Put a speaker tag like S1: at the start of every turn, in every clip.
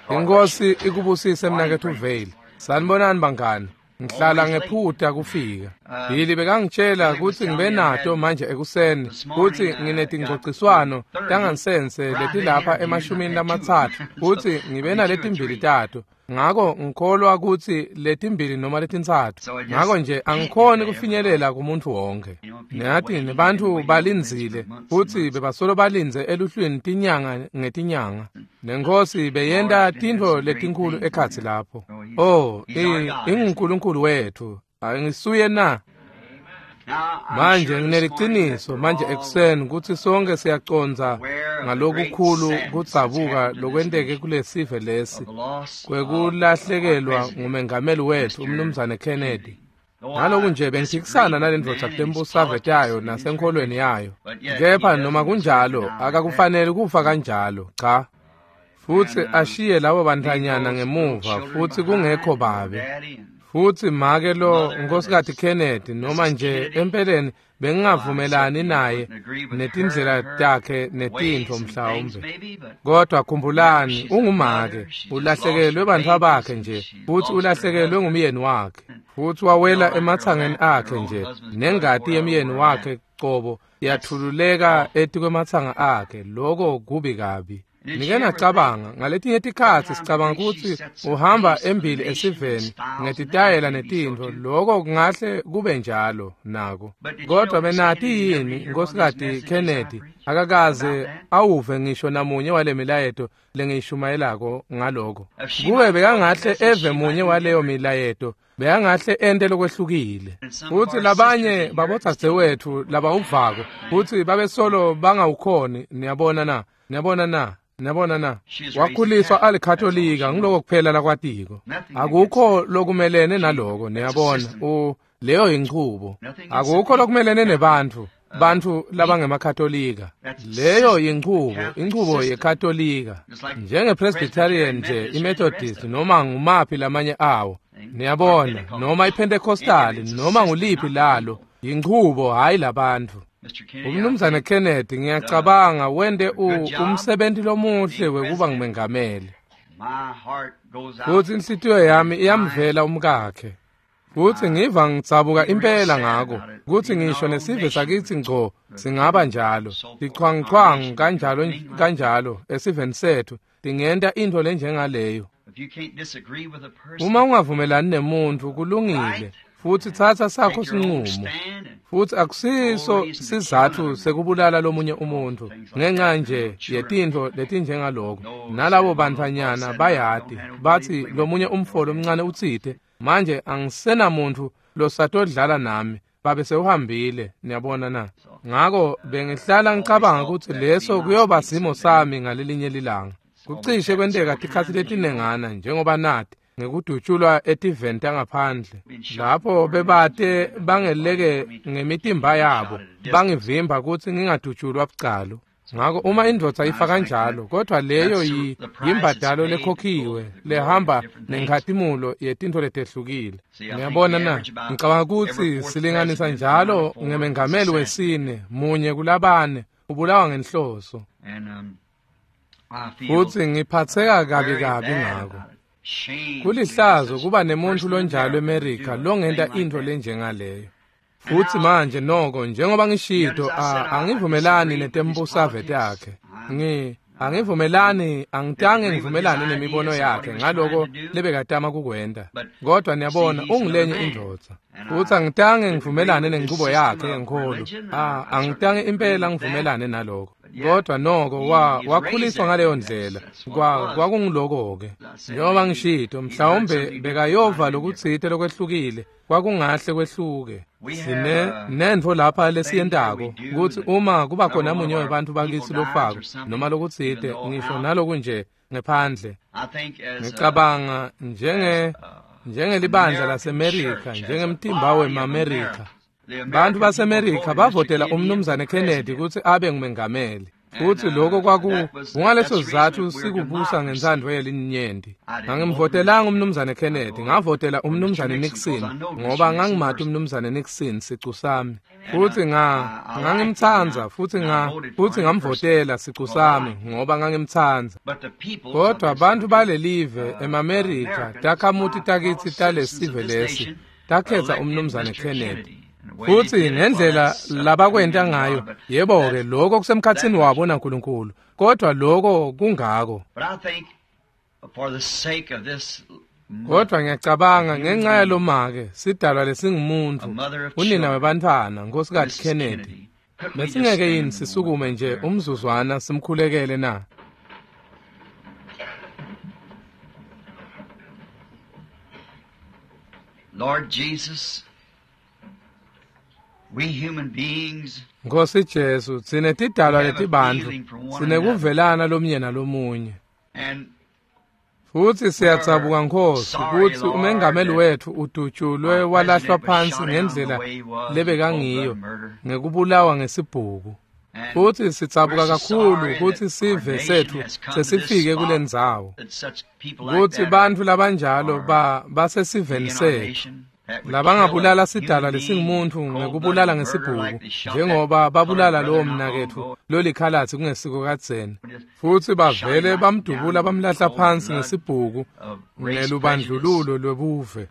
S1: Inkosi ikubusise mnaketfu Vale. Sanibonani bangani. Ngihlala ngephuta kufika. Billy bekangitshela kutsi ngibe nato manje ekuseni kutsi nginetingcociswano tangansense letilapha 30 kutsi ngibe naletimbili tato. Ngako ngikholwa kutsi letimbili noma letintsatfu. Ngako nje angikhoni kufinyelela kumuntu wonke. Niyati nebantfu balindzile futsi bebasolo balindze eluhlwini tinyanga ngetinyanga. Nenkosi beyenta tintfo letinkhulu ekhatsi lapho. Oh, inguNkulunkulu wethu. Angisuye na? Manje ngineliciniso manje ekuseni kutsi sonke siyacondza ngalokukhulu kudzabuka lokwenteke kulesive lesi kwekulahlekelwa ngumengameli wethu umnumzane Kennedy. Naloku nje bengiphikisana nalendvodza kutembusave tayo nasenkholweni yayo. Kepha noma kunjalo akakufanele kufa kanjalo, cha. Futsi ashiye labo bantfanyana ngemuva futsi kungekho babe. Futsi make lo Nkosikazi Kennedy noma nje empeleni bengingavumelani naye netindlela takhe netintfo mhlawumbe. Kodwa khumbulani ungumake, ulahlekelwe bantfwa bakhe nje futsi ulahlekelwe ngumyeni wakhe. Futsi wawela ematsangeni akhe nje nengati yemyeni wakhe cobo yathululeka etikwematsanga akhe. Lokho kubi kabi. Nike nacabanga ngaletinye tikhatsi sicabanga kutsi uhamba embili esiveni ngetitayela netintfo, lokho kungahle kube njalo nako. Kodwa benati yini Nkosikazi Kennedy akakaze awuve ngisho namunye wale milayeto lengiyishumayelako ngaloko. Kube bekangahle eve munye waleyo milayeto bekangahle ente lokwehlukile. Futsi labanye babodzadzewetfu labawuvako futsi babesolo bangawukhoni. Niyabona na? Niyabona na? Niyabona na? Wakhuliswa alikatolika, ngiloko kuphela lakwatiko. Akukho lokumelene naloko, niyabona. Leyo yinchubo. Akukho lokumelene nebantfu, bantfu labangemakatolika. Leyo yinchubo, inchubo yekatolika. Njenge-Presbyterian nje, iMethodist noma ngumaphi lamanye awo. Niyabona, noma iPentecostal, noma nguliphi lalo, yinchubo hayi labantfu. Umnumzane Kennedy ngiyacabanga wente umsebenti lomuhle wekuba ngumengameli. Futsi inhlitiyo yami iyamvela umkakhe. Futsi ngiva ngidzabuka impela ngako kutsi ngisho nesive sakitsi ngco singaba njalo. Tichwangchwang kanjalo kanjalo esiveni setfu tingenta intfo lenjengaleyo. Uma ungavumelani nemuntfu kulungile. Futsi tsatsa sakho sinqumo. Futsi akusiso sizatfu sekubulala lomunye umuntfu ngenxa nje yetintfo letinjengaloko. Nalabo bantfwanyana bayati batsi lomunye umfo lomncane utsite manje angisenamuntfu losatodlala nami babe sewuhambile. Niyabona na? Ngako bengihlala ngicabanga kutsi leso kuyoba simo sami ngalelinye lilanga. Kucishe kwenteka tikhatsi letinengana njengoba nati ngekudutshulwa etiveni tangaphandle lapho bebate bangeleke ngemitimba yabo bangivimba kutsi ngingadutshulwa bucalo. Ngako uma indvodza ifa kanjalo, kodwa leyo yimbadalo lekhokhiwe lehamba nenkhatimulo yetintfo letehlukile. Niyabona na? Ngicabanga kutsi silinganisa njalo ngemengameli wesine munye kulabane ubulawa ngenhloso. Futsi ngiphatseka kabi kabi ngako. Kulihlazo kuba nemuntfu lonjalo eMerika longenta intfo lenjengaleyo. Futsi manje noko njengoba ngishito angivumelani netembusave takhe. Angivumelani, angitange ngivumelane nemibono yakhe ngaloko lebekatama kukwenta. Kodwa niyabona ungilenye indvodza. Futsi angitange ngivumelane nenchubo yakhe yenkholo. Angitange impela ngivumelane naloko. Kodwa noko wakhuliswa ngaleyo ndlela. Kwakungiloko-ke. Njengoba ngishito mhlawumbe bekayova lokutsite lokwehlukile kwakungahle kwehluke. Sine nentfo lapha lesiyentako kutsi uma kuba khona munye webantfu bakitsi lofako noma lokutsite ngisho naloku nje ngephandle. Ngicabanga njengelibandla laseMerika, njengemtimba wemaMerika. Bantfu baseMerika bavotela umnumzane Kennedy kutsi abe ngumengameli. Futsi lokho kungaleso sizatfu sikubusa ngentsandvo yelinyenti. Angimvotelanga umnumzane Kennedy, ngavotela umnumzane Nixon ngoba ngangimati umnumzane Nixon sicu sami. Futsi ngangimtsandza futsi ngamvotela sicu sami ngoba ngangimtsandza. Kodwa bantfu balelive emaMerika takhamuti takitsi talesive lesi takhetsa umnumzane Kennedy. Futsi ngendlela labakwenta ngayo, yebo-ke lokho kusemkhatsini wabo naNkulunkulu, kodwa lokho kungako. Kodwa ngiyacabanga ngenxa yalomake sidalwa lesingumuntu, unina webantfwana, Nkosikazi Kennedy. Besingeke yini sisukume nje umzuzwana simkhulekele na?
S2: Lord Jesus, we human beings,
S1: Nkosi Jesu, tsine tidalwa letibantfu sinekuvelana lomunye nalomunye. Futsi siyatsabuka Nkosi kutsi umengameli wetfu udutshulwe walahlwa phansi ngendlela lebekangiyo ngekubulawa ngesibhuku. Futsi sitsabuka kakhulu kutsi sive setfu sesifike kulendzawo, kutsi bantfu labanjalo basesiveni setfu labangabulala sidalwa lesingumuntfu ngekubulala ngesibhuku njengoba babulala lowo mnaketfu lolikhalatsi kungesiko kadzeni. Futsi bavele bamdubula bamlahla phansi ngesibhuku ngelubandlululo lwebuve.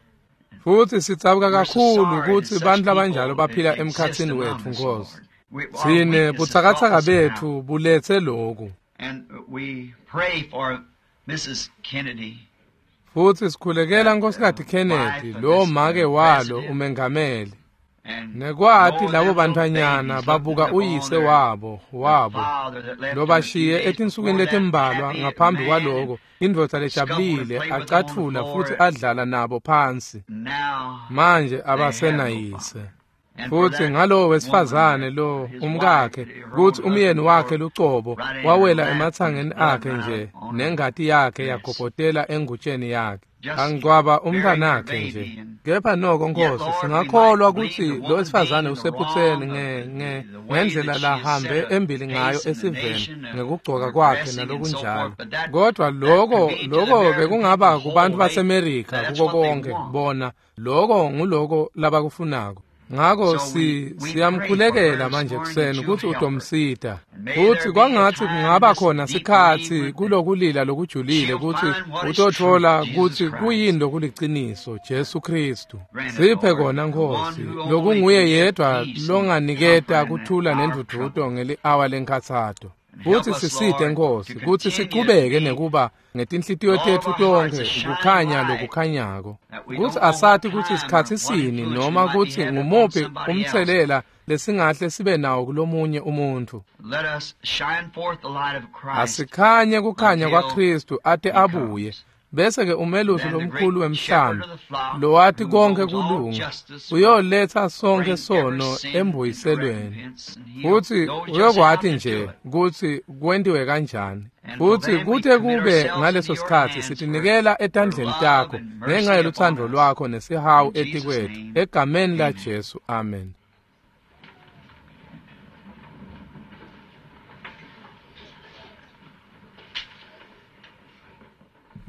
S1: Futsi sitsabuka kakhulu kutsi bantfu labanjalo baphila emkhatsini wetfu Nkosi. Tsine butsakatsaka betfu buletse loku. Futsi sikhulekela Nkosikazi Kennedy, lo make walo umengameli. Nekwati labo bantfwanyana babuka uyise wabo lobashiye etinsukwini letimbalwa ngaphambi kwaloko, indvodza lejabulile acathula futsi adlala nabo phansi. Manje abasenayise. Futsi ngalowo wesifazane lo umkakhe kutsi umyeni wakhe lucobo wawela ematsangeni akhe nje nengati yakhe yagobhotela engutsheni yakhe. Angcwaba umntwanakhe nje. Kepha noko Nkosi singakholwa kutsi lo wesifazane usephutseni ngendlela lahambe embili ngayo esiveni ngekugcoka kwakhe nalokunjalo. Kodwa lokho bekungaba kubantu baseMerika kuko konke bona lokho nguloko labakufunako. Ngako siyamkhulekela manje kuseni kutsi utomsita. Futsi kwangatsi kungaba khona sikhatsi kulokulila lokujulile kutsi utotfola kutsi kuyini lokuliciniso Jesu Khristu. Siphe kona Nkosi, lokunguye yedwa longaniketa kuthula nendvudvuto ngeli-awa lenkhatsato. Futsi sisite Nkosi kutsi sichubeke nekuba ngetinhlitiyo tetfu tonkhe kukhanya lokukhanyako, kutsi asati kutsi sikhatsi sini noma kutsi ngumuphi umtselela lesingahle sibe nawo kulomunye umuntfu. Asikhanye kukhanya kwaKhristu ate abuye, bese-ke umelusi lomkhulu wemhlambi lowati konke kulunga uyoletsa sonke sono embuyiselweni. Futsi uyokwati nje kutsi kwentiwe kanjani. Futsi kute kube ngaleso sikhatsi sitinikela etandleni takho ngenxa yelutsandvo lwakho nesihawu etikwetfu. Egameni laJesu, amen.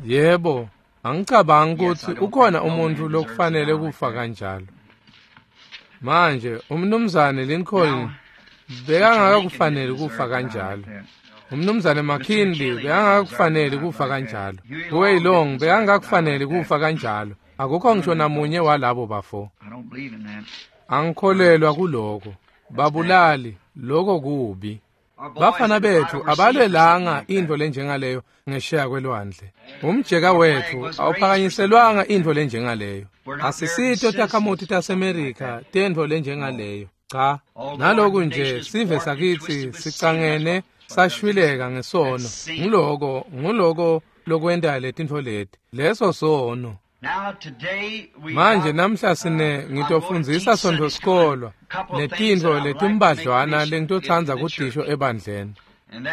S1: Yebo, angicabangi kutsi ukhona umuntfu lokufanele kufa kanjalo. Manje umnumzane Lincoln bekangakakufaneli kufa kanjalo. Umnumzane McKinley bekangakakufaneli kufa kanjalo. Huey Long bekangakakufaneli kufa kanjalo. Akukho ngisho namunye walabo bafo. Angikholelwa kuloko. Babulali, lokho kubi. Bafana betfu abalwelanga intfo lenjengaleyo ngesheya kwelwandle. Umjeka wetfu awuphakanyiselwanga intfo lenjengaleyo. Asisito takhamuti taseMerika tentfo lenjengaleyo. Cha, naloku nje sive sakitsi sicangene sashwileka ngesono. Nguloko lokwenta letintfo leti. Leso sono. Manje namhla sine ngitofundzisa Sontfo sikolwa netintfo letimbadlwana lengitotsandza kudisho ebandleni.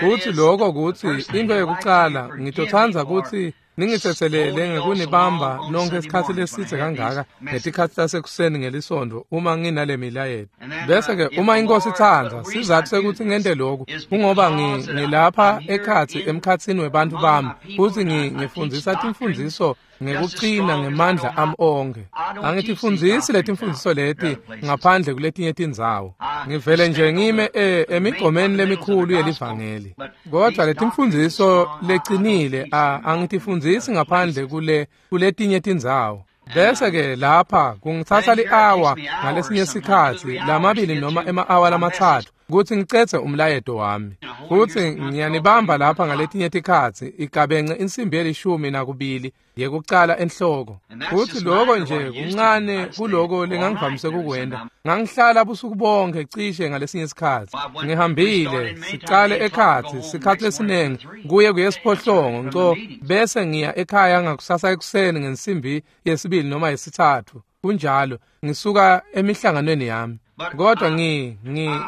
S1: Futsi lokho kutsi into yekucala ngitotsandza kutsi Ningitsetselele ngekunibamba nonke isikhatsi lesidze kangaka ngetikhatsi tasekuseni ngelisontfo uma nginale milayeto. Bese-ke uma iNkosi itsandza, sizatfu sekutsi ngente loku kungoba ngilapha ekhatsi emkhatsini webantfu bami futsi ngifundzisa timfundziso ngekucina ngemandla ami onkhe. Angitifundzisi letimfundziso leti ngaphandle kuletinye tindzawo. Ngivele nje ngime emigomeni lemikhulu yelivangeli. Kodwa letimfundziso lecinile angitifundzisi ngaphandle kuletinye tindzawo. Bese-ke lapha kungitsatsa li-awa ngalesinye sikhatsi lamabili noma ema-awa lamathathu kutsi ngicedze umlayeto wami. Futsi ngiyanibamba lapha ngaletinye tikhatsi igabence insimbi ye-12 yekucala enhloko. Futsi loko nje kuncane kuloko lengangivamise kukwenta. Ngangihlala busuku bonke cishe ngalesinye sikhatsi. Ngihambile sicale ekhatsi sikhatsi lesiningi kuye kuyesiphohlongo ngco bese ngiya ekhaya ngakusasa ekuseni ngensimbi 2 noma 3. Kunjalo ngisuka emihlanganweni yami. Kodwa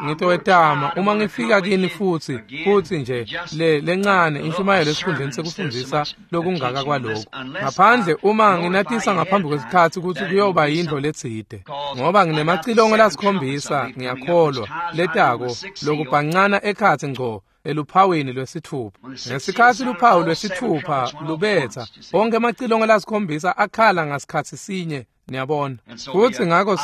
S1: ngitowetama uma ngifika kini futsi nje lencane inshumayelo esikhundleni sekufundzisa lokungaka kwalokhu. Ngaphandle uma nginatisa ngaphambi kwesikhatsi kutsi kuyoba yintfo letsite. Ngoba nginemacilongo lasikhombisa ngiyakholwa letako lokubhancana ekhatsi ngco eluphawini lwesithupha. Ngesikhatsi luphawu lwesithupha lubetsa, onke emacilongo lasikhombisa akhala ngasikhatsi sinye. Niyabona. Futsi ngako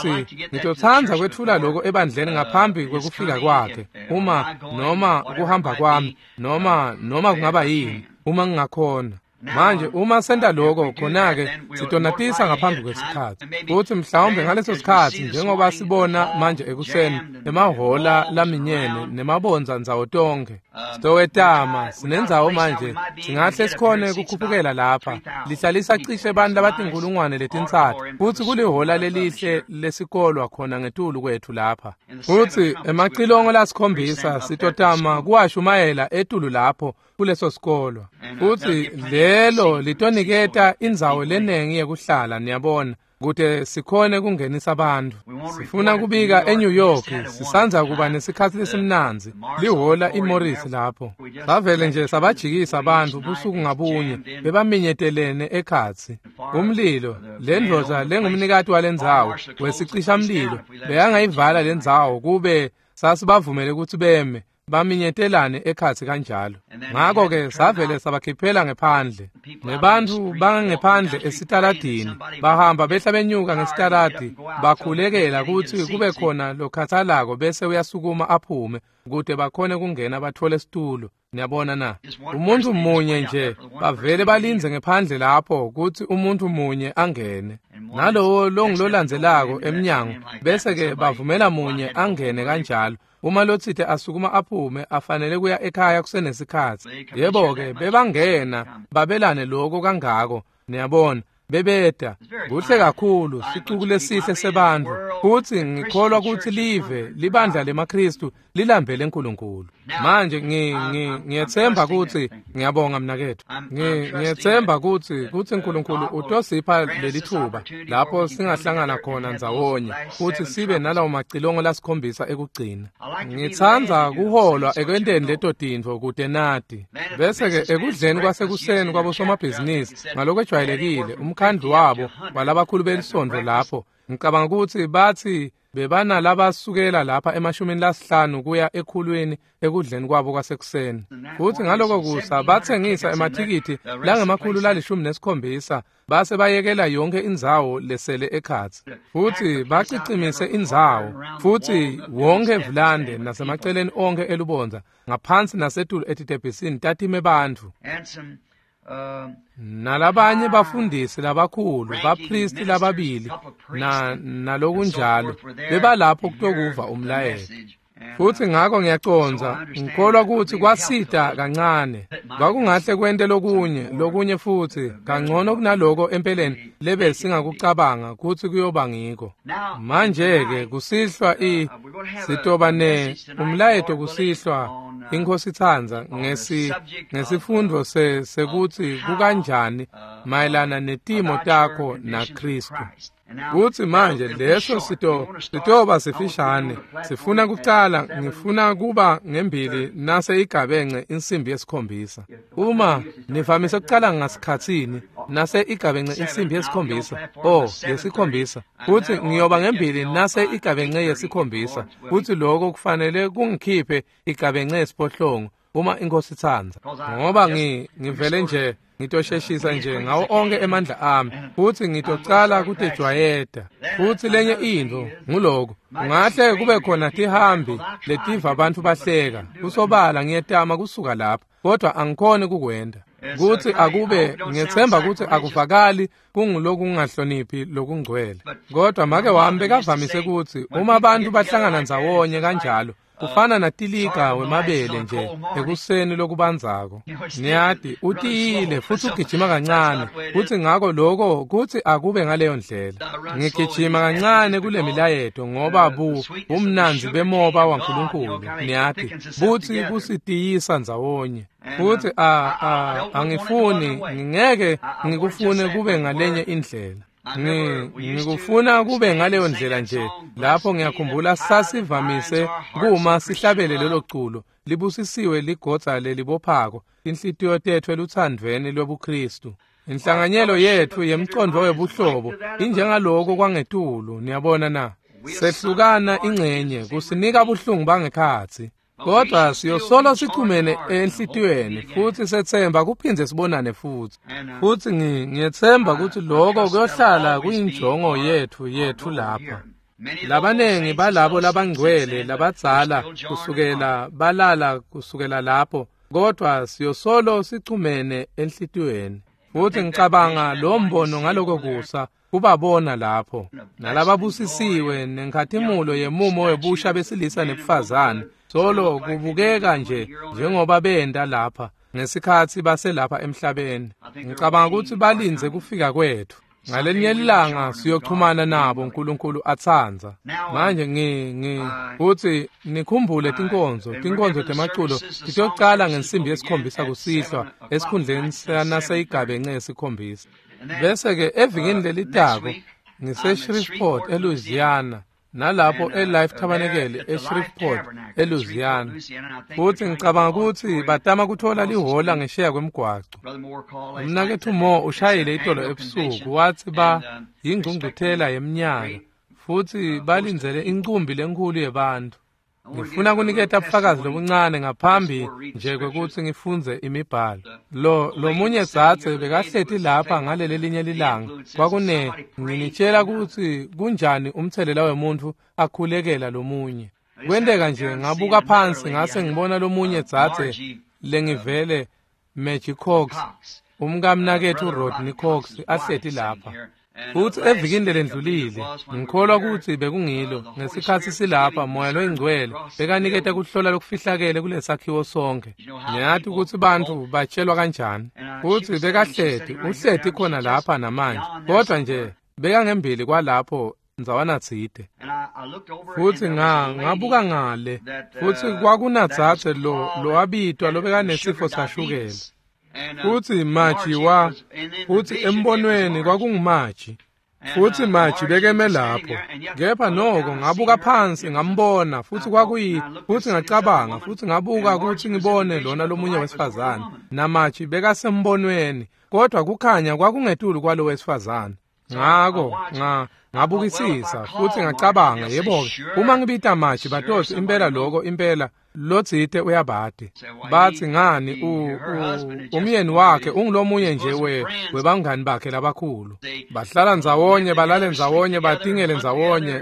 S1: ngitotsandza kwetfula lokho ebandleni ngaphambi kwekufika kwakhe, uma noma kuhamba kwami noma kungaba yini, uma ngingakhona. Manje uma senta lokho khona-ke sitonatisa ngaphambi kwesikhatsi. Futsi mhlawumbe ngaleso sikhatsi njengoba sibona manje ekuseni emahhola laminyene nemabondza ndzawo tonkhe. Sitowetama sinendzawo manje singahle sikhone kukhuphukela lapha. Lihlalisa cishe bantfu labatinkhulungwane 3 futsi kulihhola lelihle lesikolwa khona ngetulu kwethu lapha. Futsi emacilongo lasikhombisa sitotama kuwashumayela etulu lapho kuleso sikolwa. Futsi lelo litoniketa indzawo lenengi yekuhlala, niyabona, kute sikhone kungenisa abantu. Sifuna kubika eNew York, sisandza kuba nesikhatsi lesimnandzi, lihhola iMorris lapho. Savele nje sabajikisa abantu busuku ngabunye, bebaminyetelene ekhatsi. Umlilo, lendvodza lengumnikati walendzawo, wesicishamlilo, beyangayivala lendzawo kube sasibavumele kutsi beme baminyetelane ekhatsi kanjalo. Ngako-ke savele sabakhiphela ngephandle. Nebantfu bangephandle esitaladini bahamba behla benyuka ngesitaladi bakhulekela kutsi kube khona lokhatsalako bese uyasukuma aphume kute bakhone kungena batfole situlo. Niyabona na? Umuntu munye nje bavele balindze ngephandle lapho kutsi umuntu munye angene. Nalowo longulolandzelako emnyango bese-ke bavumela munye angene kanjalo. Uma lotsite asukuma aphume afanele kuya ekhaya kusenesikhatsi. Yebo-ke bebangena babelane lokho kangako. Niyabona, bebeda kuhle kakhulu sicuku lesihle sebantfu. Futsi ngikholwa kutsi live libandla lemaKhristu lilambele uNkulunkulu. Manje ngiyetsemba kutsi ngiyabonga mnaketfu. Ngiyetsemba kutsi uNkulunkulu utosipha lelithuba lapho singahlangana khona ndzawonye futsi sibe nalawo macilongo lasikhombisa ekugcina. Ngitsandza kuholwa ekwenteni leto tintfo kute nati. Bese-ke ekudleni kwasekuseni kwabosomabhizinisi ngalokwejwayelekile umkhandlu wabo walabakhulu belisondvo lapho ngicabanga kutsi batsi bebanalabasukela lapha e-50 kuya 100 ekudleni kwabo kwasekuseni. Futsi ngaloko kusa batsengisa emathikithi langama-117 base bayekela yonke indzawo lesele ekhatsi. Futsi bacicimise indzawo futsi wonke vulande nasemaceleni onke elubondza ngaphansi nasetulu etitebhisini tatime bantfu. Nalabanye bafundisi labakhulu, bapristi lababili nalokunjalo bebalapho kutokuva umlayeto. Futsi ngako ngiyacondza, ngikholwa kutsi kwasita kancane. Kwakungahle kwente lokunye futsi kangcono kunaloko empeleni lebe singakucabanga kutsi kuyoba ngiko. Manje-ke kusihlwa sitoba ne umlayeto kusihlwa iNkhosi itsandza ngesifundvo sekutsi kukanjani mayelana netimo takho naKhristu. Kutsi manje leso sitoba sifishane. Sifuna kucala, ngifuna kuba ngembili nase igabence insimbi yesikhombisa. Uma nivamise kucala ngasikhatsini nase igabence insimbi yesikhombisa. Oh, yesikhombisa. Kutsi ngiyoba ngembili nase igabence yesikhombisa. Kutsi lokho kufanele kungikhiphe igabence yesiphohlongo uma inkosi itsandza. Ngoba ngivele nje ngitosheshisa nje ngawo onke emandla ami futhi ngitocala kutejwayeta. Futhi lenye intfo nguloko ungahle kube khona tihambi letiva abantu bahleka. Kusobala ngiyetama kusuka lapha kodwa angikhoni kukwenta. Kutsi akube ngiyetsemba kutsi akuvakali kungulokungahloniphi lokungcwele. Kodwa make wami bekavamise kutsi uma abantu bahlangana ndzawonye kanjalo kufana natilika wemabele nje ekuseni lokubandzako. Niyati utiyile futhi ugijima kancane futhi ngako lokho kutsi akube ngaleyo ndlela. Ngigijima kancane kule milayeto ngoba bumnandzi bemoba waNkulunkulu niyati buthi kusitiyisa ndzawonye. Futhi angifuni ngingeke ngikufune kube ngalenye indlela. Ngikufuna kube ngaleyo ndlela nje. Lapho ngiyakhumbula sasivamise kuma sihlabele lelo culo libusisiwe ligodza lelibophako inhlitiyo tethu eluthandvweni lwebuKristu. Inhlanganyelo yethu yemcondvo webuhlobo injengaloko kwangetulu, niyabona na. Sehlukana ingcenye kusinika buhlungu bangekhatsi. Kodwa siyosolo sichumene enhlitiyweni futhi sethemba kuphindze sibonane futhi. Futhi ngiyethemba ukuthi lokho kuyohlala kuyinjongo yethu lapha. Labanengi balabo labangcwele labadzala kusukela balala kusukela lapho, kodwa siyosolo sichumene enhlitiyweni. Futhi ngicabanga lo mbono ngaloko kusa kubabona lapho nalababusisiwe nenkhatimulo yemumo webusha besilisa nebufazane. Solo kubukeka nje njengoba benda lapha ngesikhatsi baselapha emhlabeni. Ngicabanga ukuthi balindze kufika kwethu. Ngalenye ilanga siyoxhumana nabo uNkulunkulu atsandza. Manje kuthi nikhumbule tinkonzo temaculo titocala ngensimbi yesikhombisa kusihlwa esikhundleni sanaseyigabence yesikhombisa. Bese ke evikini lelitako ngise Shreveport eLouisiana. Nalapho eLife Tabernacle eShreveport eLouisiana. Futhi ngicabanga ukuthi batama kuthola lihola ngesheya kwemgwaco. Umnakethu Mo ushayile itolo ebusuku wathi ba yingcungcuthela yeminyaka futhi balindzele incumbi lenkulu yebantu. Ngifuna kuniketa ubufakazi lobuncane ngaphambi nje kwekuthi ngifunze imibhalo. Lo munye dzadze bekahleti lapha ngaleli linye lilanga kwakune nginitshela ukuthi kunjani umthelela wemuntu akhulekela lomunye. Kwenteka nje ngabuka phansi ngase ngibona lomunye dzadze lengivele Maggie Cox, umkamnakethu Rodney Cox ahleti lapha. Futhi evikini lelendlulile ngikholwa ukuthi bekungilo ngesikhatsi silapha moya loyingcwele bekaniketa kuhlola lokufihlakele kulesakhiwo sonke. Niyati ukuthi bantfu batshelwa kanjani. Futhi bekahleti uhleti khona lapha namanje kodwa nje bekangembili kwalapho ndzawana tsite. Futhi ngabuka ngale futhi kwakunadzadze lowabitwa lobekanesifo sashukela. Futhi Maji futhi embonweni kwakunguMaji. Futhi Maji bekeme lapho. Kepha noko ngabuka phansi ngambona futhi futhi ngacabanga futhi ngabuka ukuthi ngibone lona lomunye wesifazane. NaMaji bekasembonweni kodwa kukhanya kwakungetulu kwalo wesifazane. Ngako ngabukisisa futhi ngacabanga yebo uma ngibita Maji batothi impela lokho impela lotsite uyabade. Bathi ngani umyeni wakhe ungulomunye nje webangani bakhe labakhulu. Bahlala ndzawonye balale ndzawonye batingele ndzawonye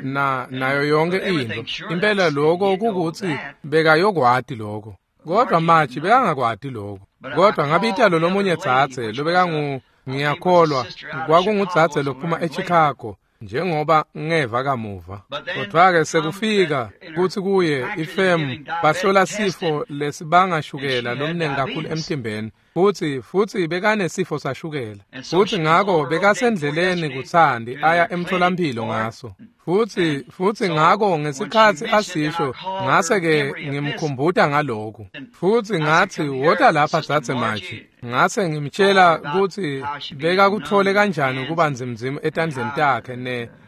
S1: nayo yonke into. Impela lokho kukuthi bekayokwati lokho. Kodwa Maji bekangakwati lokho. Kodwa ngabita lo lomunye dzadze lobekangu ngiyakholwa kwakungudzadze lophuma eChicago njengoba ngeva kamuva. Kodwa-ke sekufika kuthi kuye ifemu bahlola sifo lesibangashukela lomningi kakhulu emtimbeni futhi bekanesifo sashukela. Futhi ngako bekasendleleni kuthandi aya emtholampilo ngaso. Futhi ngako ngesikhatsi asisho ngase-ke ngimkhumbuta ngalokhu. Futhi ngathi wota lapha dzadze Maji. Ngase ngimtshela kutsi bekakuthole kanjani kuba nzimnzimu etandleni takhe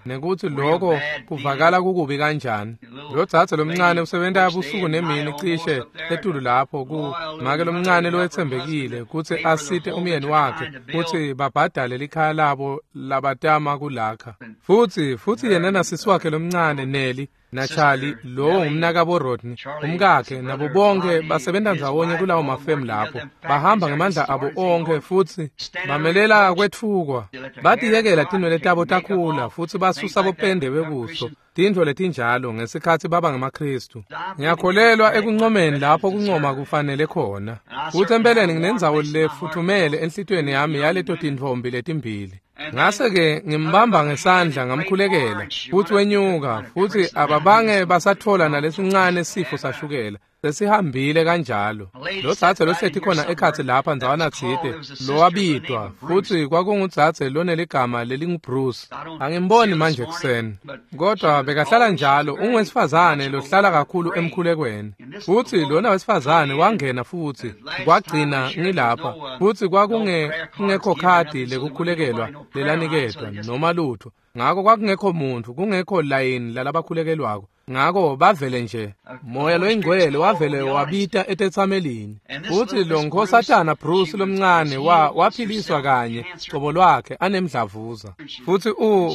S1: nekuthi lokho kuvakala kukubi kanjani. Lo dzadze lomncane usebenta busuku nemini cishe etulu lapho ku make lomncane lowetsembekile kutsi asite umyeni wakhe kutsi babhadale likhaya labo labatama kulakha. Futsi yena nasisi wakhe lomncane Nelly naCharlie lowo ngumnakabo Rodney umkakhe nabo bonke basebenza ndzawonye kulawo mafemu lapho bahamba ngemandla abo onke futsi bamelela kwetfukwa batiyekela tinwele tabo takhula futsi basusa bopende bebuso tintfo letinjalo ngesikhatsi baba ngemaKhristu. Ngiyakholelwa ekuncomeni lapho kuncoma kufanele khona. Futsi empeleni nginendzawo lefuthumele enhlitiyweni yami yaleto tintfombi letimbili. Ngase-ke ngimbamba ngesandla ngamkhulekela futsi wenyuka futsi ababange basathola nalesincane sifo sashukela sesihambile kanjalo. Lo dzadze lohleti khona ekhatsi lapha ndzawana tsite lowabitwa futsi kwakungudzadze loneligama lelinguBruce. Angimboni manje ekuseni kodwa bekahlala njalo ungwesifazane lohlala kakhulu emkhulekweni. Futsi lona wesifazane wangena futsi kwagcina ngilapha futsi kwakungekho khadi lekukhulekelwa lelaniketwa noma lutho. Ngako kwakungekho muntfu kungekho layini lalabakhulekelwako. Ngako bavele nje moya loyingcwele wavele wabita etetsamelini. Futsi lo nkhosatana Bruce lomncane waphiliswa kanye cobo lwakhe anemdlavuza. Futsi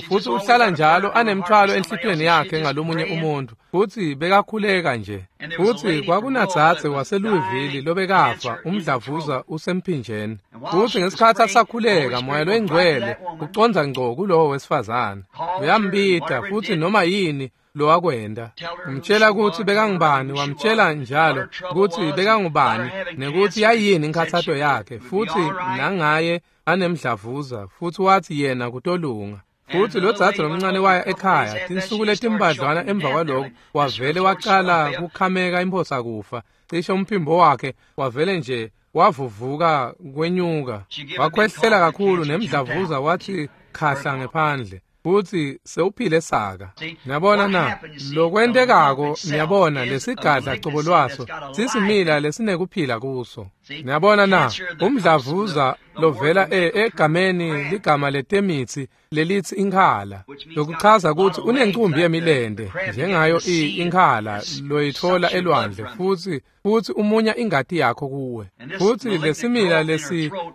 S1: futsi uhlala njalo anemthwalo enhlitiyweni yakhe ngalomunye umuntu. Futsi bekakhuleka nje. Futsi kwakunadzadze waseLouisville lobekafa umdlavuza usemphinjeni. Futsi ngesikhatsi asakhuleka moya loyingcwele ucondza ngco kulowo wesifazane. Uyambita futsi noma yini lowakwenda. Umtshela kutsi bekangubani, wamtshela njalo kutsi bekangubani nekuthi yayini inkhathato yakhe futsi nangaye anemdlavuza futsi wathi yena kutolunga. Futsi lo dzadze lomncane waya ekhaya tinsuku letimbadlwana emva kwaloko wavele wacala kukhameka imphosa kufa. Cishe umphimbo wakhe wavele nje wavuvuka kwenyuka. Wakhwehlela kakhulu nemdlavuza wathi khahla ngephandle. Futsi sewuphile saka. Niyabona na lokwentekako niyabona lesigadla cobo lwaso sisimila lesinekuphila kuso. Niyabona na umdlavuza lovela egameni ligama letemitsi lelithi inkhala lokuchaza kutsi unencumbi yemilente njengayo inkhala loyitfola elwandle futsi umunya ingati yakho kuwe. Futsi lesimila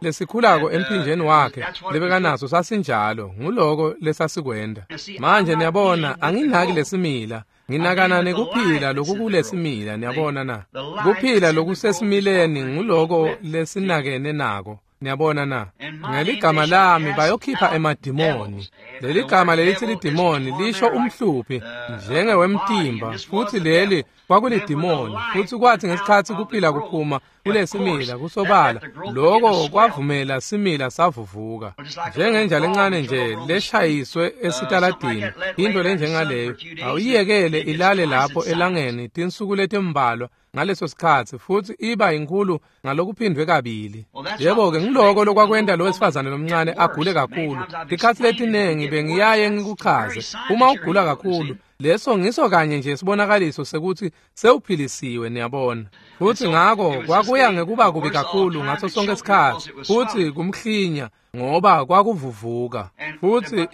S1: lesikhulako emphinjeni wakhe lebekanaso sasinjalo nguloko lesasikwenda. Manje niyabona anginaki lesimila nginakana nekuphila lokukulesimila. Niyabona na kuphila lokusesimileni nguloko lesinakene nako. Niyabona na ngeligama lami bayokhipha emadimoni. Leligama lelithi lidimoni lisho umhluphi njengewemtimba futsi leli kwakulidimoni. Futsi kwathi ngesikhatsi kuphila kuphuma kulesimila kusobala lokho kwavumela simila savuvuka njengenja lencane nje leshayiswe esitaladini into lenjengaleyo awuyiyekele ilale lapho elangeni tinsuku letimbalwa ngaleso sikhatsi futsi iba inkulu ngalokuphindwe kabili. Yebo-ke ngiloko lokwakwenta lo wesifazane lomncane agule kakhulu. Tikhatsi letinengi bengiyaye ngikuchaze uma ugula kakhulu leso ngiso kanye nje sibonakaliso sekuthi sewuphilisiwe. Niyabona futsi ngako kwakuya ngekuba kubi kakhulu ngaso sonke isikhatsi futsi kumhlinya ngoba kwakuvuvuka futsi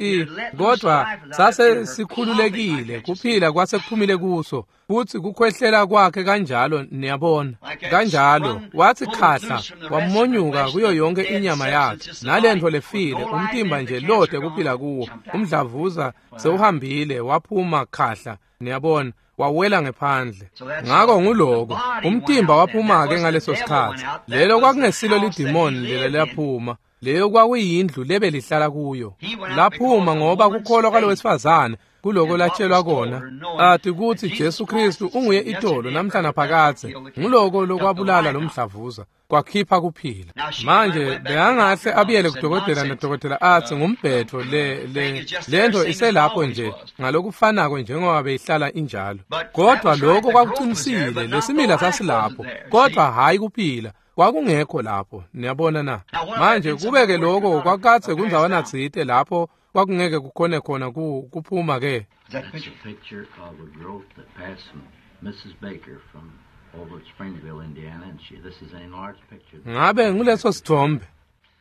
S1: kodwa sase sikhululekile kuphila kwase kuphumile kuso futsi kukhwehlela kwakhe kanjalo. Niyabona kanjalo wathi khahla wamonyuka kuyo yonke inyama yakhe nalento lefile umtimba nje lode kuphila kuwo umdlavuza sewuhambile waphuma khahla. Niyabona wawela ngephandle. Ngako nguloko umtimba waphuma ke ngaleso sikhatsi. Lelo kwakungesilo lidimoni lela laphuma. Leyo kwakuyindlu lebelihlala kuyo. Laphuma ngoba kukholwa kwalowesifazane kuloko latshelwa kona athi kutsi Jesu Kristu unguye itolo namhla naphakadze. Nguloko lokwabulala lomdlavuza kwakhipha kuphila. Manje bekangahle abuyele kudokotela nadokotela athi ngumbhetho lento iselapho nje ngalokufanako njengoba beyihlala injalo. Kodwa lokho kwakuqinisile lesimila sasilapho kodwa hayi kuphila kwakungekho lapho. Niyabona na manje kubeke lokho kwakatse kundzawana tsite lapho kwakungeke kukhone khona kuphuma ke.
S2: That's a picture of a growth that passed from Mrs. Baker from
S1: Ngabe nguleso sithombe?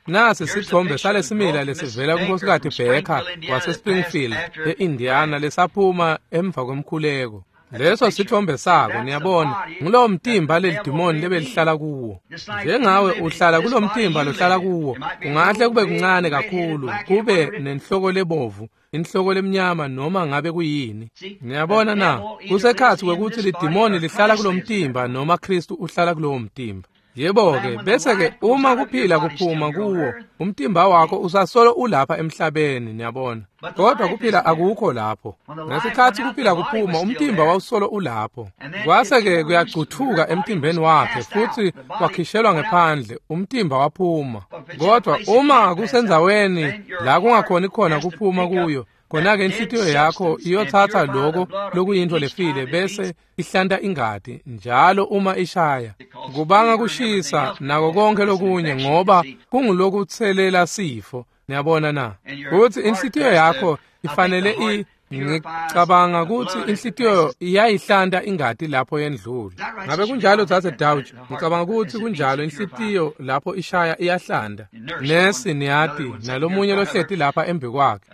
S1: Nasi sithombe salesimila lesivela kuNkosikazi Baker waseSpringfield e-Indiana lesaphuma emva kwemkhuleko. Leso sithombe sako, niyabona, ngulowo mtimba lelidimoni lebelihlala kuwo. Njengawe uhlala kulo mtimba lohlala kuwo, kungahle kube kuncane kakhulu, kube nenhloko lebovu, inhloko lemnyama noma ngabe kuyini. Niyabona na, kusekhatsi kwekutsi lidimoni lihlala kulo mtimba noma Kristu uhlala kulowo mtimba. Yebo-ke, bese-ke uma kuphila kuphuma kuwo, umtimba wakho usasolo ulapha emhlabeni, niyabona. Kodwa kuphila akukho lapho. Ngesikhatsi kuphila kuphuma, umtimba wawusolo ulapho. Kwase-ke kuyacuthuka emtimbeni wakhe futsi wakhishelwa ngephandle, umtimba waphuma. Kodwa uma kusendzaweni la kungakhoni khona kuphuma kuyo, khona-ke inhlitiyo yakho iyothatha lokho lokuyintfo lefile bese ihlanta ingati njalo uma ishaya. Kubanga kushisa nako konke lokunye ngoba kungulokutselela sifo, niyabona na? Kutsi inhlitiyo yakho ifanele ngicabanga kutsi inhlitiyo iyayihlanta ingati lapho yendlula. Ngabe kunjalo Dzadze Dauch? Ngicabanga kutsi kunjalo, inhlitiyo lapho ishaya iyahlanta. Nesi niyati nalomunye lohleti lapha embi kwakhe.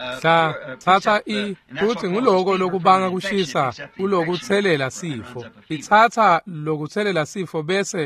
S1: Tsatsa futsi nguloko lokubanga kushisa kulokutselela sifo. Itsatsa lokutselela sifo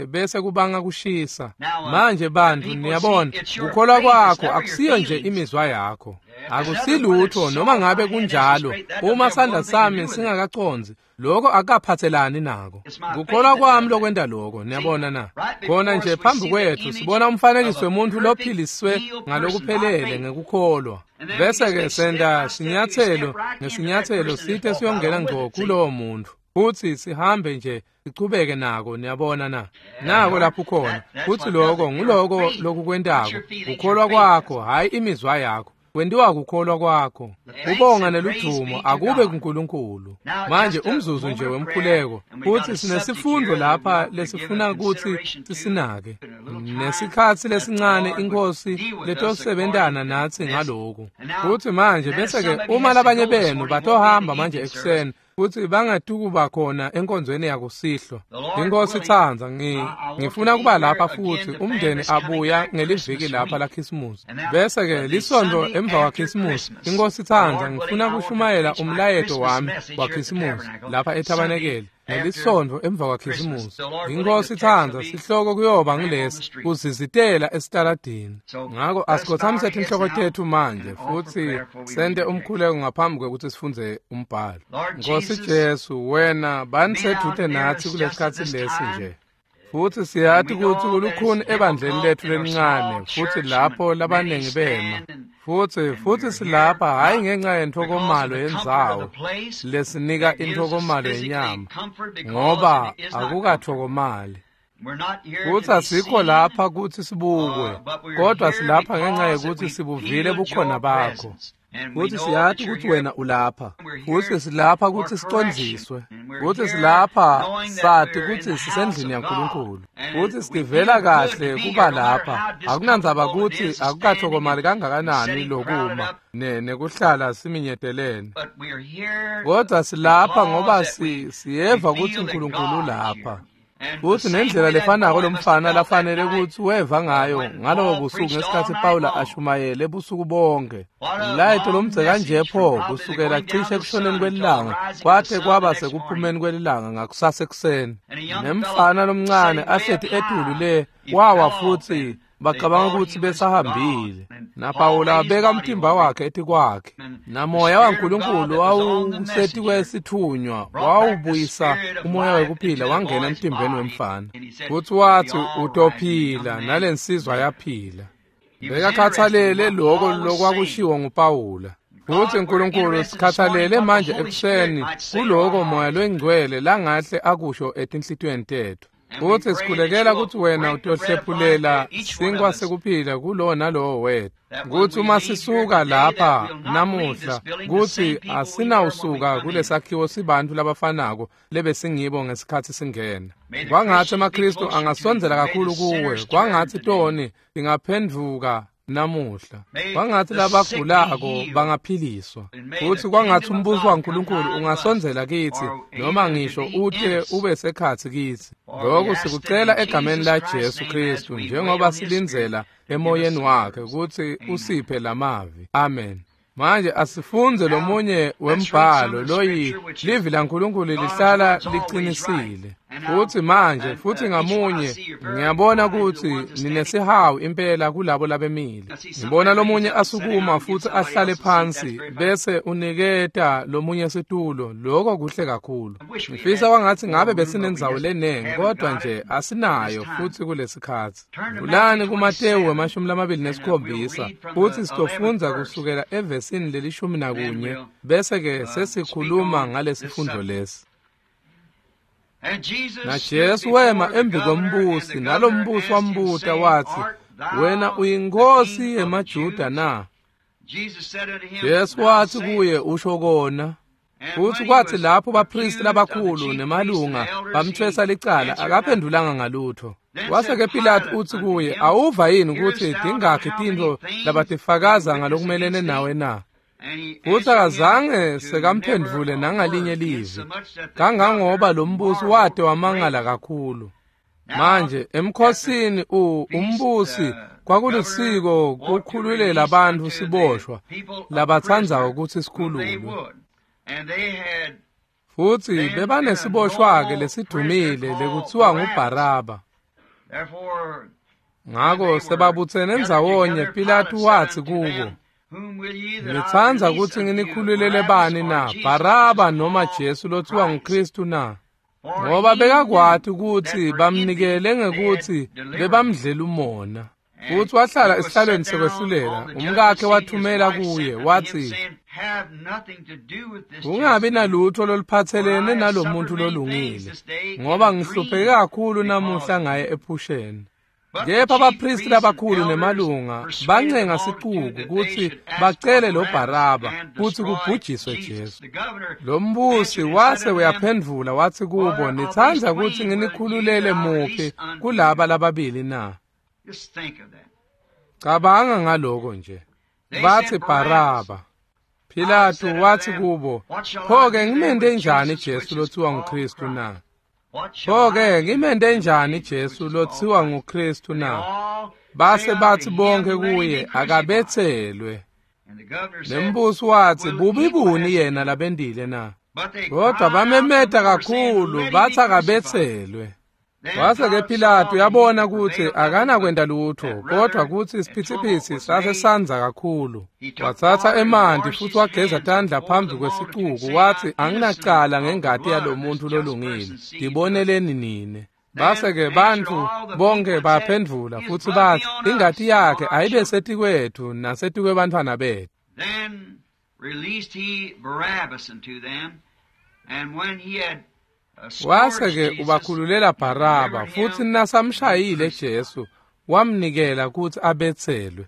S1: bese kubanga kushisa. Manje bantu niyabona, kukholwa kwakho akusiyo nje imizwa yakho. Akusilutho noma ngabe kunjalo. Uma sandla sami singakacondzi, lokho akaphathelani nako. Kukholwa kwami lokwenta lokho, niyabona na? Khona nje phambi kwethu sibona umfanekiso wemuntfu lophiliswe ngalokuphelele ngekukholwa. Bese-ke senta sinyatselo ngesinyatselo site siyongena ngco kulowo muntfu. Futsi sihambe nje sichubeke nako, niyabona na? Nako lapho khona. Futsi lokho nguloko lokukwentako. Kukholwa kwakho, hhayi imizwa yakho. Kwentiwa kukholwa kwakho. Kubonga neludumo akube kuNkulunkulu. Manje umzuzu nje wemkhuleko, futsi sinesifundo lapha lesifuna kutsi sisinake. Nesikhatsi lesincane iNkhosi letosebentana natsi ngaloku. Futsi manje bese-ke uma labanye benu batohamba manje ekuseni, futsi bangatukuba khona enkonzweni yakusihlwa. Inkosi itsandza, ngifuna kuba lapha futsi umndeni abuya ngeliviki lapha la Khisimusi. Bese-ke lisonto emva kwaKhisimusi, Inkosi itsandza, ngifuna kushumayela umlayeto wami waKhisimusi lapha ethabanekeli. Ngelisonto emva kwaKhisimusi. Inkosi itsandza, sihloko kuyoba ngilesi, kuzizitela esitaladini. Ngako asikhothamise tinhloko tetfu manje futsi sente umkhuleko ngaphambi kwekutsi sifundze umbhalo. Nkosi Jesu, wena banisedvute natsi kulesikhatsi lesi nje. Futsi siyati kutsi kulukhuni ebandleni letfu lelincane, futsi lapho labaningi bema. Futsi silapha hhayi ngenxa yentfokomalo yendzawo lesinika intfokomalo yenyama, ngoba akukatfokomali. Futsi asikho lapha kutsi sibukwe, kodwa silapha ngenxa yekutsi sibuvile bukhona bakho. Futsi siyati kutsi wena ulapha. Futsi silapha kutsi sicondziswe. Futsi silapha sati kutsi sisendlini yaNkulunkulu. Futsi sitivela kahle kuba lapha. Akunandzaba kutsi akukatfokomali kangakanani lokuma nekuhlala siminyetelene. Kodwa silapha ngoba siyeva kutsi uNkulunkulu ulapha. Futsi nendlela lefanako lomfana lafanele kutsi weva ngayo ngalobo busuku ngesikhatsi Pawula ashumayele busuku bonke. Umlayeto lomdze kanje pho kusukela cishe ekushoneni kwelilanga kwate kwaba sekuphumeni kwelilanga ngakusasa ekuseni. Nemfana lomncane ahleti etulu le wawa futsi bacabanga kutsi besahambile. NaPawula abeka umtimba wakhe etikwakhe. Namoya waNkulunkulu wawusetikwesithunywa wawubuyisa umoya wekuphila wangena emtimbeni wemfana. Futsi watsi utophila, nalensizwa yaphila. Bekakhatsalele loko lokwakushiwo nguPawula. Futsi Nkulunkulu sikhatsalele manje ekuseni kuloko moya longcwele langahle akusho etinhlitiyweni tetfu. Futsi sikhulekela kutsi wena utohlephulela sinkwa sekuphila kulowo nalowo wetfu. Kutsi uma sisuka lapha namuhla, kutsi asinawusuka kulesakhiwo sibantfu labafanako lebesingibo ngesikhatsi singena. Kwangatsi emaKhristu angasondzela kakhulu kuwe, kwangatsi toni tingaphendvuka namuhla. Kwangathi labagulako bangaphiliswa, futhi kwangathi umbuso waNkulunkulu ungasondzela kitsi, noma ngisho ute ube sekhatsi kitsi. Lokhu sikucela egameni la Jesu Kristu, njengoba silindzela emoyeni wakhe kutsi usiphe lamavi. Amen. Manje asifunze lomunye wembhalo loyi livi laNkulunkulu lihlala liqinisile. Futhi manje futhi ngamunye ngiyabona ukuthi ninesihawu impela kulabo labemile. Ngibona lomunye asukuma futhi ahlale phansi bese uniketa lomunye situlo. Lokho kuhle kakhulu. Ngifisa kwangathi ngabe besinendzawo lenengi, kodwa nje asinayo futhi kulesikhathi. Vulani kuMateyu 27 futhi sitofundza kusukela evesini leli-11 bese ke sesikhuluma ngalesifundo lesi. Na Jesu wema embi kombusi, nalombusi wambuta wathi, wena uyinkosi yemaJuda na? Jesu wathi kuye, usho kona. Futhi kwathi lapho bapristi labakhulu nemalunga bamthwesa licala, akaphendulanga ngalutho. Wase-ke Pilatu uthi kuye, awuva yini ukuthi tingakhi tintfo labatifakaza ngalokumelene nawe na? Futhi akazange sekamphendvule nangalinye livi, kangangoba lo mbusi wade wamangala kakhulu. Manje emkhosini umbusi kwakulisiko kukhululela bantfu siboshwa labatsandzako kutsi sikhululwe. Futhi bebanesiboshwa-ke lesidumile lekuthiwa nguBharaba. Ngako sebabutsene ndzawonye, Pilatu wathi kubo, nitsandza kutsi nginikhululele bani na, Baraba noma Jesu lothiwa nguKristu na? Ngoba bekakwati kutsi bamnikele ngekutsi bebamdlela umona. Futhi wahlala esihlalweni sekwehlulela, umkakhe wathumela kuye wathi, ungabi nalutho loluphathelene nalomuntu lolungile, ngoba ngihlupheke kakhulu namuhla ngaye ephusheni. Kepha abapristi labakhulu nemalunga bancenga sicuku kutsi bacele lo Baraba kutsi kubhujiswe Jesu. Lo mbusi wase uyaphendvula wathi kubo, nitsandza kutsi nginikhululele muphi kulaba lababili na? Cabanga ngaloko nje. Bathi Baraba. Pilatu wathi kubo, pho-ke ngimente njani Jesu lothiwa nguKristu na? Pho-ke ngimente njani Jesu lothiwa nguKristu na? Base bathi bonke kuye, akabetselwe. Nembusi wathi, bubi buni yena labendile na? Kodwa bamemeta kakhulu bathi akabetselwe. Wase-ke Pilatu yabona ukuthi akanakwenta lutho, kodwa kutsi isiphithiphithi sase sandza kakhulu. Wathatha emanti futhi wageza tandla phambi kwesicuku, wathi, anginacala ngengati yalomuntu lolungile, ndiboneleni nine. Base-ke bantfu bonke baphendvula futhi bathi, ingati yakhe ayibe setikwethu nasetikwebantfwana bethu.
S2: Then released he Barabbas unto them, and when he had
S1: wase-ke ubakhululela Baraba, futhi nasamshayile Jesu wamnikela kutsi abetselwe.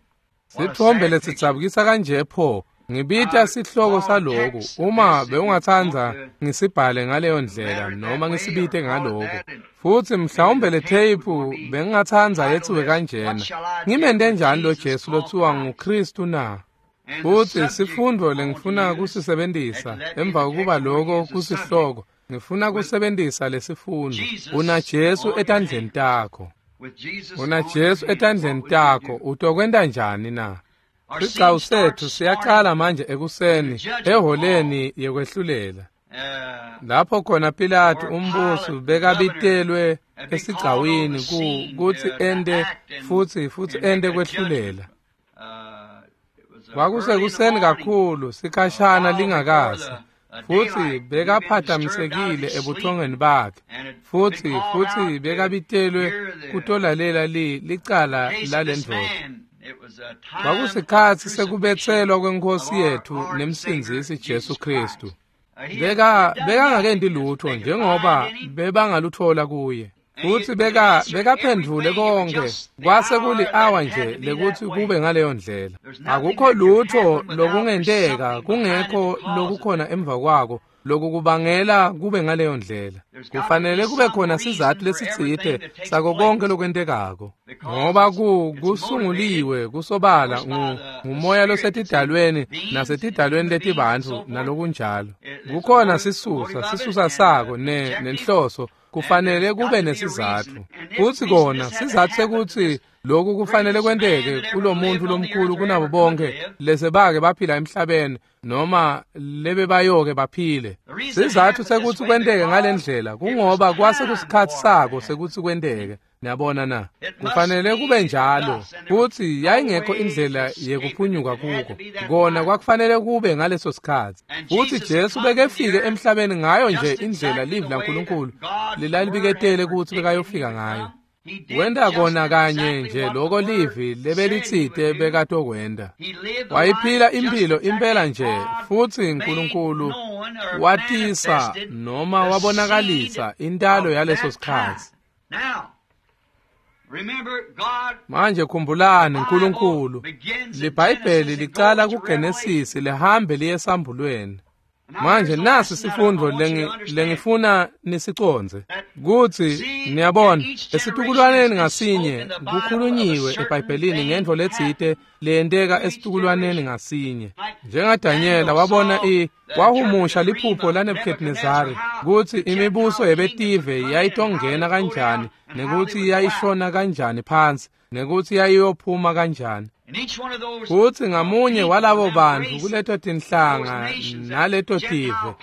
S1: Sithombe lesidzabukisa kanje pho. Ngibita sihloko saloku, uma bewungatsandza ngisibhale ngaleyo ndlela noma ngisibite ngaloko. Futhi mhlawumbe le tape bengingatsandza yethiwe kanjena, ngimente njani lo Jesu lothiwa nguKristu na? Futhi sifundo lengifuna kusisebentisa emva kokuba loko kusihloko, ngifuna kusebentisa lesifundo, una Jesu etandleni takho. Una Jesu etandleni takho, utokwenta njani na? Sigcawu sethu siyaqala manje ekuseni eholeni yekwehlulela, lapho khona Pilatu umbusi bekabitelwe esigcawini kutsi ente futhi ente kwehlulela. Kwakusekuseni kakhulu, sikhashana lingakasi, futhi bekaphathamisekile ebuthongweni bakhe, futhi bekabitelwe kutolalela licala lalendvodza. Kwakusikhatsi sekubetselwa kwenkosi yethu nemsindzisi Jesu Kristu. Bekangakenti lutho njengoba bebangaluthola kuye. Futhi bekaphendvule konke, kwase kuli-awa nje lekuthi kube ngaleyo ndlela. Akukho lutho lokungenteka kungekho lokukhona emva kwako Lokukubangela kube ngaleyo ndlela. Kufanele kube khona sizathu lesitsite sako konke lokwentekako, ngoba kusunguliwe kusobala ngumoya losetidalweni nasetidalweni letibantfu nalokunjalo. Kukhona sisusa sako nenhloso. Kufanele kube nesizatfu. Futsi kona sizatfu sekutsi lokhu kufanele kwenteke kulomuntu lomkhulu kunabo bonke lesebake baphila emhlabeni noma lebebayoke baphile. Sizatfu sekutsi kwenteke ngalendlela kungoba kwase kusikhatsi sako sekutsi kwenteke. Niyabona na? Kufanele kube njalo. Futsi yayingekho indlela yekuphunyuka kuko. Kona kwakufanele kube ngaleso sikhatsi. Futsi Jesu bekefike emhlabeni ngayo nje indlela livi laNkulunkulu lelalibiketele kutsi bekayofika ngayo. Wenta kona kanye nje loko livi lebelitsite bekatokwenta. Wayiphila imphilo impela nje, futsi Nkulunkulu watisa noma wabonakalisa intalo yaleso sikhatsi. Manje khumbulani Nkulunkulu, liBhayibheli licala kuGenesisi lihambe liye esambulweni. Manje nasi sifundvo lengifuna nisicondze kutsi niyabona esitukulwaneni ngasinye kukhulunyiwe eBhayibhelini ngentfo letsite leyenteka esitukulwaneni ngasinye. NjengaDanyela wabona wahumusha liphupho laNebuchadnezzari kutsi imibuso yebetive yayitongena kanjani nekutsi yayishona kanjani phansi nekutsi yayiyophuma kanjani. Futsi ngamunye walabo bantfu kuleto tinhlanga naleto tive,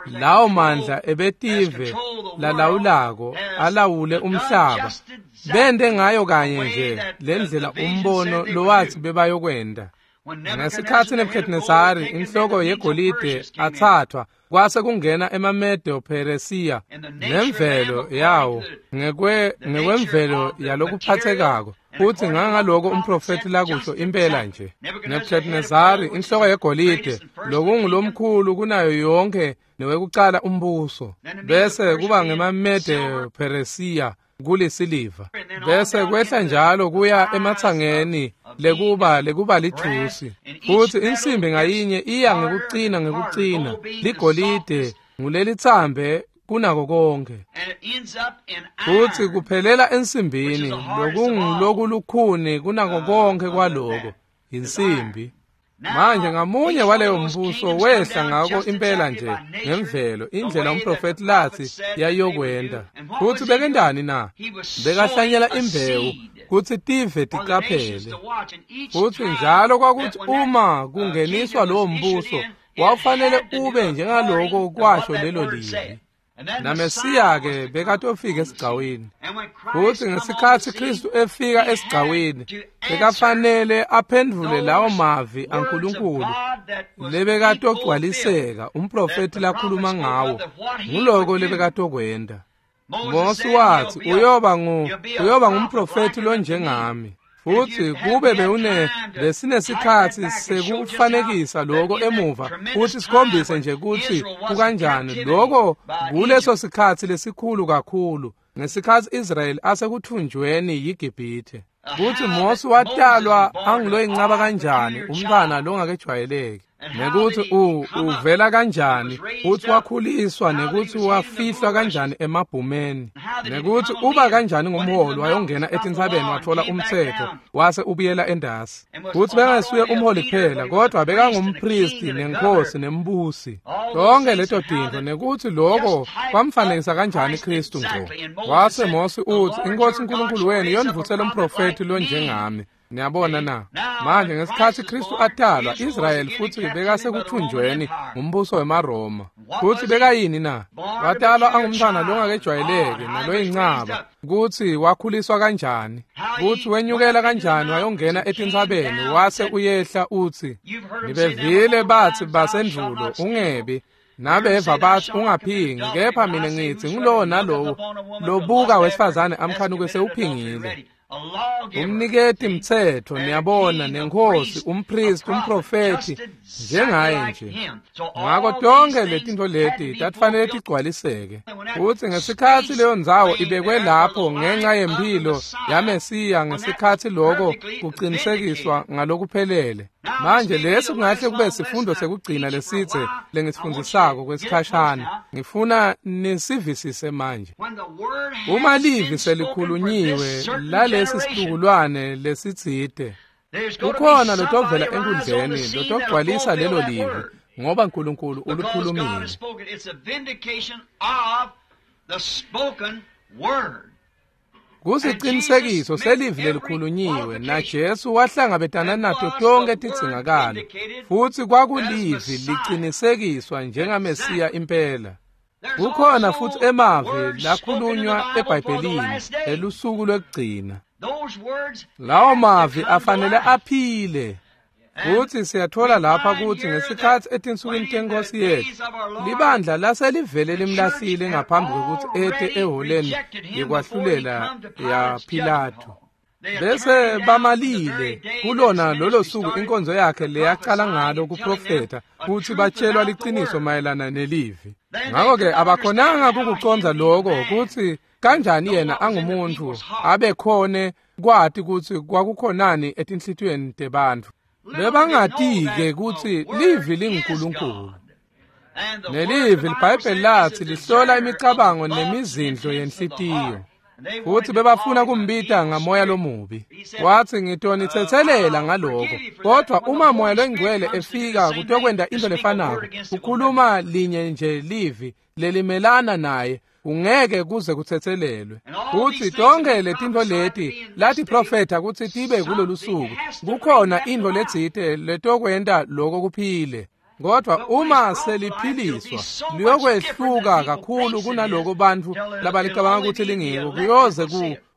S1: lawo mandla ebetive lalawulako alawule umhlaba, bente ngayo kanye nje lendlela umbono lowathi bebayokwenta. Ngesikhatsi Nebuchadnezzari inhloko yegolide athathwa, kwase kungena emaMedo Peresiya nemvelo yawo ngekwemvelo yalokuphathekako. Futsi ngangaloko umprofethi lakusho impela nje. Nebuchadnezzari inhloko yegolide lokungulomkhulu kunayo yonke newekucala umbuso, bese kuba ngemaMedo Peresiya kulisiliva, bese kwehla njalo kuya ematsangeni lekuba lithusi. Futsi insimbi ngayinye iya ngekucina, ligolide ngulelitsambe kunako konke. Futsi kuphelela ensimbini lokungulokulukhuni kunako konke kwaloko, insimbi. Manje ngamunye waleyo mbuso wehla ngako impela nje ngemvelo indlela umprofethi lathi yayokwenta. Futsi bekendani na? Bekahlanyela imbewu kutsi tive tiqaphele. Futsi njalo kwakuthi uma kungeniswa lowo mbuso wawufanele ube njengaloko kwasho lelo livi. NaMesiya-ke bekatofika esigcawini. Futsi ngesikhatsi Khristu efika esigcawini, bekafanele aphendvule lawo mavi aNkulunkulu lebekatogcwaliseka umprofethi lakhuluma ngawo. Nguloko lebekatokwenta. Mosi wathi uyoba ngumprofethi lonjengami. Futsi kube besinesikhatsi sekufanekisa lokho emuva futhi sikhombise nje kutsi kukanjani lokho kuleso sikhatsi lesikhulu kakhulu ngesikhatsi Israyeli asekuthunjweni yiGibhithe. Kutsi Mosi watalwa anguloyincaba kanjani umntwana longakejwayeleki, nekutsi uvela kanjani, kutsi wakhuliswa, nekutsi wafihlwa kanjani emabhumeni, nekutsi uba kanjani ngumholi wayongena etintsabeni watfola umtsetfo wase ubuyela endasi. Kutsi bengesuye umholi kuphela kodwa bekangumpristi nenkosi nembusi. Tonke leto tintfo nekutsi loko kwamfanekisa kanjani Khristu ngco. Wase Mosi utsi, iNkosi uNkulunkulu wenu yonivusela umprofethi lonjengami. Niyabona na? Manje ngesikhatsi Khristu atalwa, Israyeli futsi bekasekuthunjweni ngumbuso wemaRoma. Futsi bekayini na? Watalwa angumntwana longakejwayeleki naloyincaba. Kutsi wakhuliswa kanjani, kutsi wenyukela kanjani wayongena etintsabeni wase uyehla utsi, nibevile batsi basendvulo ungebi, nabeva batsi ungaphingi, kepha mina ngitsi ngulowo nalowo lobuka wesifazane amkhanuke sewuphingile. Umniketi mtsetfo, niyabona, nenkosi, umpristi, umprofethi, njengaye nje. Ngako tonke letintfo leti tatifanele tigcwaliseke. Futsi ngesikhatsi leyo ndzawo ibekwe lapho ngenxa yemphilo yaMesiya, ngesikhatsi loko kucinisekiswa ngalokuphelele. Manje lesi kungahle kube sifundo sekugcina lesitse lengisifundzisako kwesikhashana. Ngifuna nisivisise manje. Uma livi selikhulunyiwe lalesi situkulwane lesitsite, kukhona lotovela enkundleni lotogcwalisa lelo livi, ngoba uNkulunkulu ulukhulumile. Kusiqinisekiso selivi lelikhulunyiwe, naJesu wahlangabetana nato tonke tidzingakalo, futsi kwakulivi licinisekiswa njengaMesiya impela. Kukhona futsi emavi lakhulunywa eBhayibhelini elusuku lwekugcina. Lawo mavi afanele aphile. Futsi siyathola lapha kutsi ngesikhatsi etinsukwini tenkosi yethu, libandla laselivele limlahlile ngaphambi kwekutsi ete eholeni yekwahlulela ya Pilatu. Bese bamalile kulona lolo suku inkonzo yakhe leyaqala ngalo kuprofetha, kutsi batshelwa liciniso mayelana nelivi. Ngakho-ke abakhonanga kukucondza loko kutsi kanjani yena angumuntu abekhone kwati kutsi kwakukhonani etinhlitiyweni tebantfu. Bebangati-ke kutsi livi linguNkulunkulu. Nelivi liBhayibheli lathi lihlola imicabango nemizindlo yenhlitiyo. Futsi bebafuna kumbita ngamoya lomubi. Wathi, ngitonitsetselela ngaloko. Kodwa uma moya longcwele efika kutokwenta into lefanako, kukhuluma linye nje livi lelimelana naye, ungeke kuze kutsetselelwe. Futsi tonke letintfo leti latiprofetha kutsi tibe kulolu suku, kukhona intfo letsite letokwenta loko kuphile. Kodwa uma seliphiliswa liyokwehluka kakhulu kunaloko bantfu labalicabanga kutsi lingiko, kuyoze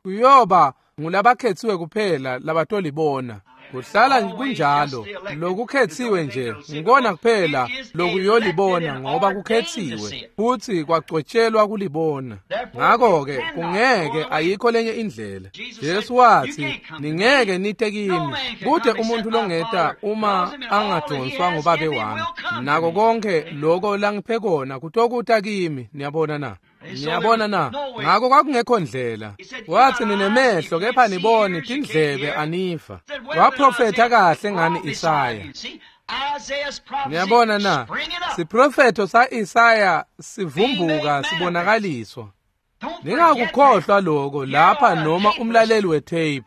S1: kuyoba ngulabakhetsiwe kuphela labatolibona. Kuhlala kunjalo, lokukhetsiwe nje ngikona kuphela lokuyolibona, ngoba kukhetsiwe futsi kwagcwetshelwa kulibona. Ngakho-ke kungeke, ayikho lenye indlela. Jesu wathi, ningeke nite kimi, kude umuntu longeta uma angadonswa ngubabe wami. Nako konke loko langiphe kona kutokuta kimi. Niyabona na? Niyabona na? Ngakho kwakungekho ndlela. Wathi, ninemehlo kepha niboni, tindlebe aniva. Waprofetha kahle ngani Isaya. Niyabona na? Siprofetho sa-Isaya sivumbuka sibonakaliswa. Ningakukhohlwa loko lapha noma umlaleli wetape,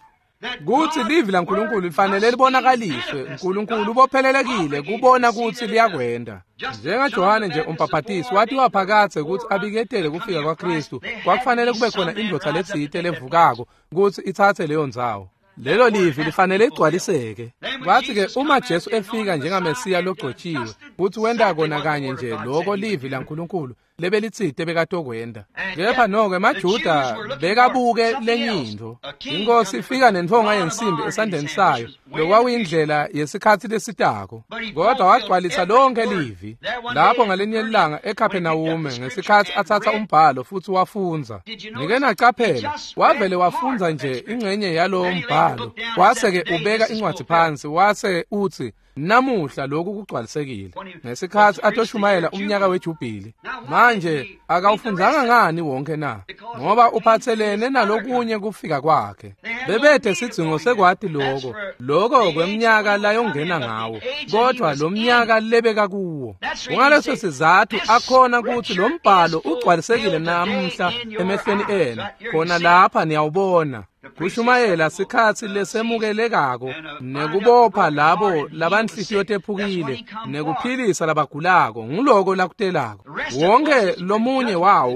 S1: kutsi livi laNkulunkulu lifanele libonakaliswe. uNkulunkulu ubophelelekile kubona kutsi liyakwenta. NjengaJohane nje umbhaphatisi watiwa phakatse kutsi abiketele kufika kwaKristu, kwakufanele kube khona indvodza letsite levukako kutsi itsatse leyo ndzawo. Lelo livi lifanele ligcwaliseke. Kwathi-ke uma Jesu efika njengaMesiya logcotshiwe, kutsi wenta kona kanye nje loko livi laNkulunkulu lebelitsite bekatokwenta. Kepha noko emaJuda bekabuke lenye intfo. Inkosi ifika nentfonga yensimbi esandleni sayo, lokwakuyindlela yesikhatsi lesitako. Kodwa wagcwalisa lonke livi. Lapho ngalinye ilanga eKapernawume, ngesikhatsi atsatsa umbhalo futsi wafundza. Nike nacaphela, wavele wafundza nje ingxenye yalowo mbhalo, wase-ke ubeka incwadi phansi, wase utsi, namuhla lokhu kugcwalisekile. Ngesikhatsi atoshumayela umnyaka wejubhili. Manje akawufundzanga ngani wonke na? Ngoba uphathelene nalokunye kufika kwakhe. Bebethe sidzingo sekwati loko, loko kweminyaka layongena ngawo, kodwa lo mnyaka lebeka kuwo. Kungaleso sizathu akhona kutsi lo mbhalo ugcwalisekile namuhla emehlweni enu. Khona lapha niyawubona. Kushumayela sikhatsi lesemukelekako, nekubopha labo labanhlitiyo tephukile, nekuphilisa labagulako, nguloko lakutelako. Wonke lomunye wawo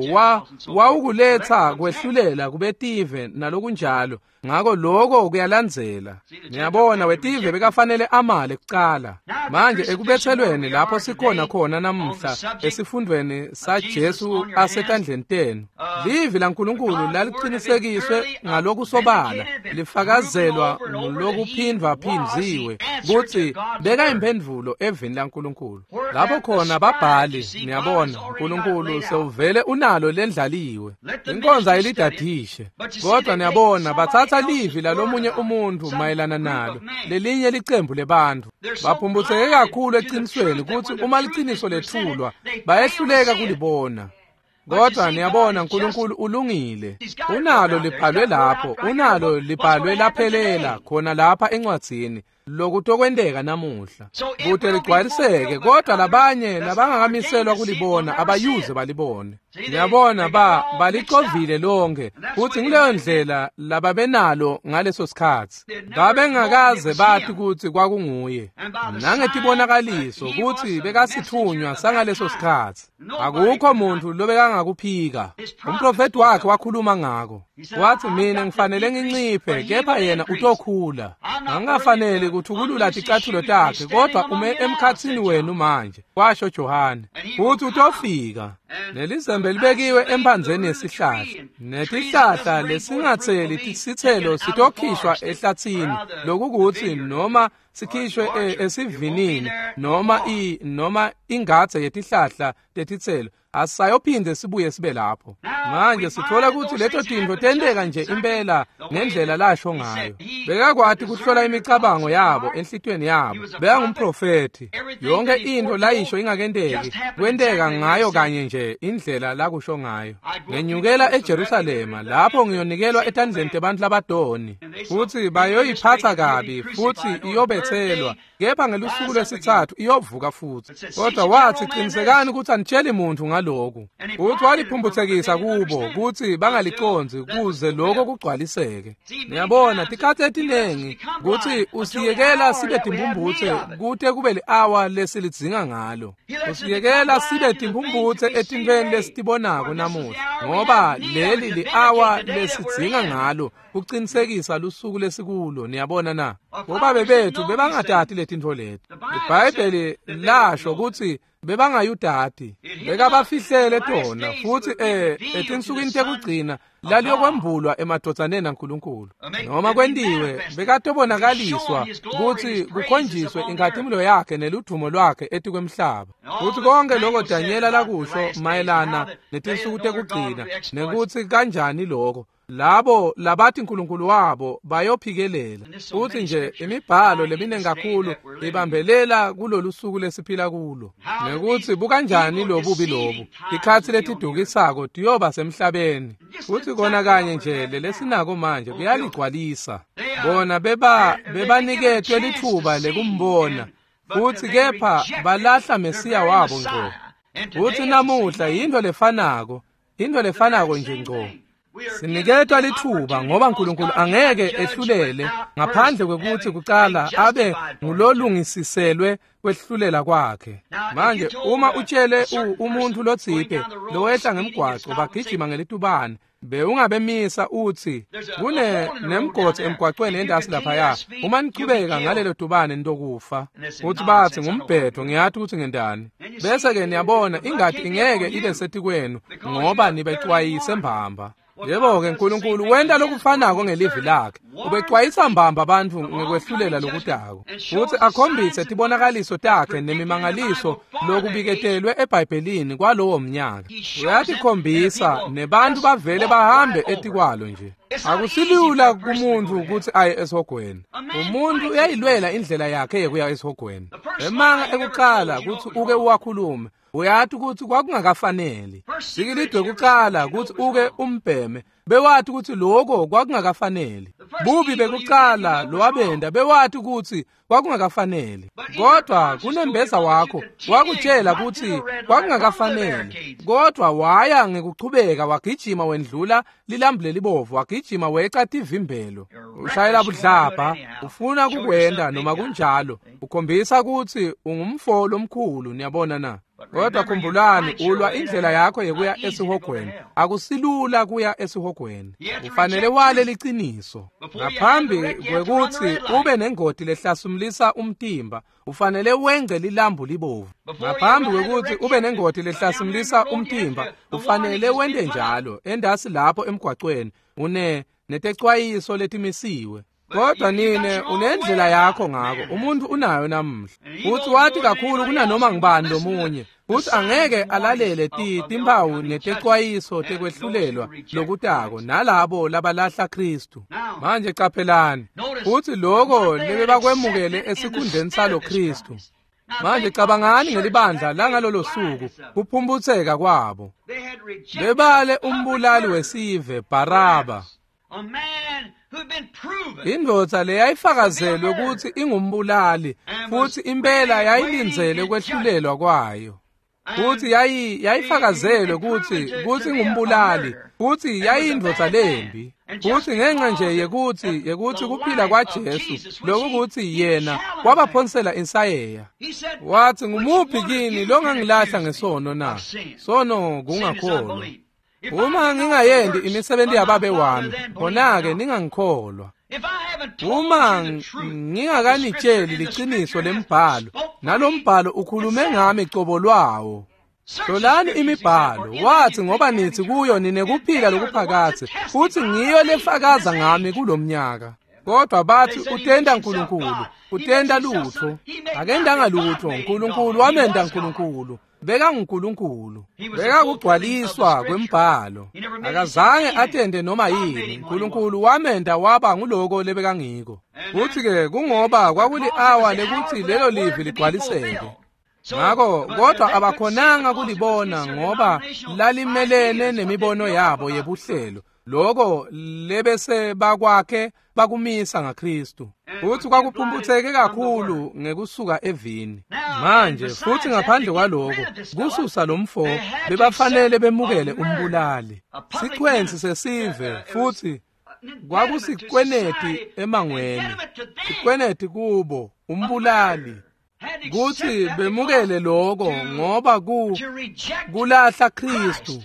S1: wawukuletsa kwehlulela kubetive nalokunjalo. Ngako loko kuyalandzela. Niyabona, wetive bekafanele amale kucala. Manje ekubethelweni lapho sikhona khona namuhla esifundweni saJesu asetandleni tenu, livi laNkulunkulu lalicinisekiswe ngalokusobala, lifakazelwa ngulokuphindvaphindziwe kutsi bekayimphendvulo evini laNkulunkulu. Lapho khona babhali, niyabona, uNkulunkulu sewuvele unalo lendlaliwe. Inkonzo ayilidadishe. Kodwa niyabona, batsatsa livi lalomunye umuntu mayelana nalo, lelinye licembu lebantfu. Baphumbutseke kakhulu ecinisweni kutsi uma liciniso lethulwa, bayehluleka kulibona. Kodwa niyabona, uNkulunkulu ulungile. Unalo libhalwe lapho, unalo libhalwe laphelela khona lapha encwadzini. Lokutokwenteka namuhla kute ligcwaliseke, kodwa labanye labangakamiselwa kulibona abayuze balibone. Niyabona, balicovile lonke, futhi nguleyo ndlela lababenalo ngaleso sikhatsi. Babengakaze bathi kutsi kwakunguye, nangetibonakaliso kutsi bekasithunywa sangaleso sikhatsi. Akukho muntu lobekangakuphika. Umprofeti wakhe wakhuluma ngako, wathi, mina ngifanele nginciphe, kepha yena utokhula. Angafanele kuthukulula ticathulo takhe, kodwa ume emkhatsini wenu manje, kwasho Johane, futhi utofika. Nelizembe libekiwe emphandzeni yesihlahla, netihlahla lesingatseli tisitselo sitokhishwa ehlathini, lokukuthi noma sikhishwe esivinini noma ingadze yetihlahla tetitselo, asayophinde sibuye sibe lapho. Manje sithola ukuthi leto tintfo tenteka nje impela ngendlela lasho ngayo. Bekakwati kuhlola imicabango yabo enhlitiyweni yabo. Bekangumprofethi. Yonke into layisho ingakenteki, kwenteka ngayo kanye nje indlela lakusho ngayo. Ngenyukela eJerusalema, lapho ngiyonikelwa etandleni tebantfu labadoni, futhi bayoyiphatha kabi, futhi iyobethelwa, kepha ngelusuku lwesithathu iyovuka futhi. Kodwa wathi, qinisekani ukuthi anitsheli muntu ngaloku. Futhi waliphumputhekisa kubo kutsi bangalicondzi kuze lokho kugcwaliseke. Niyabona, tikhatsi etinengi kutsi usiyekela sibe timphumphutse kute kube li-awa lesilidzinga ngalo. Usiyekela sibe timphumphutse etintfweni lesitibonako namuhla, ngoba leli li-awa lesidzinga ngalo kucinisekisa lusuku lesikulo. Niyabona na? Bobabe bethu bebangatati letintfo leti. IBhayibheli lasho kutsi bebangayudati, bekabafihlele tona, futhi etinsukwini tekugcina laliyokwembulwa emadvodzaneni aNkulunkulu. Noma kwentiwe, bekatobonakaliswa kutsi kukhonjiswe inkhatimulo yakhe neludumo lwakhe etikwemhlaba. Futhi konke lokho Danyela lakusho mayelana netinsuku tekugcina, nekutsi kanjani lokho labo labathi uNkulunkulu wabo bayophikelela. Futhi nje imibhalo leminingi kakhulu ibambelela kulolu suku lesiphila kulo, nekuthi bukanjani lobubi lobu tikhatsi letidukisako tiyoba semhlabeni. Futhi kona kanye nje lelesinako manje kuyaligcwalisa. Bona bebaniketwe lithuba lekumbona, futhi kepha balahla Mesiya wabo ngco. Futhi namuhla yinto lefanako, into lefanako nje ngco. Siniketwa lithuba ngoba uNkulunkulu angeke ehlulele ngaphandle kwekuthi kucala abe ngulolungisiselwe kwehlulela kwakhe. Manje uma utshele umuntu lotsite lowehla ngemgwaco bagijima ngelitubane, bewungabemisa uthi kune nemgodi emgwacweni endasi laphaya, uma nichubeka ngalelo tubane nitokufa. Uthi bathi ngumbhedo, ngiyathi ukuthi ngendani. Bese-ke niyabona ingadi ingeke ibe setikwenu ngoba nibecwayise mbamba. Yebo-ke, uNkulunkulu wenta lokufanako ngelivi lakhe. Ubecwayisa mbamba abantu ngekwehlulela lokutako, futhi akhombise tibonakaliso takhe nemimangaliso lokubiketelwe eBhayibhelini kwalowo mnyaka. Uyatikhombisa nebantu bavele bahambe etikwalo nje. Akusilula kumuntu ukuthi aye esihogweni. Umuntu uyayilwela indlela yakhe yekuya esihogweni. Emanga ekuqala ukuthi uke uwakhulume, uyathi ukuthi kwakungakafaneli. Sikilidwe kuqala ukuthi uke umbheme, bewathi ukuthi lokho kwakungakafaneli. Bubi bekuqala lowabenda bewathi ukuthi kwakungakafaneli. Kodwa kunembeza wakho wakutshela ukuthi kwakungakafaneli. Kodwa waya ngekuchubeka wagijima wendlula lilambu lelibovu, wagijima weca tivimbelo. Ushayela budlabha, ufuna kukwenda noma kunjalo, ukhombisa ukuthi ungumfo lomkhulu. Niyabona na? Kodwa khumbulani, ulwa indlela yakho yekuya esihogweni. Akusilula kuya esihogweni. Ufanele wale liciniso. Ngaphambi kwekuthi ube nengodi lehlasumlisa umtimba, ufanele wengce lilambu libovu. Ngaphambi kwekuthi ube nengodi lehlasimlisa umtimba, ufanele wente njalo endasi lapho emgwacweni, une netecwayiso letimisiwe. Kodwa nine unendlela yakho ngako, umuntu unayo namuhla. Futhi wathi kakhulu kunanoma ngibani lomunye, futhi angeke alalele timphawu netecwayiso tekwehlulelwa lokutako nalabo labalahla Kristu. Manje qaphelani, futhi lokho lebebakwemukele esikhundleni salo Kristu. Manje cabangani ngelibandla langalolo suku, kuphumputseka kwabo. Bebale umbulali wesive Baraba, Indvodza leyayifakazelwe ukuthi ingumbulali futhi impela yayilindzele kwehlulelwa kwayo. Futhi yayifakazelwe ukuthi ingumbulali futhi yayindvodza lembi. Futhi ngenxa nje yekuthi kuphila kwaJesu lokuthi yena wabaphonsela insayeya. Wathi ngumuphi kini longangilahla ngesono na? Sono kungakholwa. Uma ngingayendi imisebenzi yababe wami, khona-ke ningangikholwa. Uma ngingakanitsheli liqiniso lembhalo, nalombhalo ukhulume ngami cobo lwawo. Hlolani imibhalo, wathi ngoba nithi kuyo ninekuphila lokuphakathe, futhi ngiyo lefakaza ngami kulomnyaka. Kodwa bathi utenda uNkulunkulu, utenda lutho. Akendanga lutho, uNkulunkulu wamenda uNkulunkulu. BekanguNkulunkulu, bekakugcwaliswa kwembhalo. Akazange atende noma yini, uNkulunkulu wamenda waba nguloko lebekangiko. Futhi-ke kungoba kwakuli-awa lekuthi lelo livi ligcwaliseke. Ngakho kodwa abakhonanga kulibona ngoba lalimelene nemibono yabo yebuhlelo. Lokho lebese bakwakhe bakumisa ngaKristu. Futhi kwakuphumputheke kakhulu ngekusuka evini. Manje futhi ngaphandle kwaloko kususa lomfo bebafanele bemukele umbulali. Sichwensi sesive futhi kwakusikweneti emangweni. Sikweneti kubo umbulali. Kuthi bemukele lokho ngoba kulahla Kristu.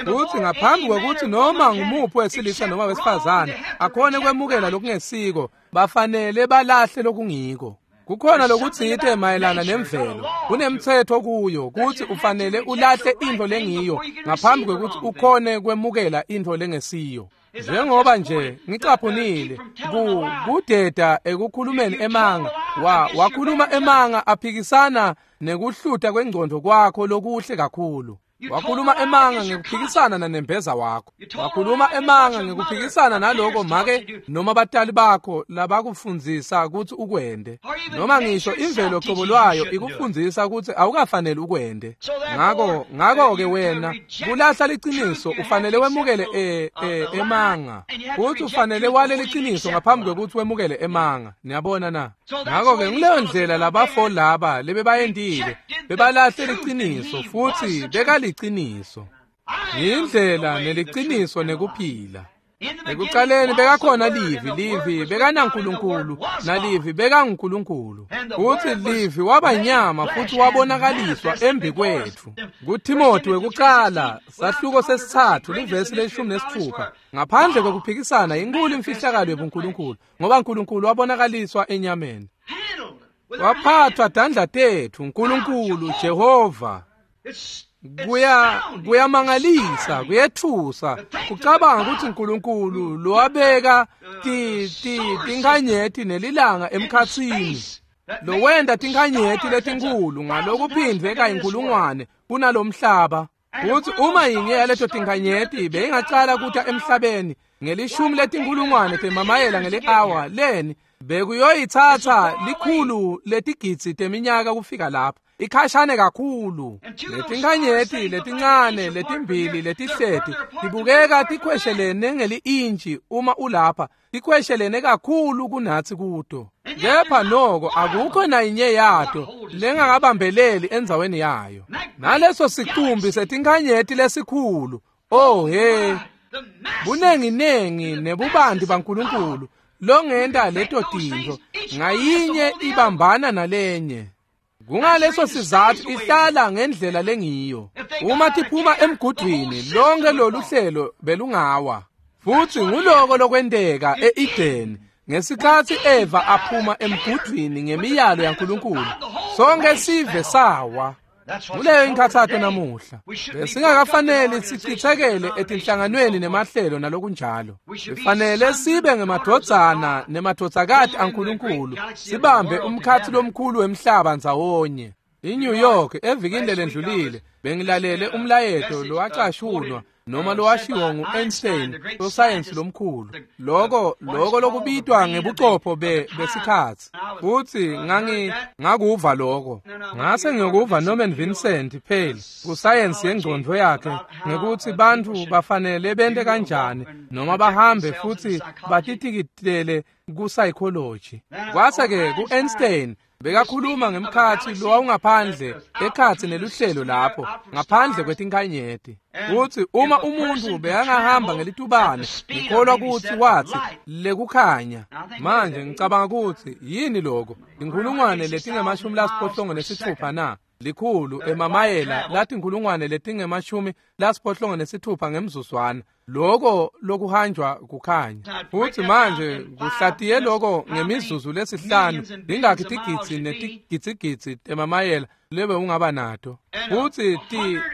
S1: Futhi ngaphambi kwekuthi noma ngumuphi wesilisa noma wesifazane akhone kwemukela lokungesiko, bafanele balahle lokungiko. Kukhona lokutsite mayelana nemvelo, kunemthetho kuyo kuthi ufanele ulahle into lengiyo ngaphambi kwekuthi ukhone kwemukela into lengesiyo. Njengoba nje ngicaphunile kudeda ekukhulumeni emanga, wakhuluma emanga aphikisana nekuhluta kwengcondo kwakho lokuhle kakhulu. Wakhuluma emanga ngekuphikisana nanembeza wakho. Wakhuluma emanga ngekuphikisana naloko make noma batali bakho labakufundzisa ukuthi ukwende. Noma ngisho imvelo cobo lwayo ikufundzisa ukuthi awukafanele ukwende. Ngakho-ke wena kulahla liqiniso ufanele wemukele emanga. Futhi ufanele wale liqiniso ngaphambi kwekuthi wemukele emanga. Niyabona na? Ngakho-ke nguleyo ndlela labafo laba lebebayendile bebalahle liqiniso futhi bekaliqiniso. Yindlela neliqiniso nekuphila. Ekuqaleni bekakhona livi, livi bekanaNkulunkulu, nalivi bekanguNkulunkulu. Futhi livi waba inyama futhi wabonakaliswa embi kwethu. KuTimothy wekuqala, sahluko sesithathu, livesi le-16. Ngaphandle kwekuphikisana inkulu imfihlakalo yobuNkulunkulu, ngoba uNkulunkulu wabonakaliswa enyameni. Waphathwa tandla tethu, uNkulunkulu Jehova. Kuyamangalisa, kuyethusa kucabanga ukuthi uNkulunkulu lowabeka tinkhanyeti nelilanga emkhatsini, lowenda tinkhanyeti letinkulu ngalokuphindwe kayinkulungwane kunalomhlaba. Futhi uma yinye yaleto tinkhanyeti beyingacala kuta emhlabeni ngelishumi letinkulungwane temamayela ngeli-awa leni, bekuyoyithatha likhulu letigidzi teminyaka kufika lapha. Ikhashane kakhulu. Letinkhanyeti letincane letimbili letihleti tibukeka tikhweshelene ngeli-intshi uma ulapha, tikhweshelene kakhulu kunatsi kuto. Kepha noko akukho nayinye yato lengakabambeleli endzaweni yayo. Naleso sicumbi setinkhanyeti lesikhulu, oh he, bunenginengi nebubanti baNkulunkulu longenta leto tintfo, ngayinye ibambana nalenye. Kungaleso sizathu ihlala ngendlela lengiyo. Uma tiphuma emgudwini, lonke lolu hlelo belungawa. Futhi nguloko lokwenteka e-Edeni ngesikhathi Eva aphuma emgudwini ngemiyalo yaNkulunkulu. Sonke sive sawa. Kuleyo inkhathato namuhla. Besingakafanele sichithekele etinhlanganweni nemahlelo nalokunjalo. Sifanele sibe ngemadvodzana nemadvodzakati aNkulunkulu, sibambe umkhathi lomkhulu wemhlaba ndzawonye. INew York evikini lelendlulile bengilalele umlayeto lowacashunwa noma lowashiwo ngu-Einstein, sosayensi lomkhulu, loko lokubitwa ngebucopho besikhatsi. Futsi ngakuva loko. Ngase ngiyokuva Norman Vincent Peale kusayensi yengcondvo yakhe ngekutsi bantfu bafanele bente kanjani noma bahambe futsi batitikitele ku-psychology. Kwase-ke ku-Einstein bekakhuluma ngemkhatsi lowawungaphandle ekhatsi neluhlelo lapho ngaphandle kwetinkhanyeti. Futsi uma umuntfu bekangahamba ngelitubane, ngikholwa kutsi watsi lekukhanya. Manje ngicabanga kutsi yini loko? 86,000 na? 100 emamayela lathi 86,000 ngemzuzwana. Loko lokuhanjwa kukhanya. Futsi manje kuhlatiye loko ngemizuzu lesihlanu ingakhi tigidzi netigidzigidzi temamayela lebe ungaba nato. Futsi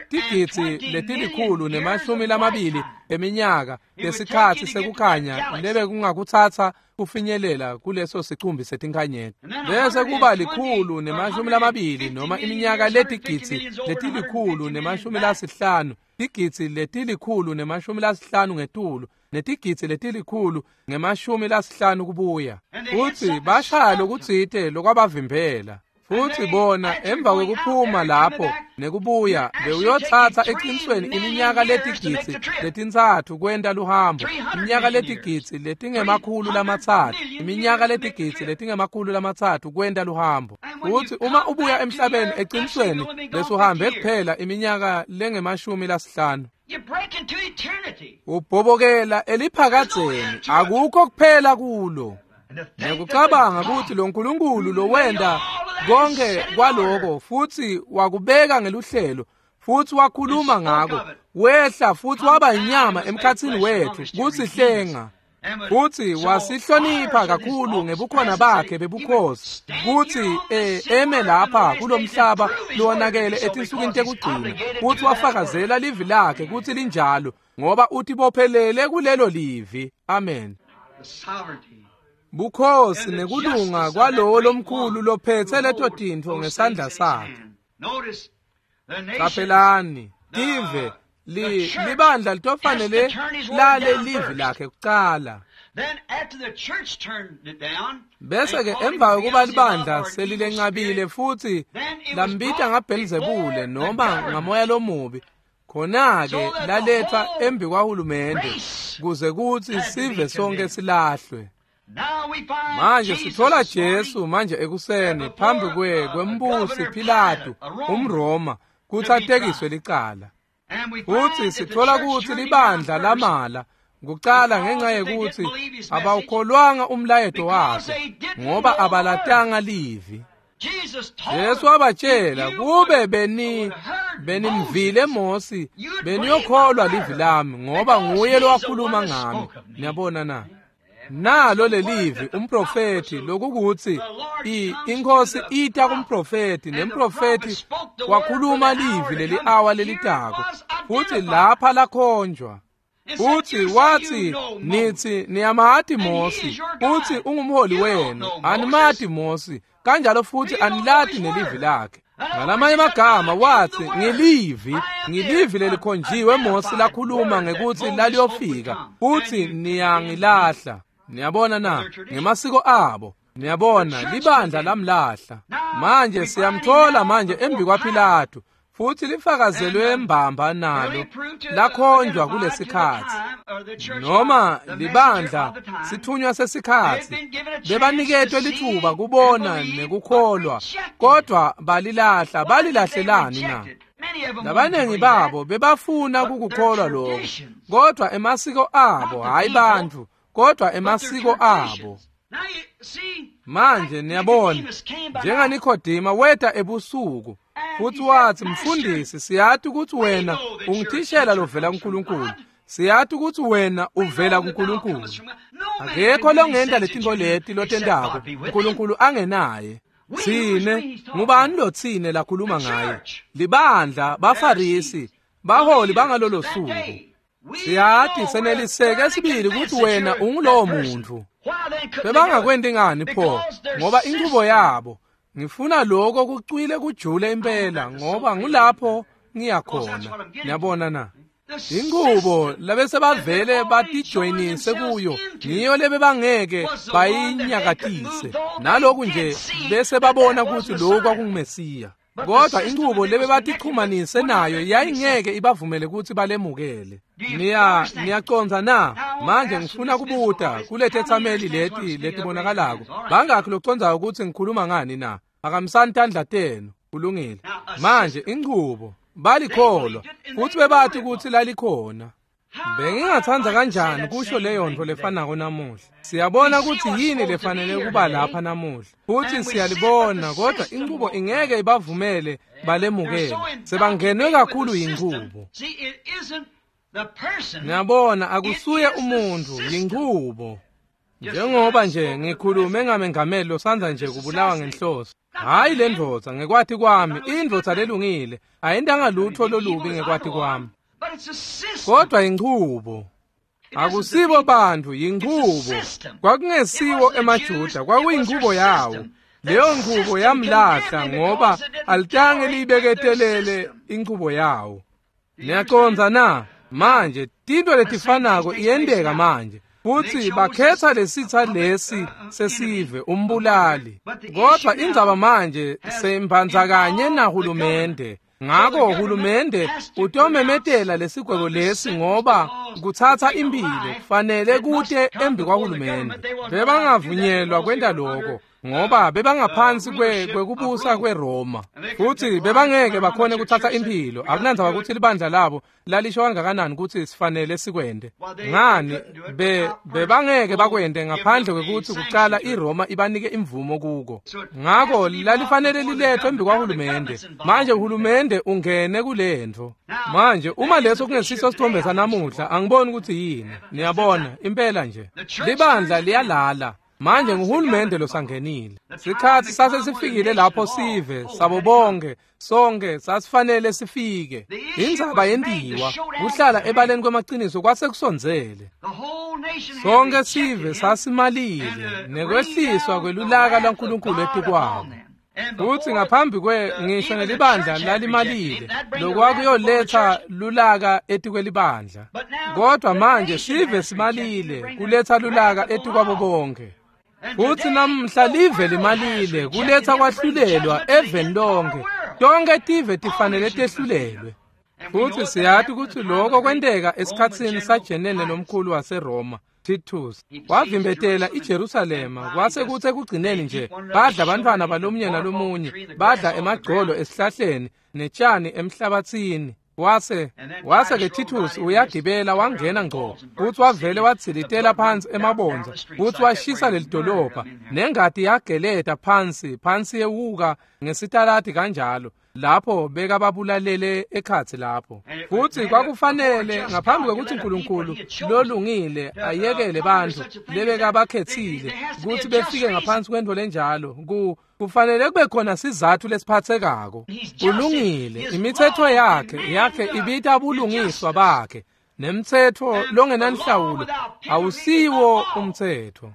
S1: tigidzi letilikhulu nemashumi lamabili eminyaka lesikhatsi sekukhanya lebe kungakutsatsa kufinyelela kuleso sicumbi setinkhanyeti. Bese kuba 120 noma iminyaka letigidzi letilikhulu nemashumi lasihlanu, tigidzi letilikhulu nemashumi lasihlanu ngetulu, netigidzi letilikhulu ngemashumi lasihlanu kubuya. Futsi bashaya lokutsite lokwabavimbela. Futsi bona emva kwekuphuma lapho nekubuya bewuyotsatsa eqinisweni iminyaka letigidzi letintsatfu kwenta luhambo, iminyaka letigidzi letingemakhulu lamatsatfu, iminyaka letigidzi letingemakhulu lamatsatfu kwenta luhambo. Futsi uma ubuya emhlabeni eqinisweni besuhambe kuphela iminyaka lengemashumi lasihlanu. Ubhobokela eliphakadzeni, akukho kuphela kulo. Ngikucabanga ukuthi lo Nkulunkulu lowenda konke kwaloko futsi wakubeka ngeluhlelo futsi wakhuluma ngako, wehla futsi waba inyama emkhatsini wethu kusihlenga. Futsi wasihlonipha kakhulu ngebukhona bakhe bebukhosi kutsi eme lapha kulomhlaba lowonakele etinsukwini tekugcina, futsi wafakazela livi lakhe kutsi linjalo, ngoba utibophelele kulelo livi. Amen. Bukhosi nekulunga kwalowo lomkhulu lophetse leto tintfo ngesandla sakhe. Qaphelani, tive libandla litofanele lale livi lakhe kucala. Bese-ke emva kokuba libandla selilencabile futsi lambita ngaBhelzebule noma ngamoya lomubi, khona-ke laletha embi kwahulumende kuze kutsi sive sonke silahlwe. Manje sithola Jesu manje ekuseni phambi kwembusi Pilatu umRoma kutsi atekiswe licala. Futsi sithola kutsi libandla lamala kucala ngenxa yekuthi abawukholwanga umlayeto wakhe, ngoba abalatanga livi. Jesu wabatshela, kube benimvile Mosi, beniyokholwa livi lami, ngoba nguye lowakhuluma ngami. Niyabona na? Nalo lelivi umprofethi lokukuthi inkosi ita kumprofethi, nemprofethi wakhuluma livi leli awa lelitako, futhi lapha lakhonjwa. Futhi wathi, nithi niyamati Mosi, futhi ungumholi wenu, animati Mosi, kanjalo futhi anilati nelivi lakhe. Ngalamanye amagama wathi, ngilivi lelikhonjiwe Mosi lakhuluma ngekuthi laliyofika, futhi niyangilahla. Niyabona na? Ngemasiko abo. Niyabona, libandla lamlahla. Manje siyamthola manje embi kwaPilatu, futhi lifakazelwe mbamba nalo lakhonjwa kulesikhatsi. Noma libandla sithunywa sesikhatsi, bebaniketwe lithuba kubona nekukholwa, kodwa balilahla. Balilahlelani na? Labanengi babo bebafuna kukukholwa lokho, kodwa emasiko abo, hayi bantfu, kodwa emasiko abo. Manje niyabona, njengaNikodima weta ebusuku futhi wathi, mfundisi, siyati ukuthi wena ungithishela lovela kuNkulunkulu, siyati ukuthi wena uvela kuNkulunkulu. Akekho longenta letinto leti lotentako uNkulunkulu angenaye. Tsine ngubani lo tsine lakhuluma ngaye? Libandla, baFarisi, baholi bangalolo suku. Siyati seneliseke sibili ukuthi wena ungulowo muntu. Bebangakwenti ngani pho? Ngoba inqubo yabo. Ngifuna lokho kucwile kujule impela, ngoba ngulapho ngiyakhona. Niyabona na? Inqubo labese bavele batijoyinise kuyo ngiyo lebebangeke bayinyakatise. Naloku nje bese babona ukuthi lokhu kwakunguMesiya. Kodwa inqubo lebebatichumanise nayo yayingeke ibavumele ukuthi balemukele. Niyacondza na? Manje ngifuna kubuta kuletethameli leti letibonakalako. Bangakhi locondzayo ukuthi ngikhuluma ngani na? Akamisani tandla tenu. Kulungile. Manje inqubo balikholwa futhi bebathi ukuthi lalikhona. Bengingathanda kanjani kusho leyo nto lefanako namuhla. Siyabona ukuthi yini lefanele kuba lapha namuhla. Futhi siyalibona kodwa inqubo ingeke ibavumele balemukele. Sebangenwe kakhulu yinqubo. Niyabona akusuye umuntu, yinqubo. Njengoba nje ngikhulume ngamengameli losandza nje kubulawa ngenhloso. Hayi le ndvodza ngekwathi kwami, indvodza lelungile, ayintanga lutho lolubi ngekwathi kwami. Kodwa inqubo. Akusibo bantu, yinqubo. Kwakungesiwo emaJuda, kwakuyinqubo yawo. Leyo nqubo yamlahla ngoba alitange liyibeketelele inqubo yawo. Niyacondza na? Manje tinto letifanako iyenteka manje. Futhi bakhetha lesitha lesi sesive umbulali. Kodwa indzaba manje seyimbandzakanye nahulumende. Ngakho uhulumende utomemetela lesigwebo lesi ngoba kuthatha impilo kufanele kute embi kwahulumende. Bebangavunyelwa kwenta lokho ngoba bebangaphansi kwekubusa kweRoma. Futhi bebangeke bakhone kuthatha impilo. Akunandzaba ukuthi libandla labo lalisho kangakanani ukuthi sifanele sikwende. Ngani bebangeke bakwende ngaphandle kwekuthi kucala iRoma ibanike imvumo kuko. Ngakho lalifanele lilethwe embi kwahulumende. Manje uhulumende ungene kulento. Manje uma leso kungesiso sithombe sanamuhla angiboni ukuthi yini. Niyabona impela nje. Libandla liyalala. Manje nguhulumende losangenile. Sikhathi sase sifikile lapho sive sabo bonke sonke sasifanele sifike. Indzaba yentiwa kuhlala ebaleni kwemaqiniso kwase kusondzele. Sonke sive sasimalile nekwehliswa kwelulaka lwaNkulunkulu etikwabo. Futhi ngaphambi kwe ngisho nelibandla lalimalile lokwakuyoletha lulaka etikwelibandla. Kodwa manje sive simalile kuletha lulaka etikwabo bonke. Futhi namhla live limalile kuletha kwahlulelwa eveni lonke. Tonke tive tifanele tehlulelwe. Futhi siyathi ukuthi lokho kwenteka esikhatsini saJenene lomkhulu waseRoma Titus. Wavimbetela iJerusalema kwase kuthi ekugcineni nje badla abantwana balomunye nalomunye, badla emagcolo esihlahleni netshani emhlabathini. Wase ke Titus uyagibela wangena ngco futhi wavele wadzilitela phansi emabonza futhi washisa lelidolobha nengadi yageleta phansi yewuka ngesitaladi kanjalo lapho bekababulalele ekhathi lapho. Futhi kwakufanele ngaphambi kwekuthi uNkulunkulu lolungile ayekele bantu lebekabakhethile ukuthi befike ngaphansi kwento lenjalo, kufanele kube khona sizathu lesiphathekako. Ulungile, imithetho yakhe ibita bulungiswa bakhe, nemthetho longenanhlawulo awusiwo umthetho.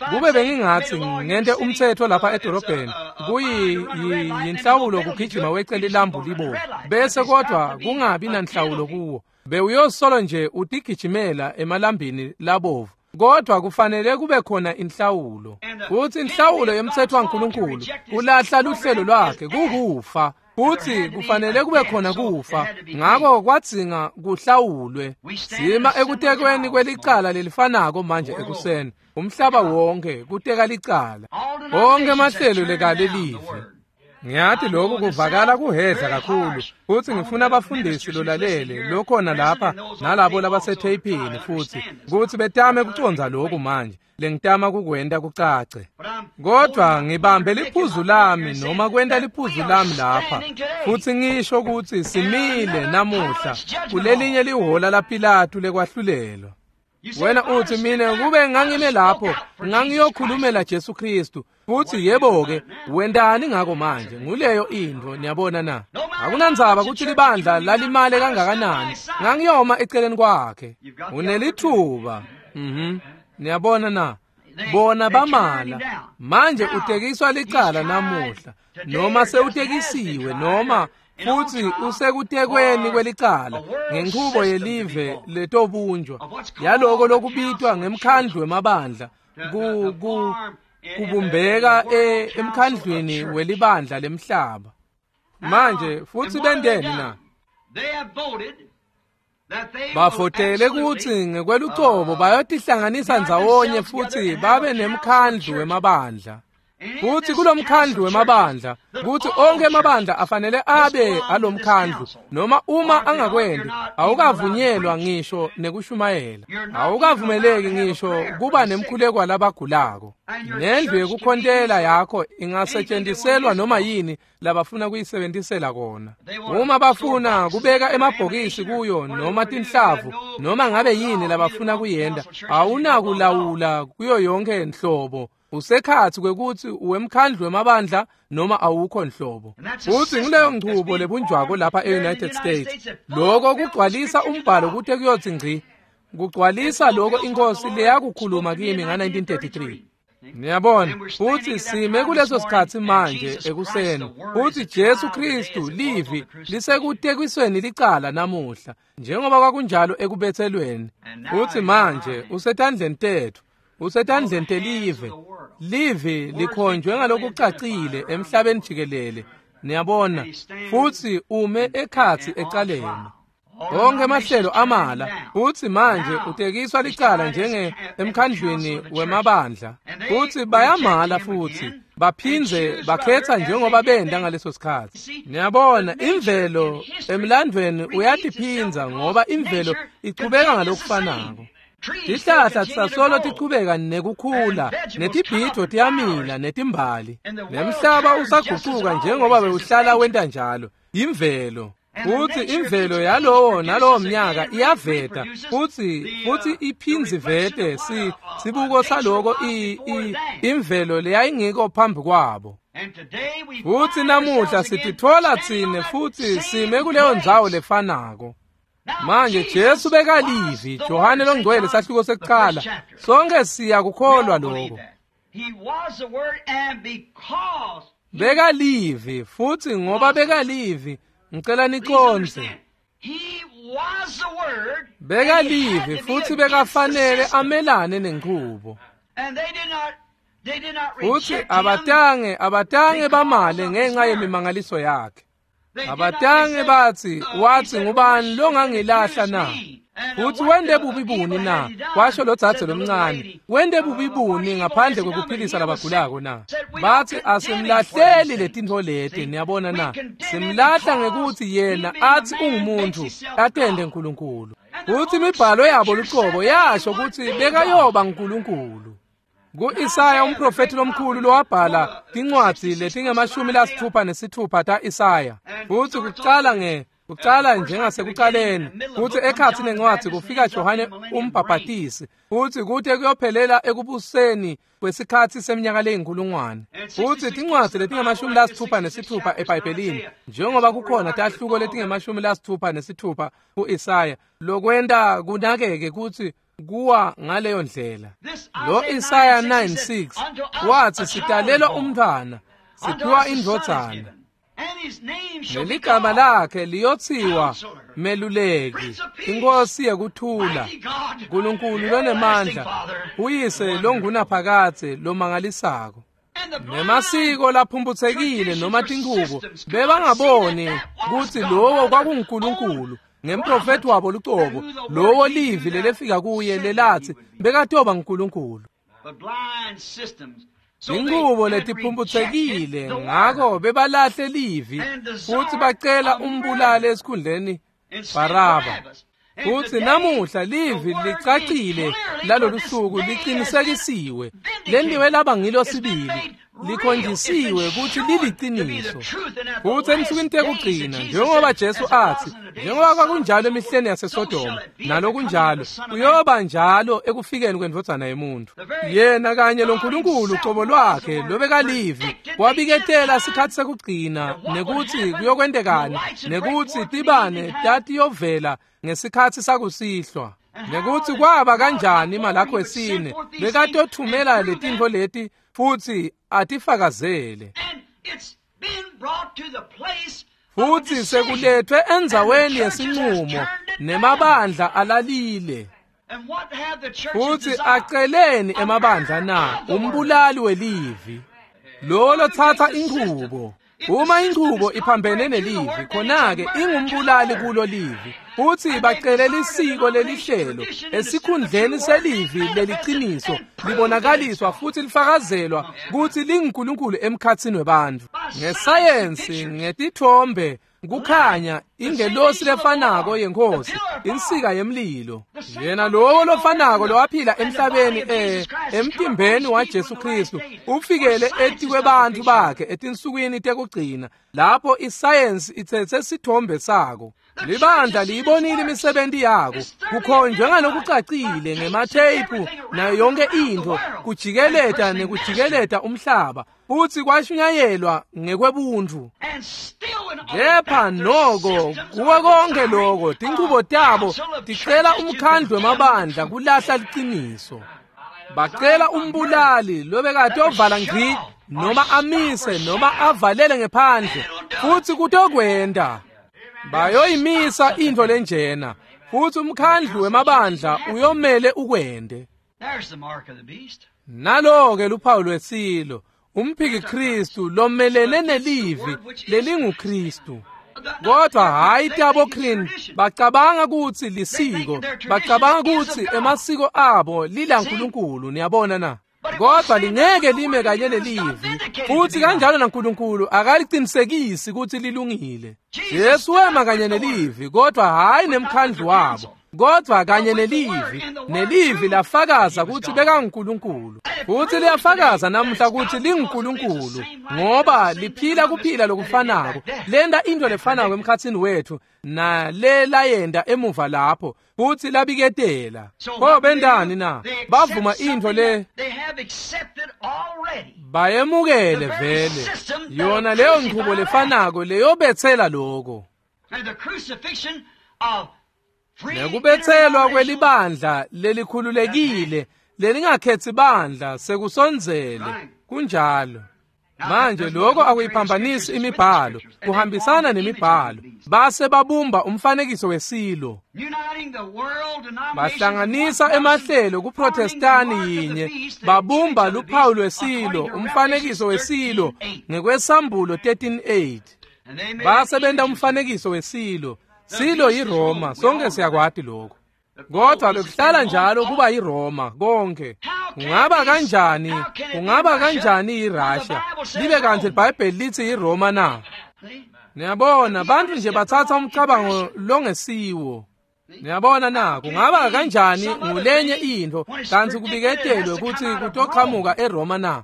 S1: Kube bengingathi ngente umthetho lapha edorobheni kuyinhlawulo kugijima wecele lambu libovu bese kodwa kungabi nanhlawulo kuwo, bewuyosolo nje utigijimela emalambini labovu. Kodwa kufanele kube khona inhlawulo. Futhi inhlawulo yomthetho waNkulunkulu kulahla luhlelo lwakhe kukufa. Futhi kufanele kube khona kufa. Ngakho kwadzinga kuhlawulwe. Sima ekutekweni kwelicala lelifanako manje ekuseni. Umhlaba wonke kuteka licala. Onke amahlelo lekalelive. Ngiyathi lokhu kuvakala kuhedla kakhulu. Futhi ngifuna abafundisi lolalele lokhona lapha nalabo labasetheyiphini futhi ukuthi betame kucondza lokhu manje lengitama kukwenta kucace. Kodwa ngibambe liphuzu lami noma kwenta liphuzu lami lapha futhi ngisho ukuthi simile namuhla kulelinye lihola laPilatu lekwahlulelwa. Wena uthi mina kube ngangime lapho ngangiyokhulumela Jesu Kristu. Futhi yebo ke wendani ngako manje? Nguleyo into, niyabona na? Akunandzaba ukuthi libandla lalimale kangakanani, ngangiyoma eceleni kwakhe. Unelithuba. Niyabona na? Bona bamala. Manje utekiswa licala namuhla, noma sewutekisiwe, noma futhi usekutekweni kwelicala ngenchubo yelive letobunjwa yaloko lokubitwa ngemkhandlu wemabandla kubumbeka emkhandlwini welibandla lemhlaba. Manje futhi bendeni na? Bafotele kutsi ngekwelucobo bayotihlanganisa ndzawonye futhi babe nemkhandlu wemabandla. Futhi kulomkhandlu wemabandla kuthi onke emabandla afanele abe alomkhandlu, noma uma angakwendi awukavunyelwa ngisho nekushumayela, awukavumeleki ngisho kuba nemkhuleko labagulako. Nendlu yekukhontela yakho ingasetshenziselwa noma yini labafuna kuyisebentisela kona. Uma bafuna kubeka emabhokisi kuyo noma tinhlavu noma ngabe yini labafuna kuyenda, awunakulawula kuyo yonke nhlobo. Usekhathi kwekuthi uwemkhandlu wemabandla noma awukho nhlobo. Futhi ngileyo nchubo lebunjwako lapha e-United States. Lokho kugcwalisa umbhalo kute kuyothi ngci. Kugcwalisa lokho inkosi leyakukhuluma kimi nga-1933. Niyabona, futhi sime kuleso sikhathi manje ekuseni. Futhi Jesu Kristu livi lisekutekisweni licala namuhla, njengoba kwakunjalo ekubethelweni. Futhi manje usetandleni tethu. Usetandleni telive. Livi likhonjwe ngalokucacile emhlabeni jikelele. Niyabona, futhi ume ekhathi ecaleni. Onke amahlelo amala, futhi manje utekiswa licala njenge emkhandlwini wemabandla. Futhi bayamala futhi baphindze bakhetha njengoba benda ngaleso sikhathi. Niyabona, imvelo emlandweni uyatiphindza ngoba imvelo ichubeka ngalokufanako. Tihlahla tisasolo tichubeka nekukhula, netibhidvo tiyamila netimbali, nemhlaba usaguquka njengoba bewuhlala wenta njalo. Imvelo. Futhi imvelo yalowo nalowo mnyaka iyaveta futhi iphindze ivete sibuko saloko imvelo leyayingiko phambi kwabo. Futhi namuhla sititfola tsine futhi sime kuleyo ndzawo lefanako. Manje Jesu bekalivi, Johane longcwele sahluko sekuqala. Sonke siyakukholwa lokho. Bekalivi futhi ngoba bekalivi, ngicela niconze. Bekalivi futhi bekafanele amelane nenchubo. Futhi abatange bamale ngenxa yemimangaliso yakhe. Abatange bathi, wathi ngubani longangilahla na? Futhi wende bubi buni na? Kwasho lo dzadze lomncane, wende bubi buni ngaphandle kwekuphilisa labagulako na? Bathi asimlahleli letintfo leti, niyabona na? Simlahla ngekuthi yena athi ungumuntu, atende uNkulunkulu. Futhi imibhalo yabo luqobo yasho ukuthi bekayoba nguNkulunkulu. Ku-Isaya umprofethi lomkhulu lowabhala tincwadzi letinge-66 ta-Isaya. Futhi kucala njengasekucaleni, futhi ekhathi nencwadzi kufika Johane umbhabhatisi, futhi kute kuyophelela ekubuseni kwesikhathi seminyaka leyinkulungwane. Futhi tincwadzi letinge-66 eBhayibhelini, njengoba kukhona tahluko letinge-66 ku-Isaya, lokwenta kunakeke kutsi kuwa ngaleyo ndlela. Lo Isaya 9:6 wathi sitalelwa umntwana, siphiwa indvodzana, neligama lakhe liyothiwa Meluleki, Inkosi yekuthula, Nkulunkulu lonemandla, uyise longunaphakadze lomangalisako. Nemasiko laphumphutsekile noma tinchubo bebangaboni kutsi lowo kwakunguNkulunkulu. Ngemprofethi wabo lucobo, lowo livi lelefika kuye lelathi bekatoba nguNkulunkulu. Inchubo letiphumphutsekile, ngako bebalahle livi futhi bacela umbulali esikhundleni Baraba. Futhi namuhla livi licacile lalolu suku liqinisekisiwe, lentiwe laba ngilo sibili, likhonjisiwe ukuthi liliciniso. Futhi ensukwini tekugcina, njengoba Jesu athi, njengoba kwakunjalo emihleni yaseSodoma, nalokunjalo kuyoba njalo ekufikeni kwendvodzana yemuntu. Yena kanye loNkulunkulu ucobo lwakhe lobekalivi wabiketela sikhathi sekugcina nekuthi kuyokwentekani, nekuthi tibane tatiyovela ngesikhathi sakusihlwa. Nekutsi kwaba kanjani Malakhi wesine bekatothumela letintfo leti futsi atifakazele. Futsi sekuletfwe endzaweni yesinqumo nemabandla alalile. Futsi aceleni emabandla na umbulali welivi lo lotsatsa inchubo. Uma inchubo iphambene nelivi, khona-ke ingumbulali kulo livi. Futsi bacele lisiko lelihlelo esikhundleni selivi leliciniso libonakaliswa futsi lifakazelwa kutsi linguNkulunkulu emkhatsini webantfu. Ngesayensi, ngetitfombe, kukhanya ingelosi lefanako yeNkhosi, insika yemlilo. Yena lowo lofanako lowaphila emhlabeni emtimbeni waJesu Kristu ufikele etikwebantfu bakhe etinsukwini tekugcina lapho isayensi itsetse sithombe sako. Libandla liyibonile imisebenti yako, kukhonjwe ngalokucacile ngematheyiphu nayo yonke intfo, kujikeleta nekujikeleta umhlaba, futsi kwashunyayelwa ngekwebuntfu. Kepha noko kuwe konke loko tinchubo tabo ticela umkhandlu wemabandla kulahla liciniso. Bacela umbulali lobekatovala ngci noma amise noma avalele ngephandle, futsi kutokwenta. Bayoyimisa intfo lenjena, futsi umkhandlu wemabandla uyomele ukwente. Nalo-ke luphawu lwesilo, umphiki Kristu lomelene nelivi lelinguKristu. Kodwa hayi tabo Krin, bacabanga kutsi lisiko, bacabanga kutsi emasiko abo lilaNkulunkulu, niyabona na? Kodwa lingeke lime kanye nelivi, futsi kanjalo naNkulunkulu akalicinisekisi kutsi lilungile. Jesu wema kanye nelivi, kodwa hayi nemkhandlu wabo, kodwa kanye nelivi. Nelivi lafakaza kutsi bekanguNkulunkulu, futsi liyafakaza namuhla kutsi linguNkulunkulu, ngoba liphila kuphila lokufanako, lenta intfo lefanako emkhatsini wetfu nalelayenta emuva lapho, futsi labiketela. Pho bentani na? Bavuma intfo le bayemukele vele, yona leyo nchubo lefanako leyobetsela loko. Nekubetselwa kwelibandla lelikhululekile lelingakhetsi bandla sekusondzele. Kunjalo. Manje lokho akuyiphambanisi imibhalo, kuhambisana nemibhalo. Base babumba umfanekiso wesilo, bahlanganisa emahlelo kuProtestani yinye, babumba luphawu lwesilo, umfanekiso wesilo ngekwesambulo 13:8. Base benta umfanekiso wesilo. Silo yiRoma, sonke siyakwati lokho. Kodwa bekuhlala njalo kuba yiRoma konke. Kungaba kanjani? Kungaba kanjani yiRussia? Libe kanti iBhayibheli lithi yiRoma na? Niyabona, bantu nje bathatha umcabango longesiwo. Niyabona na, kungaba kanjani ngulenye intfo kantsi kubiketelwe kutsi kutoqhamuka eRoma na?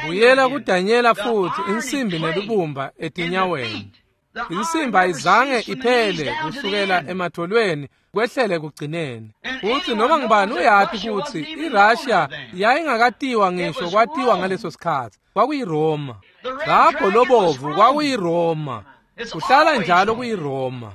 S1: Buyela kuDanyela futhi, insimbi nelubumba etinyaweni. Insimbi ayizange iphele kusukela emadvolweni kwehlele kugcineni. Futsi noma ngubani uyati kutsi iRussia yayingakatiwa ngisho kwatiwa ngaleso sikhatsi. KwakuyiRoma. Lapho lobovu kwakuyiRoma. Kuhlala njalo kuyiRoma.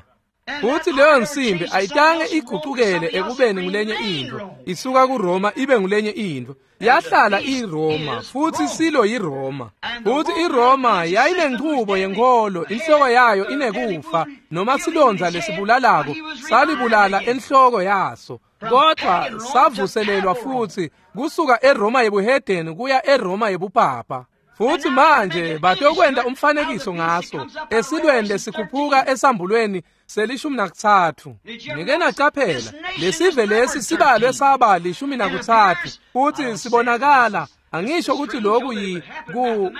S1: Futsi leyo nsimbi ayitange igucukele ekubeni ngulenye intfo, isuka kuRoma ibe ngulenye intfo. Yahlala iRoma, futsi silo yiRoma. Futsi iRoma yayinenchubo yenkholo, inhloko yayo inekufa noma silondza lesibulalako salibulala enhloko yaso. Kodwa savuselelwa futsi kusuka eRoma yebuhedeni kuya eRoma yebupapa. Futsi manje batokwenta umfanekiso ngaso esilweni lesikhuphuka esambulweni se-13. Nike nacaphela lesive lesi sibalwe saba 13, futsi sibonakala angisho ukuthi lokhu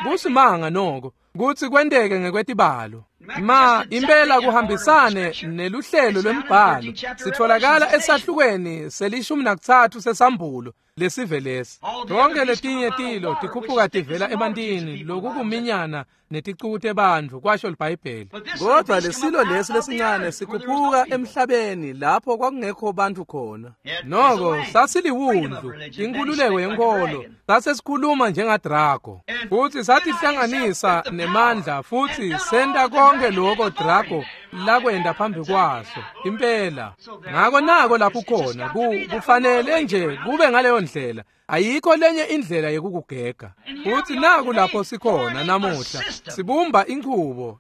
S1: kusimanga noko kutsi kwenteke ngekwetibalo. Ma impela kuhambisane neluhlelo lwembhalo, sitholakala esahlukweni se-13 sesambulo lesive lesi. Tonke letinye tilo tikhuphuka tivela ebantini, lokukuminyana neticuku tebantfu, kwasho liBhayibheli. Kodwa lesilo lesi lesincane sikhuphuka emhlabeni lapho kwakungekho bantfu khona. Noko sasiliwundlu, inkhululeko yenkholo, sasesikhuluma njengaDrago. Futsi satihlanganisa nemandla futsi senta konke loko Drago lakwenda phambi kwaso impela. Ngako nako lapho khona kufanele nje kube ngaleyo ndlela, ayikho lenye indlela yekukugega. Futhi naku lapho sikhona namuhla, sibumba inchubo,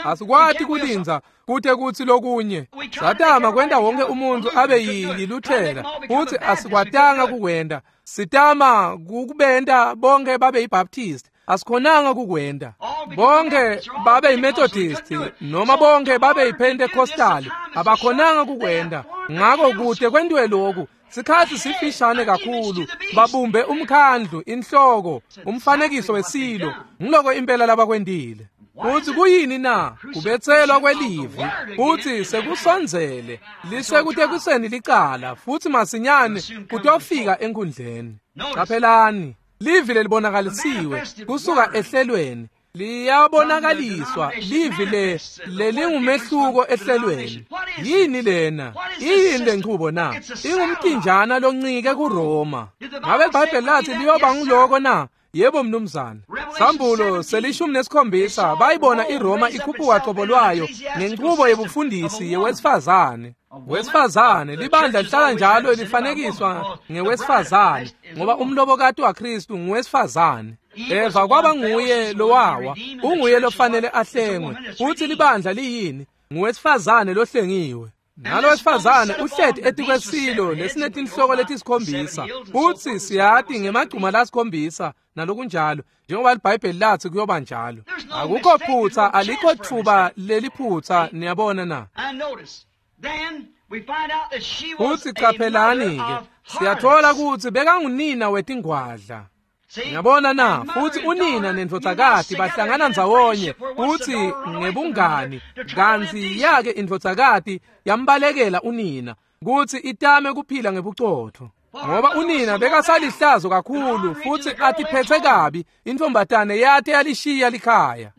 S1: asikwati kulindza kute kutsi lokunye. Satama kwenta wonke umuntu abe yiLuthela, futhi asikwatanga kukwenta. Sitama kukubenta bonke babe yiBaptist, asikhonanga kukwenta. Bonke babe yiMethodist noma bonke babe yiPentecostal, abakhonanga kukwenta. Ngako kute kwentiwe lokhu, sikhathi sifishane kakhulu, babumbe umkhandlu, inhloko, umfanekiso wesilo. Ngiloko impela labakwentile. Futhi kuyini na? Kubetselwa kwelivi. Futhi sekusondzele, lisekutekuseni licala, futhi masinyane kutofika enkundleni. Qaphelani, livi lelibonakalisiwe kusuka ehlelweni liyabonakaliswa, livi lelingumehluko ehlelweni. Yini lena? Iyini lenchubo na? Ingumtinjana loncike kuRoma. Ngabe iBhayibheli lathi liyoba nguloko na? Yebo mnumzane. Sambulo 17 bayibona iRoma ikhuphuka qobo lwayo ngenchubo yebufundisi yewesifazane. Wesifazane, libandla lihlala njalo lifanekiswa ngewesifazane, ngoba umlobokati waKristu nguwesifazane. Eva kwaba nguye lowawa, unguye lofanele ahlengwe. Futhi libandla liyini? Nguwesifazane lohlengiwe. Nalo wesifazane uhleti etikwesilo lesinetinhloko letisikhombisa, futhi siyati ngemagcuma lasikhombisa nalokunjalo, njengoba iBhayibheli lathi kuyoba njalo. Akukho phutha, alikho thuba leliphutha, niyabona na? Futhi qaphelani-ke, siyathola ukuthi bekangunina wetingwadla. Ngiyabona na? Futhi unina nendvodzakati bahlangana ndzawonye futhi ngebungani, kantsi yake indvodzakati yambalekela unina kutsi itame kuphila ngebucotfo, ngoba unina bekasalihlazo kakhulu futhi atiphethe kabi. Intombatane yate yalishiya likhaya.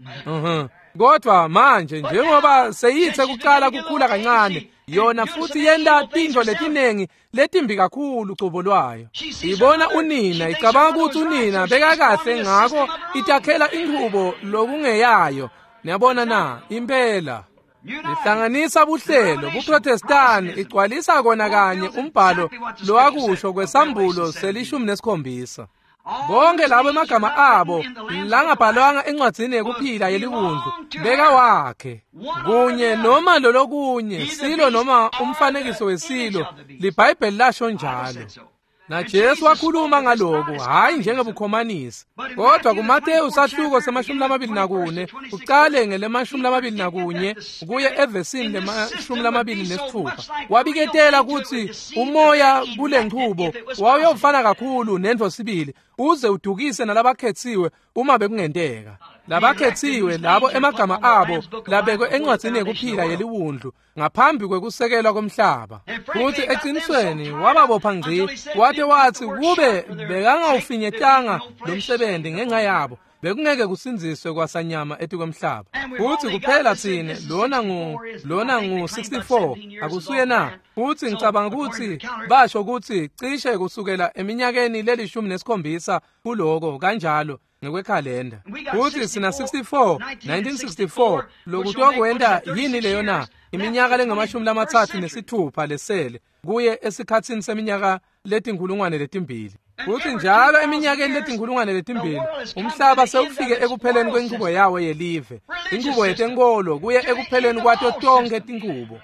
S1: Kodwa manje njengoba seyithe kuqala kukhula kancane, yona futhi yenta tintfo letinengi letimbi kakhulu cobo lwayo. Ibona unina, icabanga ukuthi unina bekakahle, ngako itakhela inchubo lokungeyayo. Niyabona na? Impela ihlanganisa buhlelo buProtestani, igcwalisa kona kanye umbhalo lowakusho kwesambulo 17. Bonke labo emagama abo langabhalwanga encwadzini yekuphila yeliwundlu beka wakhe kunye noma lolokunye silo noma umfanekiso wesilo, liBhayibheli lasho njalo. Na Jesu wakhuluma ngaloku, hayi njengebukhomanisi, kodwa kuMateyu sahluko 24 uqale ngele-21 kuye evesini le-26, wabiketela ukuthi umoya kule nchubo wawuyofana kakhulu nendvo sibili, uze udukise nalabakhetsiwe uma bekungenteka. Labakhetsiwe labo emagama abo labekwe encwadzini yekuphila yeliwundlu ngaphambi kwekusekelwa komhlaba. Futhi eqinisweni wababopha ngci, wate wathi kube bekangawufinyetanga lo msebenzi ngenxa yabo, bekungeke kusindziswe kwasanyama etikwemhlaba. Futhi kuphela tsine lona ngu 64 akusuye na? Futhi ngicabanga ukuthi basho ukuthi cishe kusukela eminyakeni leli-17 kuloko kanjalo ngekwekhalenda. Futhi sina 64 1964 lokutokwenta yini leyo na? Iminyaka lengama-36 lesele kuye esikhatsini seminyaka 2000. Futhi njalo eminyakeni 2000 umhlaba sewufike ekupheleni kwenchubo yawo yelive, inchubo yetenkolo kuye ekupheleni kwato tonke tinchubo.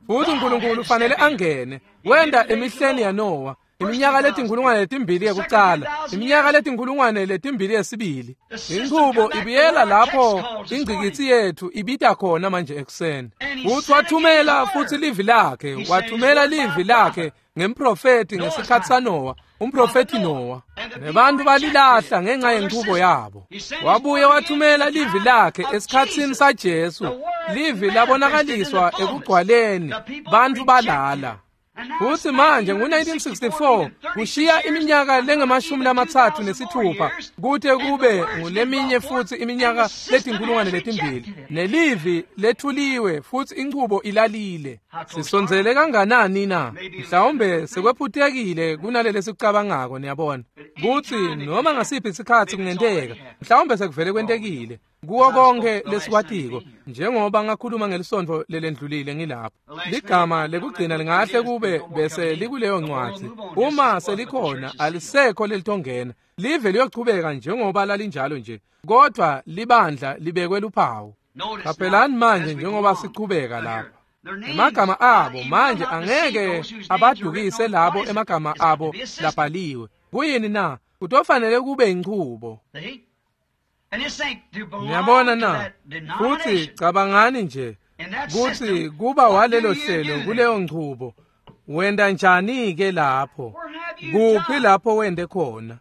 S1: Futhi uNkulunkulu ufanele angene, wenda emihleni yaNowa, iminyaka 2000 yekucala, iminyaka 2000 yesibili. Inchubo ibiyela lapho ingcikitsi yethu ibita khona manje ekuseni. Futhi wathumela futhi livi lakhe, wathumela livi lakhe ngemprofeti ngesikhathi saNowa, umprofeti Nowa. Nebantu balilahla ngenxa yenchubo yabo. Wabuye wathumela livi lakhe esikhatsini saJesu, livi labonakaliswa ekugcwaleni, bantu balala. Futhi manje ngo-1964 kushiya iminyaka lengama-36 kute kube nguleminye futhi iminyaka 2000, nelivi lethuliwe futhi inchubo ilalile. Sisondzele kanganani na? Mhlawumbe sekwephutekile kunalele sikucabangako, niyabona. Kutsi noma ngasiphi isikhatsi kungenteka, mhlawumbe sekuvele kwentekile. Kuwo konke lesikwatiko, njengoba ngakhuluma ngelisonto lelendlulile ngilapho. Ligama lekugcina lingahle kube bese likuleyo ncwadzi. Uma selikhona alisekho lelitongena. Live liyochubeka njengoba lalinjalo nje, kodwa libandla libekwe luphawu. Qaphelani manje njengoba sichubeka lapha. Emagama abo manje angeke abadukise labo emagama abo labhaliwe. Kuyini na? Kutofanele kube inchubo. Niyabona na? Futhi cabangani nje kutsi kuba walelo hlelo kuleyo nchubo. Wenda njani ke lapho? Kuphi lapho wende khona?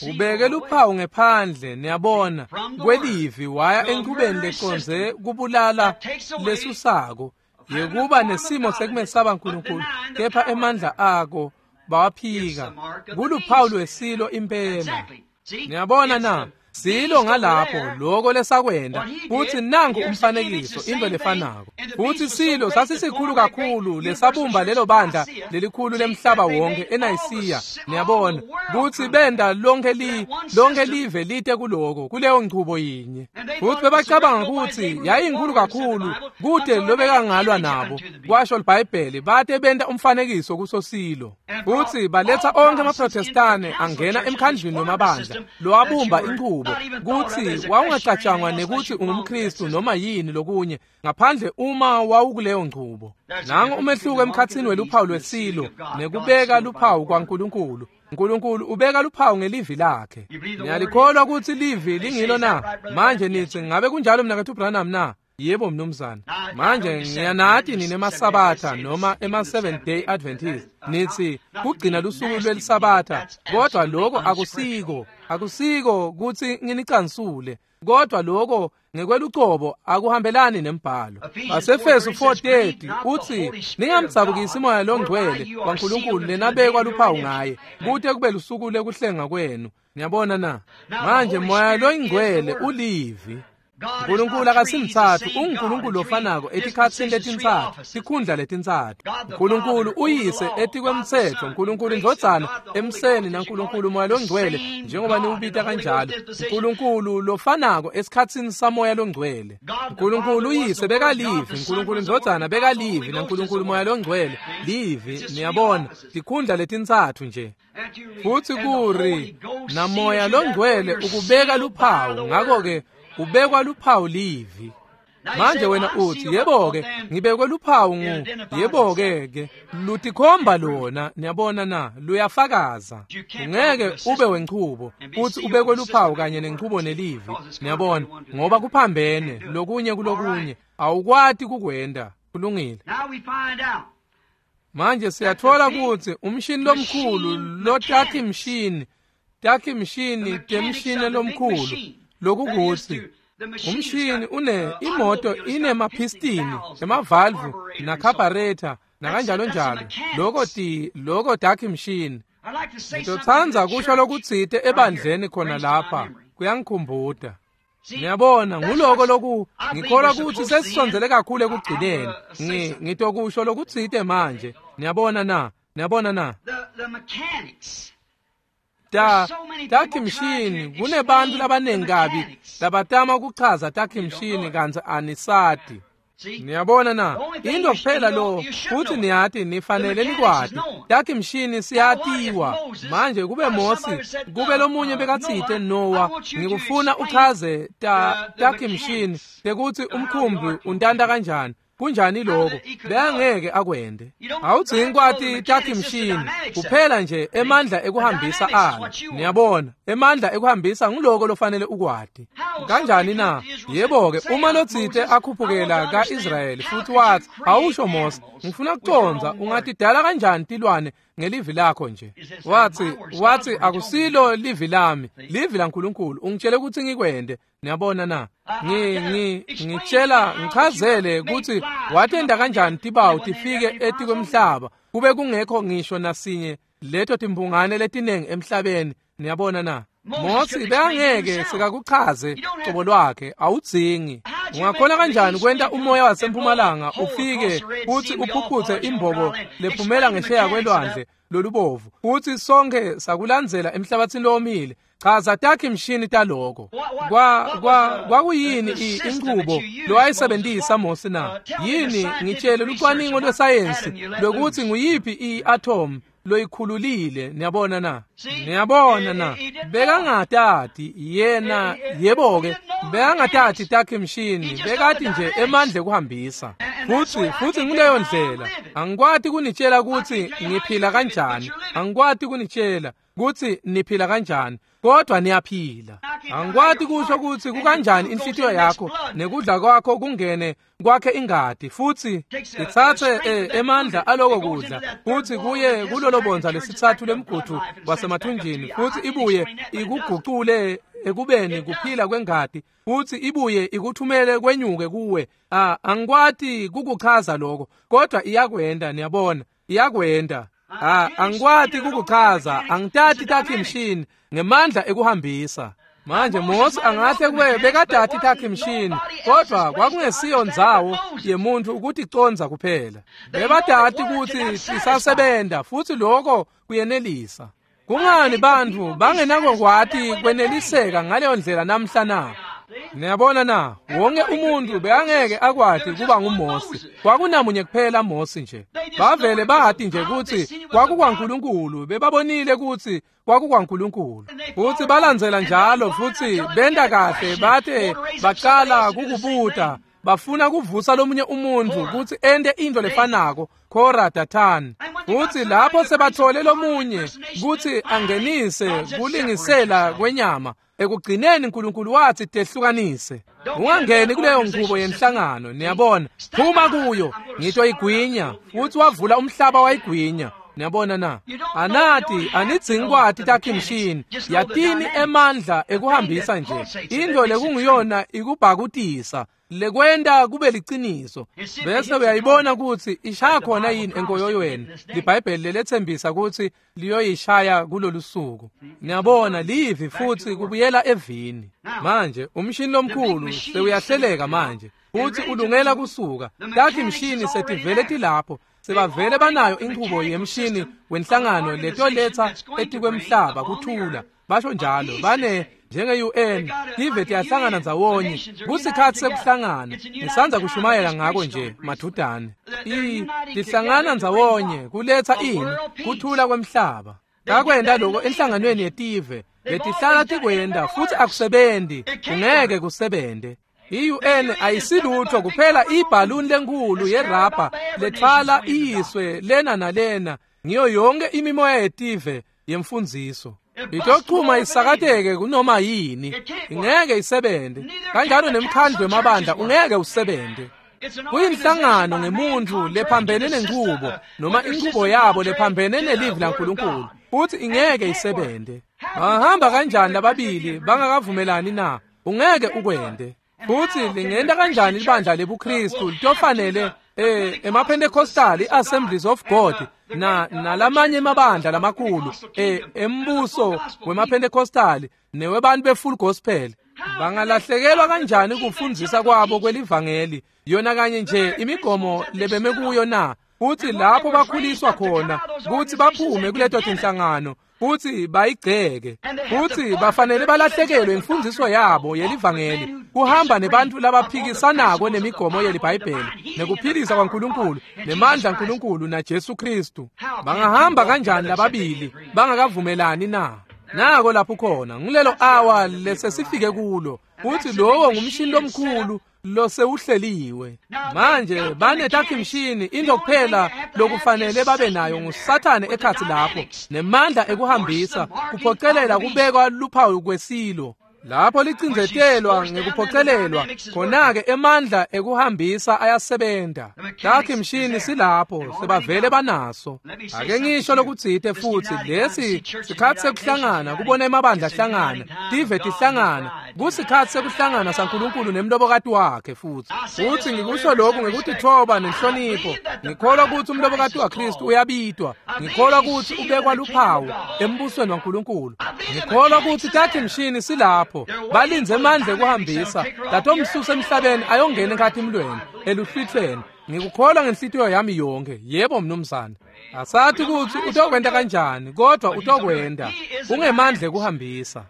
S1: Ubeke luphawu ngephandle, niyabona, kwelivi waya enchubeni leconze kubulala lesusako yekuba nesimo sekumesaba uNkulunkulu, kepha emandla ako bawaphika. Kuluphawu lwesilo impela. Niyabona na? Silo ngalapho lokho lesakwenda, futhi nangu umfanekiso, into lefanako. Futhi silo sasisikhulu kakhulu lesabumba lelo bandla lelikhulu lemhlaba wonke eNayisiya, niyabona, kutsi benda lonke live lite kuloko kuleyo nchubo yinye. Futhi bebacabanga kutsi yayinkulu kakhulu kude lobekangalwa nabo, kwasho iBhayibheli, bate benta umfanekiso kuso silo. Futhi baletha onke amaProtestane angena emkhandlwini wemabandla lowabumba inchubo kutsi wawungacatshangwa nekuthi ungumKristu noma yini lokunye ngaphandle uma wawukuleyo nchubo. Nangu umehluko emkhatsini weluphawu lwesilo nekubeka luphawu kwaNkulunkulu. uNkulunkulu ubeka luphawu ngelivi lakhe. Niyalikholwa kutsi livi lingilo na? Manje nitsi ngabe kunjalo mnaketfu Branham na? Yebo mnumzane. Manje ngiyanati nine emaSabatha noma ema-Seventh Day Adventist. Nitsi kugcina lusuku lweliSabatha, kodwa lokho akusiko. Akusiko kutsi nginicansule, kodwa lokho ngekwelucobo akuhambelani nembhalo. Basefesu 4:30 utsi ningamdzabukisi moya longcwele waNkulunkulu lenabekwa luphawu ngaye kute kube lusuku lekuhlenga kwenu. Niyabona na? Manje moya loyingcwele ulivi. uNkulunkulu akasimtsatfu, unguNkulunkulu lofanako etikhatsini letintsatfu, tikhundla letintsatfu. uNkulunkulu uyise etikwemtsetfo, uNkulunkulu indvodzana emseni, naNkulunkulu moya longcwele njengoba niwubita kanjalo. uNkulunkulu lofanako esikhatsini samoya longcwele. uNkulunkulu uyise bekalivi, uNkulunkulu indvodzana bekalivi, naNkulunkulu moya longcwele livi. Niyabona, tikhundla letintsatfu nje. Futhi kuri namoya longcwele ukubeka luphawu, ngakho-ke ubekwa luphawu livi. Manje wena uthi yebo-ke ngibekwe luphawu ngu yebo-ke ke lutikhomba lona. Niyabona na? Luyafakaza. Ungeke ube wenchubo uthi ubekwe luphawu kanye nenchubo nelivi. Niyabona, ngoba kuphambene lokunye kulokunye, awukwati kukwenda. Kulungile. Manje siyatfola kutsi umshini lomkhulu lotakhi mshini, takhi mshini temshini lomkhulu, lokukuthi umshini une imoto inemaphistini, emavalvu nakhabharetha nakanjalo njalo. Lokho lokho takhi mshini. Ngitotsandza kusho lokutsite ebandleni khona lapha, kuyangikhumbuta. Niyabona, nguloko loku ngikholwa kutsi sesisondzele kakhulu ekugcineni. Ngitokusho lokutsite manje. Niyabona na? Niyabona na? Takhi mshini, kunebantu labanengi kabi labatama kuchaza takhi mshini kantsi anisati. Niyabona na? Into kuphela lo futhi niyati nifanele nikwati. Takhi mshini siyatiwa. Manje kube Mosi, kube lomunye bekatsite Noah, ngikufuna uchaze takhi mshini tekutsi umkhumbi untanta kanjani. Kunjani lokho? Beyangeke akwende. Awudzingi kwati takhi mshini, kuphela nje emandla ekuhambisa alo. Niyabona, emandla ekuhambisa nguloko lofanele ukwati. Kanjani na? Yebo-ke, uma lotsite akhuphukela ka-Israyeli futhi wathi, awusho Mose, ngifuna kucondza ungatidala kanjani tilwane ngelivi lakho nje. Wathi akusilo livi lami, livi laNkulunkulu, ungitshele ukuthi ngikwende. Niyabona na? Ngitshela ngichazele ukuthi watenda kanjani tibawu tifike etikwemhlaba kube kungekho ngisho nasinye leto timbungane letinengi emhlabeni. Niyabona na? Mosi bekangeke sekakuchaze cobo lwakhe, awudzingi. Ungakhona kanjani kwenta umoya wasempumalanga ufike futhi uphuphuthe imbobo lephumela ngesheya kwelwandle lolubovu, futhi sonke sakulandzela emhlabathini lowomile? Chaza takhi mshini taloko. Kwakuyini inqubo lowayisebenzisa Mosi na? Yini ngitshele lucwaningo lwesayensi lokuthi nguyiphi i-atom loyikhululile? Niyabona na? Niyabona na? Bekangatati yena, yebo-ke, bekangatati takhi mshini, bekati nje emandla ekuhambisa. Futhi nguleyo ndlela. Angikwati kunitshela ukuthi ngiphila kanjani, angikwati kunitshela ukuthi niphila kanjani, kodwa niyaphila. Angikwati kusho ukuthi kukanjani inhlitiyo yakho nekudla kwakho kungene kwakhe ingadi, futhi ithathe emandla aloko kudla futhi kuye kulolo bonza lesithathu lemgudu wasemathunjini, futhi ibuye ikugucule ekubeni kuphila kwengadi, futhi ibuye ikuthumele kwenyuke kuwe. Angikwati kukuchaza lokho, kodwa iyakwenda. Niyabona, iyakwenda. Angikwati kukuchaza, angitati takhi mshini ngemandla ekuhambisa. Manje Mosi angahle kube bekadati takhi mshini, kodwa kwakungesiyo ndzawo yemuntu ukuthi condza kuphela. Bebadati ukuthi sisasebenta, futhi lokho kuyenelisa. Kungani bantfu bangenako kwati kweneliseka ngaleyo ndlela namhla na? Niyabona na? Wonke umuntu bekangeke akwati kuba nguMosi. Kwakunamunye kuphela Mosi nje. Bavele bati nje ukuthi kwakukwaNkulunkulu, bebabonile ukuthi kwakukwaNkulunkulu. Futhi balandzela njalo, futhi benta kahle, bate baqala kukubuta, bafuna kuvusa lomunye umuntu ukuthi ente into lefanako, Kora, Dathani. Futhi lapho sebathole lomunye ukuthi angenise kulingisela kwenyama, ekugcineni uNkulunkulu wathi tehlukanise. Ungangeni kuleyo nqubo yenhlangano, niyabona. Phuma kuyo, ngitoyigwinya. Futhi wavula umhlaba wayigwinya. Niyabona na? Anati anidzingi kwati takhi mshini, yatini emandla ekuhambisa nje. Into lekunguyona ikubhakutisa, lekwenta kube liciniso. Bese uyayibona ukuthi ishaya khona yini enkoyoyweni. LiBhayibheli lelethembisa ukuthi liyoyishaya kulolu suku. Niyabona, livi futhi kubuyela evini. Manje umshini lomkhulu sewuyahleleka manje, futhi ulungela kusuka. Takhi mshini setivele tilapho. Sebavele banayo inqubo yemshini wenhlangano letoletha etikwemhlaba kuthula. Basho njalo, bane njenge-UN, tive tiyahlangana ndzawonye. Kusikhathi sekuhlangana. Ngisanza kushumayela ngako nje madudane. Tihlangana ndzawonye kuletha ini? Kuthula kwemhlaba. Kakwenda lokho enhlanganweni yetive letihlala tikwenda, futhi akusebenzi, kungeke kusebente. I-UN ayisilutho kuphela ibhaluni lenkulu yerabha lethwala iyiswe lena nalena ngiyo yonke imimoya yetive yemfundziso. Itochuma isakateke kunoma yini, ingeke isebente. Kanjalo nemkhandlu wemabandla ungeke usebente. Kuyinhlangano ngemuntu lephambene nenqubo, noma inqubo yabo lephambene nelivi laNkulunkulu, futhi ingeke isebente. Bangahamba kanjani lababili bangakavumelani na? Ungeke ukwente. Futhi lingenta kanjani libandla lebuKristu litofanele emaPentecostal, i-Assemblies of God na nalamanye emabandla lamakhulu embuso wemaPentecostal newebantu befull gospel, bangalahlekelwa kanjani kufundzisa kwabo kwelivangeli, yona kanye nje imigomo lebeme kuyo na? Futhi lapho bakhuliswa khona kuthi baphume kuleto tinhlangano futhi bayigceke, futhi bafanele balahlekelwe imfundiso yabo yelivangeli, kuhamba nebantu labaphikisanako nemigomo yeliBhayibheli nekuphilisa kwaNkulunkulu nemandla aNkulunkulu naJesu Kristu. Bangahamba kanjani lababili bangakavumelani na? Nako lapho khona, ngilelo awa lesesifike kulo, futhi lowo ngumshini lomkhulu losewuhleliwe. Manje banetakhi mshini, into kuphela lokufanele babe nayo nguSathane ekhathi lapho nemandla ekuhambisa, kuphocelela kubekwa luphawu kwesilo. Lapho licindzetelwa ngekuphocelelwa, khona-ke emandla ekuhambisa ayasebenta. Takhi mshini silapho, sebavele banaso. Ake ngisho lokutsite futhi, lesi sikhatsi sekuhlangana, kubona emabandla ahlangana, tive tihlangana, kusikhatsi sekuhlangana saNkulunkulu nemlobokati wakhe futhi. Futhi ngikusho lokhu ngekutitfoba nenhlonipho. Ngikholwa kutsi umlobokati waKristu uyabitwa. Ngikholwa kutsi ubekwa luphawu embusweni waNkulunkulu. Ngikholwa kutsi takhi mshini silapho, balindze emandla ekuhambisa latomsusa emhlabeni ayongena enkhatimlweni eluhlwithweni. Ngikukholwa ngenhlitiyo yami yonke. Yebo mnumzane. Asathi kutsi utokwenta kanjani, kodwa utokwenta. Ungemandla ekuhambisa.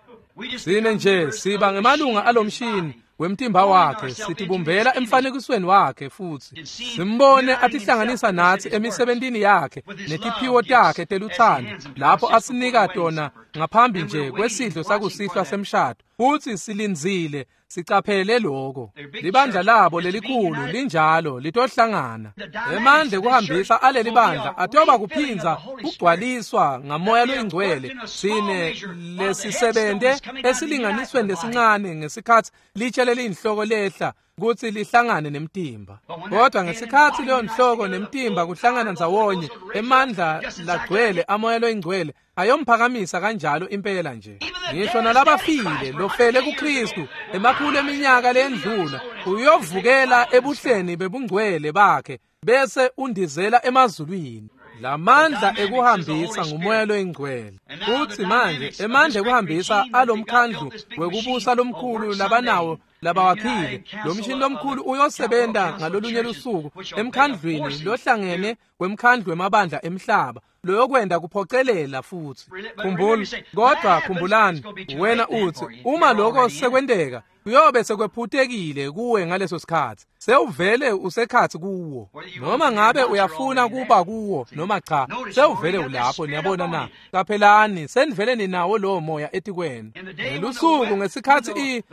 S1: Sine nje siba ngemalunga alomshini wemtimba wakhe, sitibumbela emfanekisweni wakhe futhi simbone atihlanganisa nathi emisebentini yakhe netiphiwo takhe teluthando lapho asinika tona ngaphambi nje kwesidlo sakusihlwa semshado. Futhi silindzile, sicaphele lokho. Libandla labo lelikhulu linjalo litohlangana. Emandla ekuhambisa aleli bandla atoba kuphinza kugcwaliswa ngamoya loyingcwele. Sine lesisebente esilinganisweni lesincane ngesikhatsi litshe leliyinhloko lehla kutsi lihlangane nemtimba. Kodwa ngesikhatsi leyo nhloko nemtimba kuhlangana ndzawonye, emandla lagcwele amoya loyingcwele ayomphakamisa kanjalo impela nje. Ngisho nalabafile lofele kuKristu emakhulu eminyaka lendlula uyovukela ebuhleni bebungcwele bakhe bese undizela emazulwini. Lamandla ekuhambisa ngumoya loyingcwele. Futhi manje emandla ekuhambisa alomkhandlu wekubusa lomkhulu labanawo labawakhile, lo mshini lomkhulu uyosebenta ngalolunye lusuku emkhandlwini lohlangene wemkhandlu wemabandla emhlaba loyokwenda kuphocelela futhi. Khumbula, kodwa khumbulani, wena uthi uma lokho sekwenteka kuyobe sekwephutekile kuwe ngaleso sikhatsi. Sewuvele usekhatsi kuwo. Noma ngabe uyafuna kuba kuwo noma cha, sewuvele ulapho. Niyabona na? Qaphelani, senivele ninawo lowo moya etikwenu. Ngelusuku ngesikhatsi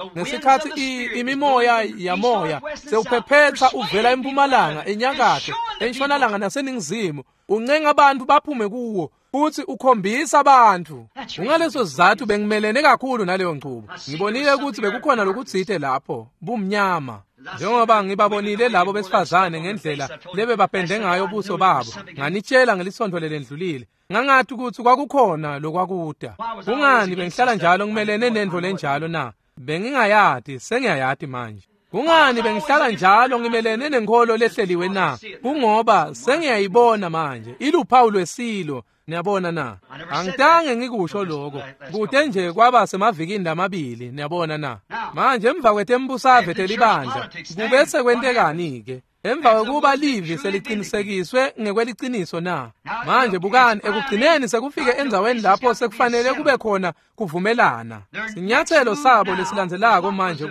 S1: imimoya yamoya sewuphephetsa uvela empumalanga, enyakatho, entshonalanga naseningizimu, uncenga abantu baphume kuwo futhi ukhombisa abantu. Kungaleso sizathu bengimelene kakhulu naleyo nchubo. Ngibonile ukuthi bekukhona lokutsite lapho, bumnyama. Njengoba ngibabonile labo besifazane ngendlela lebebapende ngayo buso babo, nganitshela ngelisonto lelendlulile, ngangathi ukuthi kwakukhona lokwakuda. Kungani bengihlala njalo ngimelene nendvo lenjalo na? Bengingayati, sengiyayati manje. Kungani bengihlala njalo ngimelene nenkholo lehleliwe na? Kungoba sengiyayibona manje, iluphawu lwesilo. Niyabona na? Angitange ngikusho lokho kude nje kwaba semavikini lamabili. Niyabona na? Manje emva kwetembusave telibandla kubese kwentekani-ke? Emva kwekuba livi selicinisekiswe ngekweliciniso na? Manje bukani, ekugcineni sekufike endzaweni lapho sekufanele kube khona kuvumelana. Sinyathelo sabo lesilandzelako manje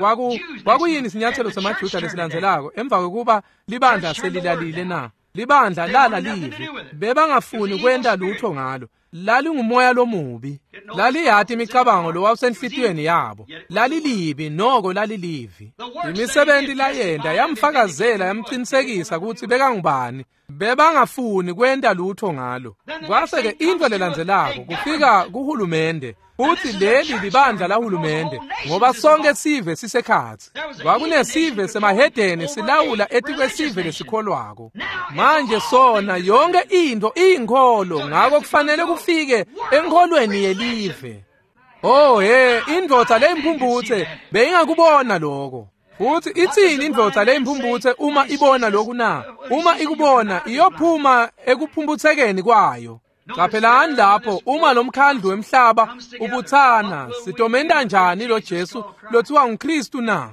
S1: kwakuyini sinyathelo semaJuda lesilandzelako emva kwekuba libandla selilalile na? Libandla lala livi, bebangafuni kwenta lutho ngalo. Lalingumoya lomubi, laliyati imicabango lowawusenhlitiyweni yabo. Lalilibi noko lalilivi. Imisebenti layenta yamfakazela, yamqinisekisa kutsi bekangubani. Bebangafuni kwenta lutho ngalo. Kwase-ke into lelandzelako kufika kuhulumende. Futhi leli libandla lahulumende, ngoba sonke sive sisekhatsi. Kwakunesive semahedeni silawula etikwesive lesikholwako. Manje sona yonke into iyinkholo, ngako kufanele kufike enkholweni yelive. Oh he, indvodza leyimphumphutse beyingakubona lokho. Futhi itsini indvodza leyimphumphutse uma ibona lokhu na? Uma ikubona iyophuma ekuphumphutsekeni kwayo. Qaphelani lapho uma lomkhandlu wemhlaba ubuthana, sitomenta njani lo Jesu lothiwa nguKristu na?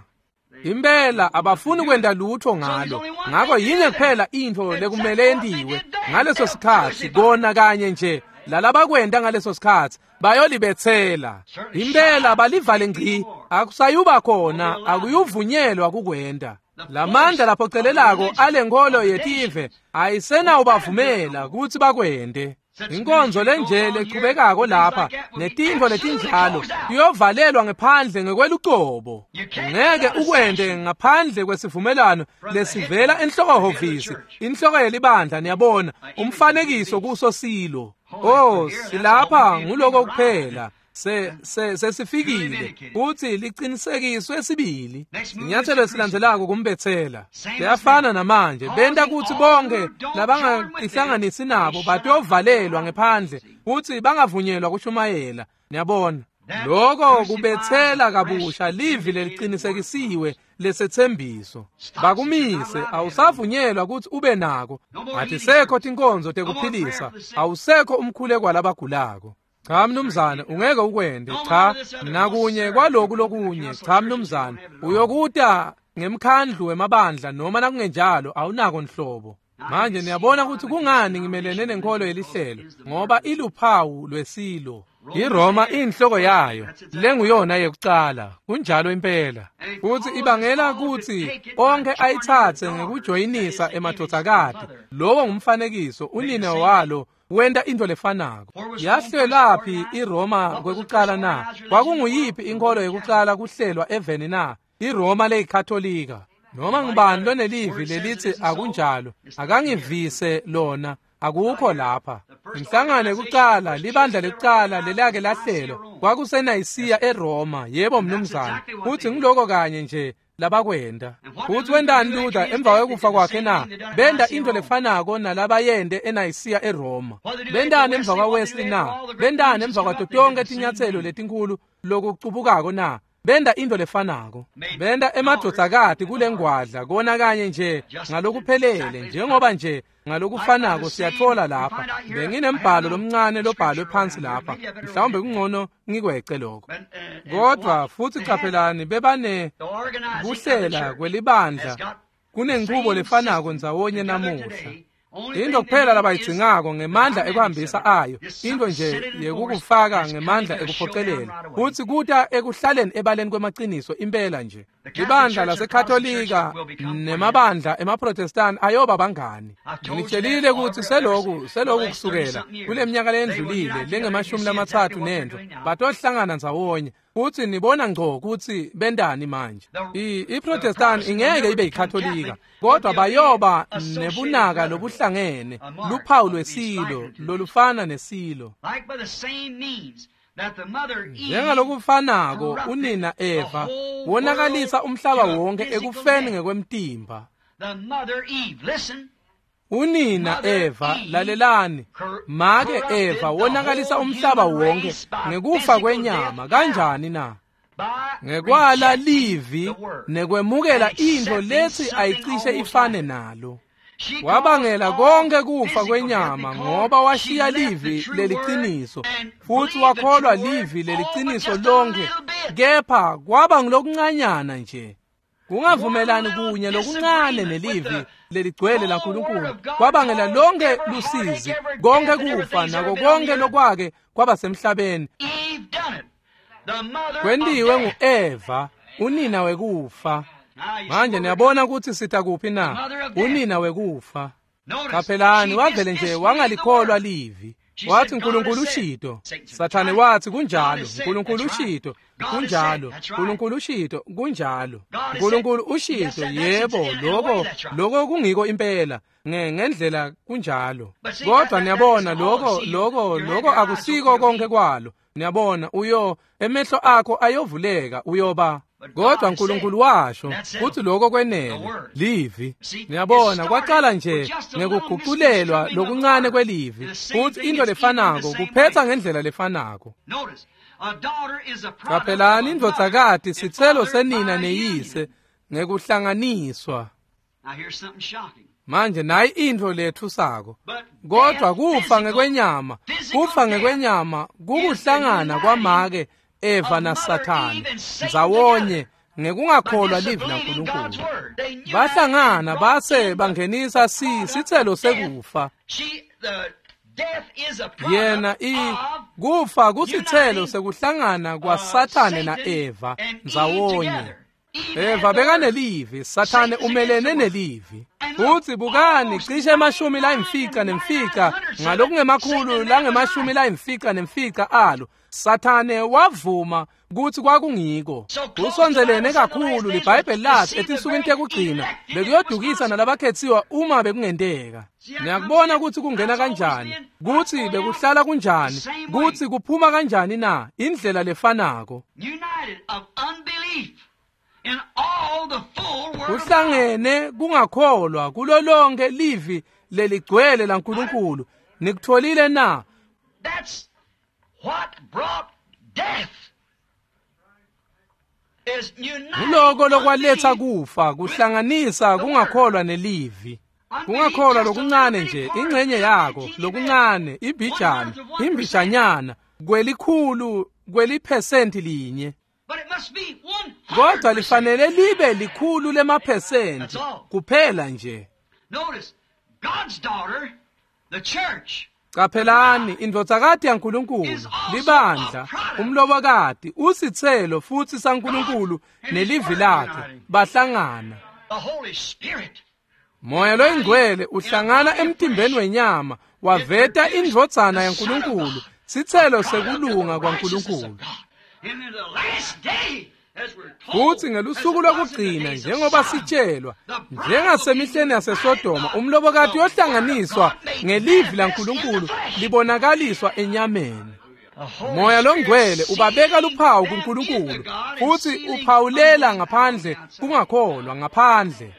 S1: Impela abafuni kwenta lutho ngalo. Ngako yinye kuphela intfo lekumele yentiwe ngaleso sikhatsi, kona kanye nje lalabakwenta ngaleso sikhatsi bayolibetsela. Impela balivale ngci, akusayuba khona, akuyuvunyelwa kukwenta. Lamandla laphocelelako alenkholo yetive ayisenawubavumela kutsi bakwente. Inkonzo lenje lechubekako lapha netintfo letinjalo iyovalelwa ngephandle ngekwelucobo. Ngeke ukwente ngaphandle kwesivumelano lesivela enhlokohhovisi, inhloko yelibandla. Niyabona, umfanekiso kuso silo. Oh, silapha nguloko kuphela. Sesifikile kutsi liqinisekiswe sibili. Inyathelo esilandzelako kumbethela. Kuyafana namanje, benta kutsi bonke labangahlanganisi nabo batovalelwa ngephandle kutsi bangavunyelwa kushumayela. Niyabona, lokho kubethela kabusha livi leliqinisekisiwe lesethembiso. Bakumise, awusavunyelwa kutsi ube nako. Atisekho tinkonzo tekuphilisa, awusekho umkhuleko walabagulako. Cha mnumzane, ungeke ukwende. Cha, nakunye kwaloku lokunye. Cha mnumzane, uyokuta ngemkhandlu wemabandla noma nakungenjalo awunako nhlobo. Manje niyabona ukuthi kungani ngimelene nenkolo yelihlelo, ngoba iluphawu lwesilo. iRoma inhloko yayo lenguyona yekucala, kunjalo impela. Futhi ibangela kutsi onke ayithathe ngekujoyinisa emadvodzakati. Lowo ngumfanekiso, unina walo wenta into lefanako. Yahlelaphi iRoma kwekucala na? Kwakunguyiphi inkolo yekucala kuhlelwa eveni na? iRoma leyikatolika. Noma ngubani lonelivi lelithi akunjalo, akangivise lona, akukho lapha. Inhlangano yekucala, libandla lekucala lelake lahlelwa kwakuseNayisiya eRoma. Yebo mnumzane, futhi ngiloko kanye nje labakwenda. Futhi wendani Luther emva kwekufa kwakhe na? Benda into lefanako nalabayende eNayisiya eRoma. Bendani emva kwaWesley na? Bendani emva kwato tonke tinyatselo letinkulu lokucubukako na? Benda into lefanako. Benda emadvodzakati kulengwadla kona kanye nje ngalokuphelele, njengoba nje ngalokufanako siyathola lapha. Benginembhalo lomncane lobhalwe phansi lapha, mhlawumbe kungcono ngikwece lokho. Kodwa futhi qaphelani, bebane kuhlela kwelibandla kunenchubo lefanako ndzawonye namuhla. Into kuphela labayidzingako ngemandla ekuhambisa ayo, into nje yekukufaka ngemandla ekuphocelela, futsi kuta ekuhlaleni ebaleni kwemaciniso impela nje. Libandla laseKatolika nemabandla emaProtestant ayoba bangani. Ngitshelile kutsi seloku kusukela kule minyaka lendlulile lengemashumi lamatsatfu nentfo batohlangana ndzawonye. Futhi nibona ngco kutsi bendani manje. IProtestant ingeke ibe yiKatolika, kodwa bayoba nebunaka lobuhlangene, luphawu lwesilo lolufana nesilo. Njengalokufanako unina Eva wonakalisa umhlaba wonke ekufeni ngekwemtimba. Unina Eva, lalelani, make Eva wonakalisa umhlaba wonke ngekufa kwenyama. Kanjani na? Ngekwala livi nekwemukela into lethi ayicishe ifane nalo. Wabangela konke kufa kwenyama ngoba washiya livi leliciniso, futhi wakholwa livi leliciniso lonke, kepha kwaba ngilokuncanyana nje. Kungavumelani kunye lokuncane nelivi leligcwele laNkulunkulu kwabangela lonke lusizi, konke kufa nako konke lokwake kwaba semhlabeni. Kwentiwe ngu-Eva, unina wekufa. Manje niyabona ukuthi sita kuphi na? Unina wekufa. Qaphelani, wavele nje wangalikholwa livi. Wathi uNkulunkulu ushito. Sathane wathi kunjalo, uNkulunkulu ushito, kunjalo, uNkulunkulu ushito, kunjalo. uNkulunkulu ushito, yebo, lokho kungiko impela. Ngendlela kunjalo. Kodwa niyabona lokho akusiko konke kwalo. Niyabona, emehlo akho ayovuleka, uyoba. Kodwa uNkulunkulu washo futhi lokho kwenele livi. Niyabona, kwaqala nje ngekuguqulelwa lokuncane kwelivi, futhi into lefanako kuphetha ngendlela lefanako. Qaphelani, indvodzakati sitselo senina neyise ngekuhlanganiswa. Manje nayi intfo lethusako. Kodwa kufa ngekwenyama, kufa ngekwenyama kukuhlangana kwamake Eva naSathane ndzawonye ngekungakholwa livi laNkulunkulu. Bahlangana base bangenisa sitselo sekufa. Yena kufa kusitselo sekuhlangana kwaSathane na-Eva ndzawonye. Eva bekanelivi, Sathane umelene nelivi. Futhi bukani, cishe 95 ngalokungemakhulu lange-95 alo, Sathane wavuma kutsi kwakungiko. Kusondzelene kakhulu liBhayibheli lathi etinsukwini tekugcina bekuyodukisa nalabakhetsiwe uma bekungenteka. Niyakubona kutsi kungena kanjani, kutsi bekuhlala kunjani, kutsi kuphuma kanjani na, indlela lefanako. Kuhlangene kungakholwa kulo lonke livi leligcwele laNkulunkulu. Nikutfolile na?
S2: That's what brought death.
S1: Nguloko lokwaletsa kufa, kuhlanganisa kungakholwa nelivi. Kungakholwa lokuncane nje, ingxenye yako, lokuncane, ibhijana, imbijanyana, kwelikhulu, kweliphesenti linye. Kodwa lifanele libe likhulu lemaphesenti kuphela nje. Qaphelani, indvodzakati yaNkulunkulu, libandla, umlobokati, usitselo futsi saNkulunkulu nelivi lakhe bahlangana. Moya loyingcwele uhlangana emtimbeni wenyama waveta indvodzana yaNkulunkulu, sitselo sekulunga kwaNkulunkulu. Futsi ngelusuku lokugcina, njengoba sitshelwa, njengasemihleni yaseSodoma, umlobokati yohlanganiswa ngelivi laNkulunkulu libonakaliswa enyameni. Moya longcwele ubabeka luphawu kuNkulunkulu futsi uphawulela ngaphandle kungakholwa ngaphandle.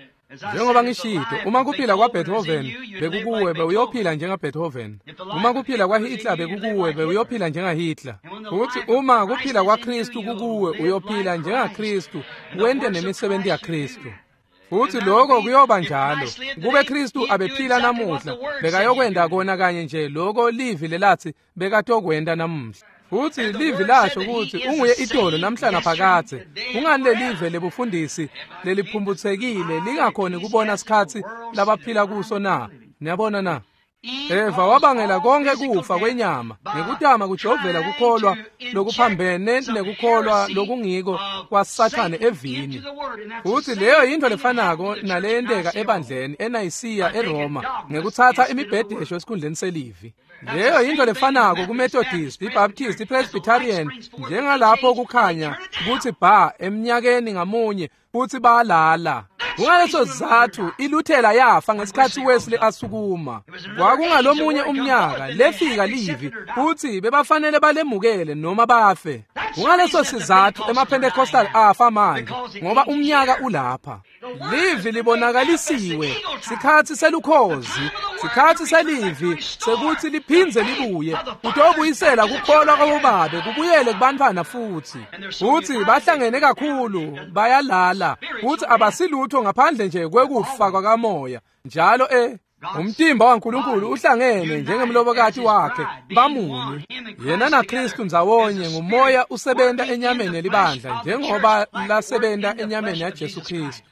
S1: Njengoba ngishito, uma kuphila kwaBeethoven bekukuwe, bewuyophila njengaBeethoven. Uma kuphila kwaHitler bekukuwe, bewuyophila njengaHitler. Futhi uma kuphila kwaKristu kukuwe, uyophila njengaKristu, wente nemisebenzi yaKristu. Futhi lokho kuyoba njalo. Kube Kristu abephila namuhla, bekayokwenda kona kanye nje lokho livi lelathi bekatokwenda namuhla. Futhi livi lasho ukuthi unguye itolo namhla naphakadze. Kungani lelive lebufundisi leliphumphutsekile lingakhoni kubona sikhatsi labaphila kuso na? Niyabona na? Eva wabangela konke kufa kwenyama ngekutama kujovela kukholwa lokuphambene nekukholwa lokungiko kwaSathane evini. Futhi leyo yinto lefanako naleyenteka ebandleni eNayisiya eRoma ngekutsatsa imibhedesho esikhundleni selivi. Leyo yinto lefanako kuMethodist, iBaptist, iPresbyterian, njengalapho kukhanya kutsi ba eminyakeni ngamunye futsi balala. Kungaleso sizatfu iLuthela yafa ngesikhatsi Wesley asukuma. Kwakungalomunye umnyaka lefika livi futsi bebafanele balemukele noma bafe. Kungaleso sizatfu emaPentecostal afa manje ngoba umnyaka ulapha. Livi libonakalisiwe, sikhatsi selukhozi, sikhatsi selivi sekuthi liphindze libuye, kutobuyisela kukholwa kwabobabe kubuyele kubantfwana futsi. Futsi bahlangene kakhulu bayalala futsi abasilutho ngaphandle nje kwekufa kwakamoya. Njalo umtimba waNkulunkulu uhlangene njengemlobokati wakhe, bamunye. Yena naKristu ndzawonye ngumoya usebenta enyameni yelibandla njengoba lasebenta enyameni yaJesu Kristu.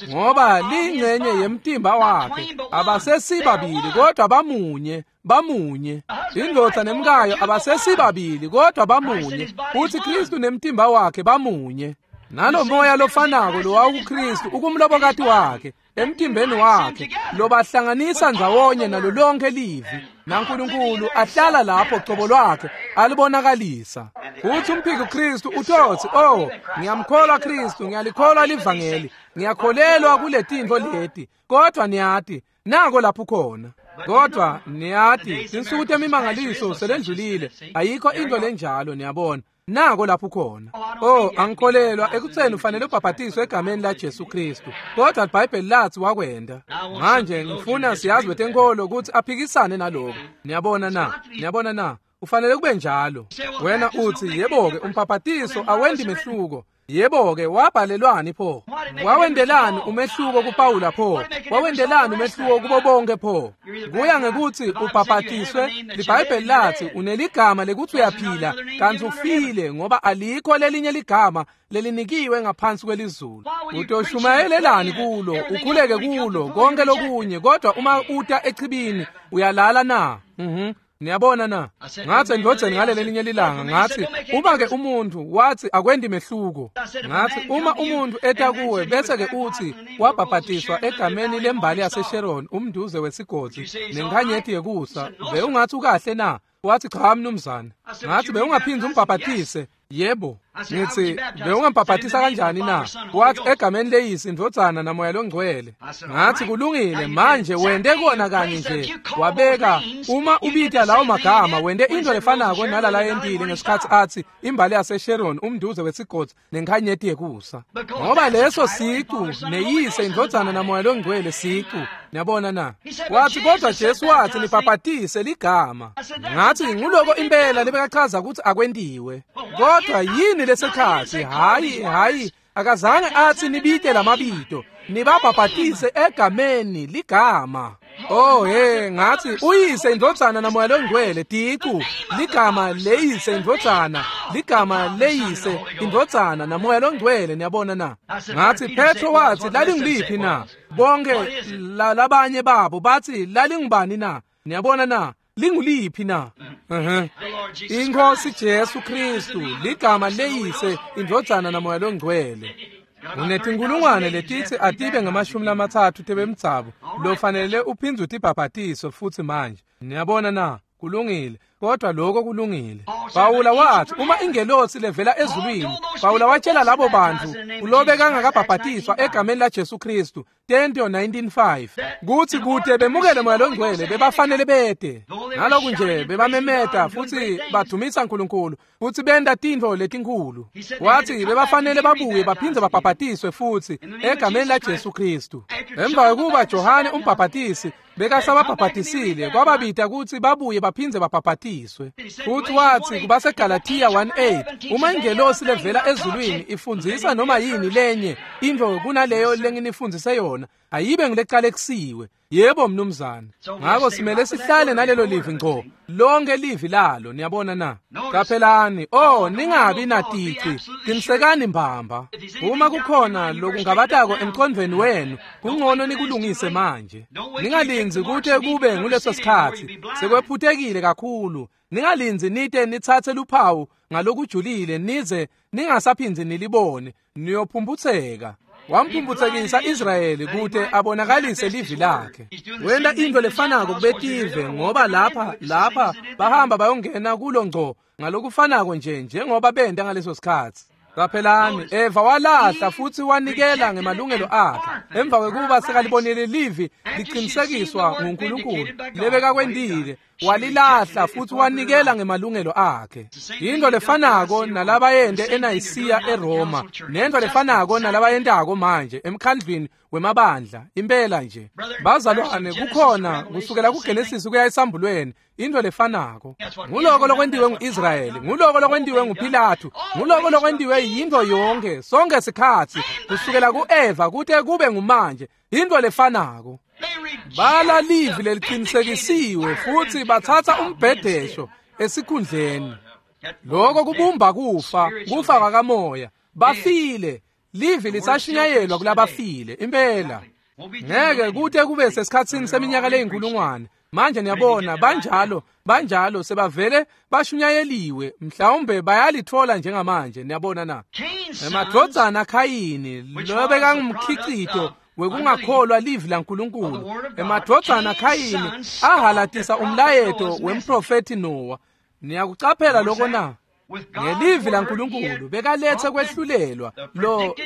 S1: Ngoba lingcenye yemtimba wakhe, abasesibabili kodwa bamunye, bamunye. Indvodza nemkayo abasesibabili kodwa bamunye, futhi Kristu nemtimba wakhe bamunye. Nalo moya lofanako lowawukuKristu ukumlobokati wakhe, emtimbeni wakhe, lobahlanganisa ndzawonye nalo lonke livi, naNkulunkulu ahlala lapho cobo lwakhe alibonakalisa. Futhi umphiki Kristu utotsi, oh, ngiyamkholwa Kristu, ngiyalikholwa livangeli, ngiyakholelwa kuletintfo leti, kodwa niyati, nako lapho khona. Kodwa niyati, tinsuku temimangaliso selendlulile, ayikho into lenjalo, niyabona. Nako lapho khona. Oh, angikholelwa ekutseni ufanele ubhabhatiswe egameni laJesu Kristu. Kodwa iBhayibheli lathi wakwenda. Manje ngifuna siyazi betenkolo ukuthi aphikisane naloko. Niyabona na? Niyabona na? Ufanele kube njalo. Wena uthi, yebo-ke umbhabhatiso awendi mehluko. Yebo-ke wabhalelwani pho? Wawendelani umehluko kuPawula pho? Wawendelani umehluko kubo bonke pho? Kuya ngekuthi ubhabhatiswe, liBhayibheli lathi uneligama lekuthi uyaphila kanti ufile ngoba alikho lelinye ligama lelinikiwe ngaphansi kwelizulu. Utoshumayelelani kulo, ukhuleke kulo, konke lokunye, kodwa uma uta echibini uyalala na? Niyabona na? Ngathi endvodzeni ngalelelinye lilanga, ngathi uma ke umuntu wathi akwendi mehluko, ngathi uma umuntu eta kuwe bese ke uthi wabhabhatiswa egameni lembali yaseSharon, umnduze wesigodzi nenkhanyeti yekusa, bewungathi ukahle na? Wathi cha mnumzane. Ngathi bewungaphindzi umbhabhatise. Yebo. Ngithi bewungambhabhatisa kanjani na? Wathi egameni leyisi, indvodzana namoya longcwele. Ngathi kulungile, manje wente kona kanye nje. Wabeka uma ubita lawo magama wente into lefanako nalala yentile ngesikhathi athi imbali yaseSharon umnduze wesigodzi nenkhanyeti yekusa. Ngoba leso sicu neyise indvodzana namoya longcwele sicu. Niyabona na? Wathi kodwa Jesu wathi nibhabhatise ligama. Ngathi nguloko impela lebekachaza ukuthi akwentiwe. Kodwa yini lesekhathi? Hayi akazange athi nibite lamabito, nibabhabhatise egameni ligama. Oh hey, ngathi uyise indvodzana namoya longcwele ticu ligama leyise indvodzana, ligama leyise indvodzana namoya longcwele. Niyabona na? Ngathi Petro wathi lalingiliphi na? Bonke labanye babo bathi lalingubani na? Niyabona na? Linguliphi na? Inkosi Jesu Kristu ligama leyise indvodzana namoya longcwele. Unetinkulungwane letithi atibe ngama-30 tebemdzabo lofanele uphindze utibhabhatiso futhi manje. Niyabona na? Kulungile, kodwa lokho kulungile. Pawula wathi uma ingelosi levela ezulwini, Pawula watshela labo bantu ulobe kangakabhabhatiswa egameni la Jesu Kristu Tento 19:5 kuthi kude bemukele moya longcwele bebafanele bede. Naloku nje bebamemeta futhi badumisa uNkulunkulu futhi benda tintfo letinkhulu. Wathi bebafanele babuye baphindze babhabhatiswe futhi egameni la Jesu Kristu. Emva kokuba Johane umbhabhatisi bekasababhabhatisile kwababita ukuthi babuye baphindze babhabhatiswe. Futhi wathi kubaseGalatia 1:8 uma ingelosi levela ezulwini ifundzisa noma yini lenye into kunaleyo lenginifundise yona ayibe ngileqalekisiwe. Yebo mnumzane. Ngakho simele sihlale nalelo livi ngco, lonke livi lalo. Niyabona na? Qaphelani, oh ningabi natici, qinisekani mbamba. Uma kukhona lokungabatako emqondweni wenu, kungcono nikulungise manje. Ningalindzi kute kube nguleso sikhathi sekwephutekile kakhulu. Ningalindzi nite nitsatse luphawu ngalokujulile nize ningasaphindzi nilibone, niyophumputseka. Wamphumphutsekisa Israyeli kute abonakalise livi lakhe. Wenta into lefanako kubetive ngoba lapha bahamba bayongena kulo ngco ngalokufanako nje njengoba benta ngaleso sikhathi. Qaphelani, Eva walahla futhi wanikela ngemalungelo akhe emva kwekuba sekalibonile livi liqinisekiswa nguNkulunkulu lebekakwentile. Walilahla futhi wanikela ngemalungelo akhe. Into lefanako nalabayente eNayisiya eRoma, nento lefanako nalabayentako manje emkhandlwini wemabandla. Impela nje bazalwane, kukhona kusukela kuGenesis kuya esambulweni into lefanako. Nguloko lokwentiwe nguIsrayeli, nguloko lokwentiwe nguPilatu, nguloko lokwentiwe yinto yonke sonke sikhathi kusukela kuEva kute kube ngumanje, into lefanako. Bala livi leliqinisekisiwe futhi bathatha umbhedesho esikhundleni. Lokho kubumba kufa, kufa kwakamoya. Bafile, livi lisashunyayelwa kulabafile impela. Ngeke kute kube sesikhatsini seminyaka leyinkulungwane. Manje niyabona banjalo sebavele bashunyayeliwe, mhlawumbe bayalithola njengamanje. Niyabona na? Emadvodzana Khayini lobekangumkhicito wekungakholwa livi laNkulunkulu, emadvodzana Khayini ahalatisa umlayeto wemprofethi Noah. Niyakucaphela lokho na? Ngelivi laNkulunkulu bekalethe kwehlulelwa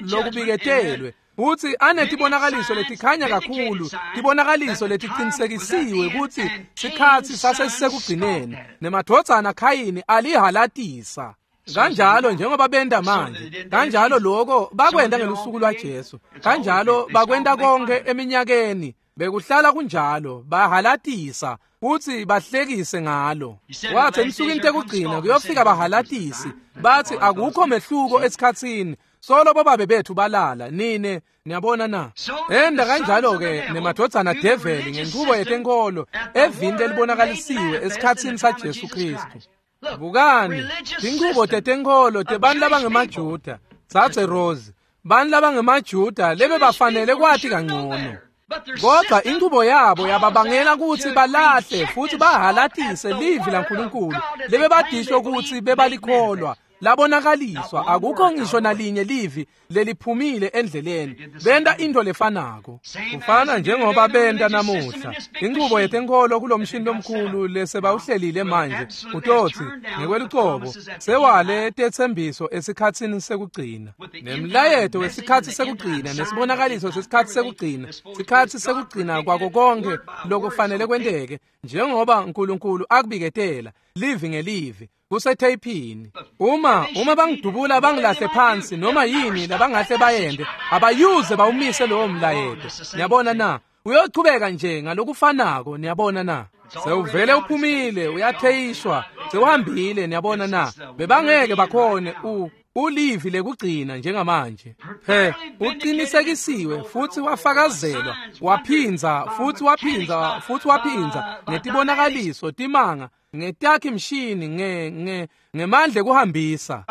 S1: lokubiketelwe futhi anetibonakaliso letikhanya kakhulu, tibonakaliso letiqinisekisiwe ukuthi sikhathi sasesisekugcineni. Nemadvodzana Khayini alihalatisa. Kanjalo njengoba benda manje, kanjalo lokho bakwenta ngelusuku lwaJesu, kanjalo bakwenta konke eminyakeni, bekuhlala kunjalo, bahalatisa futhi bahlekise ngalo. Wathi emsukwini tekugcina kuyofika bahalatisi bathi akukho mehluko esikhatsini, solo bobabe bethu balala nine. Niyabona na? Enda kanjalo-ke nemadvodzana develi ngenchubo yetenkolo evini lelibonakalisiwe esikhatsini saJesu Kristu. Bukani, tinchubo tetenkolo tebantu labangemaJuda, tsatse Rose, bantu labangemaJuda lebebafanele kwati kangcono. Kodwa inchubo yabo yababangela ukuthi balahle futhi bahalatise livi laNkulunkulu lebebadisho ukuthi bebalikholwa. Labonakaliswa, akukho ngisho nalinye livi leliphumile endleleni. Benta into lefanako. Kufana njengoba benta namuhla. Inchubo yetenkholo kulomshini lomkhulu lesebawuhlelile manje utotsi ngekwelucobo sewale tetsembiso esikhatsini sekugcina. Nemlayeto wesikhatsi sekugcina nesibonakaliso sesikhatsi sekugcina, sikhatsi sekugcina kwako konke lokufanele kwenteke njengoba uNkulunkulu akubiketela livi ngelivi kusetheyiphini. Uma bangidubula bangilahle phansi noma yini labangahle bayende, abayuze bawumise lowo mlayeto. Niyabona na? Uyochubeka nje ngalokufanako. Niyabona na? Sewuvele uphumile, uyatheyishwa, sewuhambile. Niyabona na? Bebangeke bakhone ulivi lekugcina njengamanje. He, uqinisekisiwe futhi wafakazelwa, waphinza futhi waphinza futhi waphinza ngetibonakaliso, timanga, ngetakhi mshini, ngemandla ekuhambisa,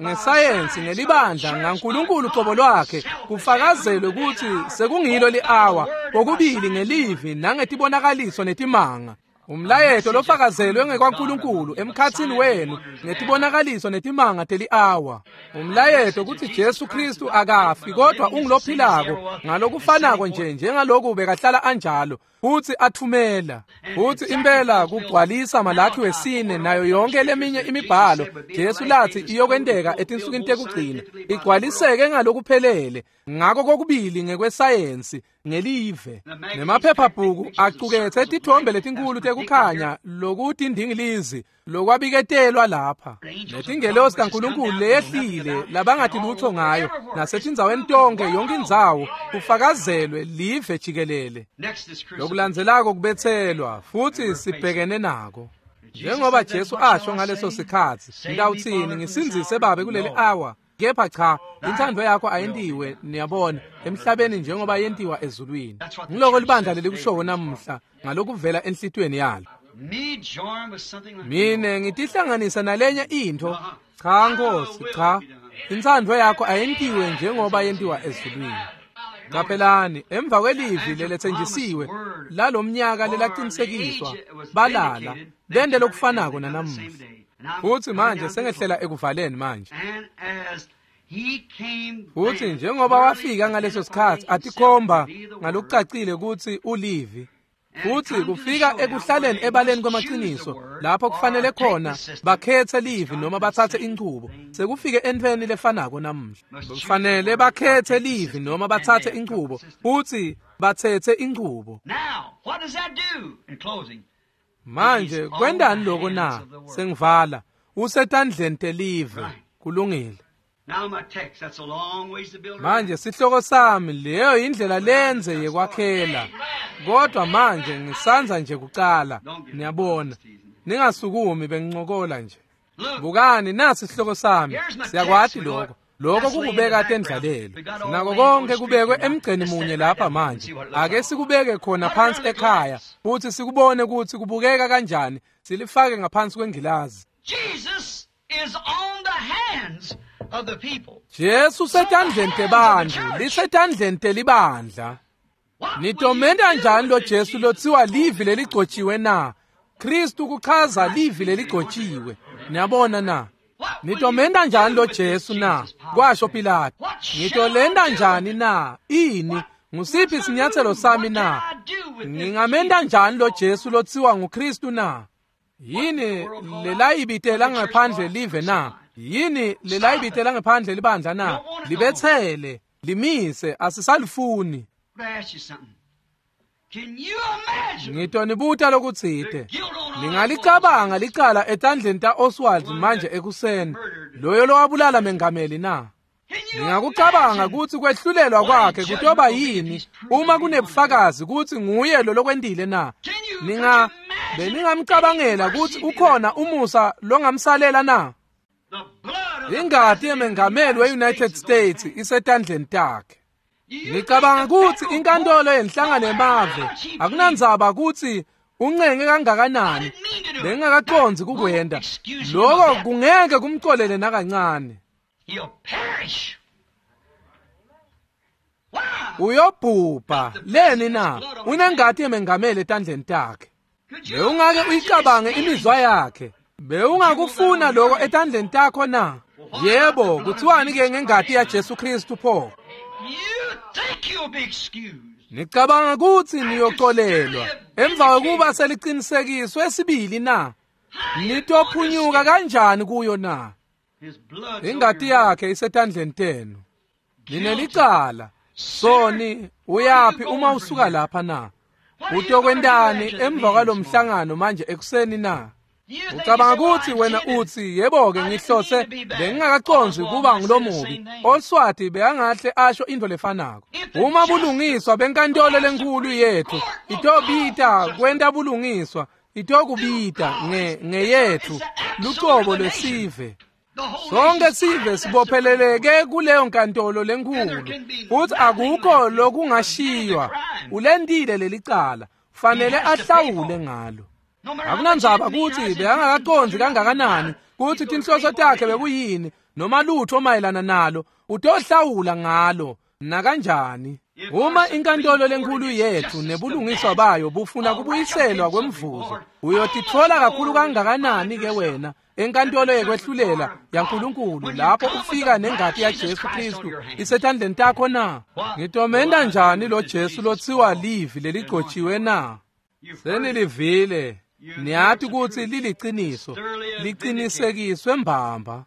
S1: ngesayensi, ngelibandla, ngaNkulunkulu qobo lwakhe, kufakazelwe ukuthi sekungilo li-awa, kokubili ngelivi nangetibonakaliso netimanga. Umlayeto lofakazelwe ngekwaNkulunkulu emkhatsini wenu ngetibonakaliso netimanga teli-awa. Umlayeto kutsi Jesu Kristu akafi kodwa ungulophilako ngalokufanako nje njengaloku bekahlala anjalo futsi athumela. Futsi impela kugcwalisa Malakhi wesine nayo yonke leminye imibhalo Jesu lathi iyokwenteka etinsukwini tekugcina igcwaliseke ngalokuphelele ngako kokubili ngekwesayensi ngelive. Nemaphephabhuku acuketse tithombe letinkulu tekukhanya lokutindingilizi lokwabiketelwa lapha. Netingelosi kaNkulunkulu leyehlile labangathi lutho ngayo nasetindzaweni tonke yonke indzawo kufakazelwe live jikelele. Lokulandzelako kubetselwa futhi sibhekene nako. Njengoba Jesu asho ngaleso sikhatsi, ngitawutsini ngisindzise babe kuleli awa? Kepha cha, inthando yakho ayentiwe, niyabona, emhlabeni njengoba yentiwa ezulwini. Ngiloko libandla lelikushowo namuhla ngalokuvela enhlitiyweni yalo. Mine ngitihlanganisa nalenye into. Cha Nkosi, cha. Inthando yakho ayentiwe njengoba yentiwa ezulwini. Qaphelani, emva kwelivi leletsenjisiwe lalomnyaka lelaqinisekiswa, balala bende lokufanako nanamuhla. Futhi manje sengehlela ekuvaleni manje. Futhi njengoba wafika ngaleso sikhatsi atikhomba ngalokucacile kutsi ulivi. Futhi kufika ekuhlaleni ebaleni kwemaqiniso lapho kufanele khona bakhethe livi noma bathathe inchubo. Sekufike entweni lefanako namuhla. Kufanele bakhethe livi noma bathathe inchubo futhi bathethe inchubo. Manje kwendani lokho na? Sengivala. Usetandleni telive. Kulungile. Manje sihloko sami leyo indlela lenze yekwakhela. Kodwa manje ngisanza nje kucala. Niyabona. Ningasukumi bengincokola nje. Bukani nasi sihloko sami. Siyakwati lokho. Lokho kukubeka tendlalelo. Nako konke kubekwe emgceni munye lapha manje. Ake sikubeke khona phansi ekhaya futhi sikubone ukuthi kubukeka kanjani. Silifake ngaphansi kwengilazi.
S2: Jesus is on the hands of the people.
S1: Jesu setandleni tebantfu, lisetandleni telibandla. Nitomenta njani lo Jesu lothiwa livi leligcotshiwe na? Kristu kuchaza livi leligcotshiwe. Niyabona na? Nitomenta njani lo Jesu na? Kwasho Pilato. Ngitolenda njani na? Ini? Ngusiphi isinyathelo sami na? Ngingamenta njani lo Jesu lothiwa nguKristu na? Yini lelayibitela ngaphandle live na? Yini lelayibitela ngaphandle libandla na? Libethele, limise, asisalifuni. Ngitonibuta lokutsite. Ningalicabanga licala etandleni ta-Oswald manje ekuseni, loyo lowabulala mengameli na? Ningakucabanga kutsi kwehlulelwa kwakhe kutoba yini uma kunebufakazi kutsi nguye lo lokwentile na? Beningamcabangela kutsi ukhona umusa longamsalela na? Ingati yemengameli we-United States isetandleni takhe. Ngicabanga kutsi inkantolo yenhlangano yemave akunandzaba kutsi uncenge kangakanani, bengingakacondzi kukwenta. Lokho kungeke kumcolele nakancane. Uyobhubha leni na? Unengati yemengameli etandleni takhe. Bewungake uyicabange imizwa yakhe. Bewungakufuna lokho etandleni takho na? Yebo, kuthiwani-ke ngengati yaJesu Kristu pho? Nicabanga kutsi niyoxolelwa emva kokuba seliqinisekiswe esibili na? Nitophunyuka kanjani kuyo na? Ingati yakhe isetandleni tenu. Ninelicala. Soni, uyaphi uma usuka lapha na? Utokwentani emva kwalomhlangano manje ekuseni na? Ucabanga kutsi wena utsi, yebo-ke ngihlose bengingakacondzi kuba ngulomubi. Oswati bekangahle asho intfo lefanako. Uma bulungiswa benkantolo lenkulu yethu itobita kwenta bulungiswa, itokubita ngeyethu lucobo lwesive. Sonke sive sibopheleleke kuleyo nkantolo lenkulu, futhi akukho lokungashiywa. Ulentile lelicala, fanele ahlawule ngalo. Akunandzaba kutsi bekangakacondzi kangakanani kutsi tinhloso takhe bekuyini noma lutho mayelana nalo, utohlawula ngalo nakanjani. Uma inkantolo lenkulu yethu nebulungiswa bayo bufuna kubuyiselwa kwemvuzo, uyotitfola kakhulu kangakanani ke wena enkantolo yekwehlulela yaNkulunkulu lapho ufika nengati yaJesu Kristu isetandleni takho na? Ngitomenta njani lo Jesu lotsiwa livi leligcotshiwe na? Senilivile, niyati kutsi liliciniso, liqinisekiswe mbamba.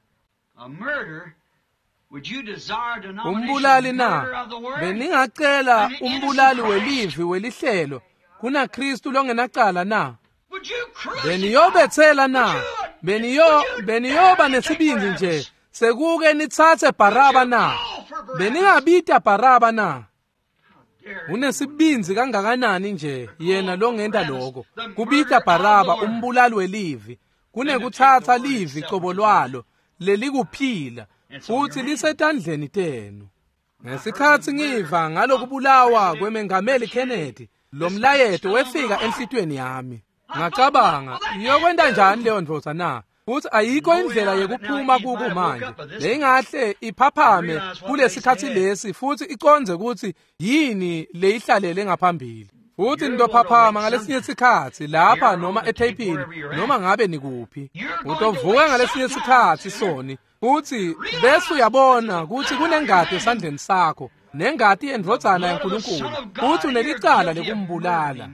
S1: Umbulali na? Beningacela umbulali welivi welihlelo kunaKristu longenacala na? Beniyobethela na? Beniyoba nesibindi nje sekuke nitsatse Baraba na? Beningabita Baraba na? Unesibindzi kangakanani nje yena longenta lokho, kubita Baraba umbulali welivi kunekutsatsa livi cobo lwalo lelikuphila futhi lisetandleni tenu. Ngesikhatsi ngiva ngalokubulawa kwemengameli Kennedy, lo mlayeto wefika enhlitiyweni yami. Ngacabanga, iyokwenta njani leyo ndvodza na? Futhi ayikho indlela yekuphuma kuko manje. Leyingahle iphaphame kulesikhatsi lesi futhi icondze kutsi yini leyihlalele ngaphambili. Futhi nitophaphama ngalesinye sikhatsi lapha noma etheyipini noma ngabe nikuphi. Utovuka ngalesinye sikhatsi soni, futhi bese uyabona kutsi kunengati esandleni sakho, nengati yendvodzana yaNkulunkulu, futhi unelicala lekumbulala.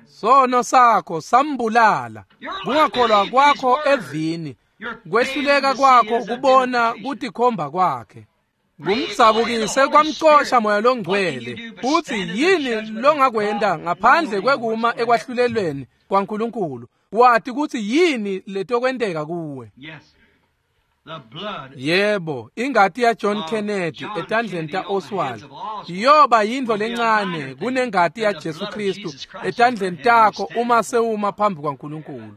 S1: Sono sakho sambulala. Kungakholwa kwakho evini, kwehluleka kwakho kubona kutikhomba kwakhe, kumdzabukise kwamcosha Moya Longcwele. Futhi yini longakwenta ngaphandle kwekuma ekwahlulelweni kwaNkulunkulu, wati kutsi yini letokwenteka kuwe? Yebo, ingati yaJohn Kennedy etandleni ta-Oswald iyoba yintfo lencane kunengati yaJesu Kristu etandleni takho uma sewuma phambi kwaNkulunkulu.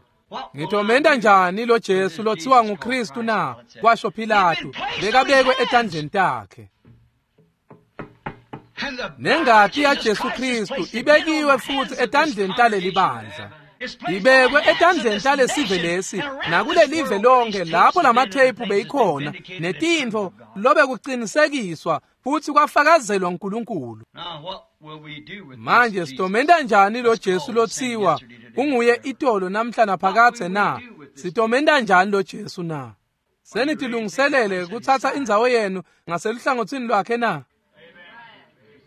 S1: Ngitomenta njani lo Jesu lothiwa nguKristu na? Kwasho Pilatu, bekabekwe etandleni takhe. Nengati yaJesu Kristu ibekiwe futhi etandleni taleli bandla. Ibekwe etandleni talesive lesi nakulelive lonke lapho lamatheyiphu beyikhona netintfo lobe kuqinisekiswa futhi kwafakazelwa uNkulunkulu. Manje sitomenta njani lo Jesu lothiwa unguye itolo namhla naphakadze na? Sitomenta njani lo Jesu na? Senitilungiselele kutsatsa indzawo yenu ngaseluhlangotsini lwakhe na?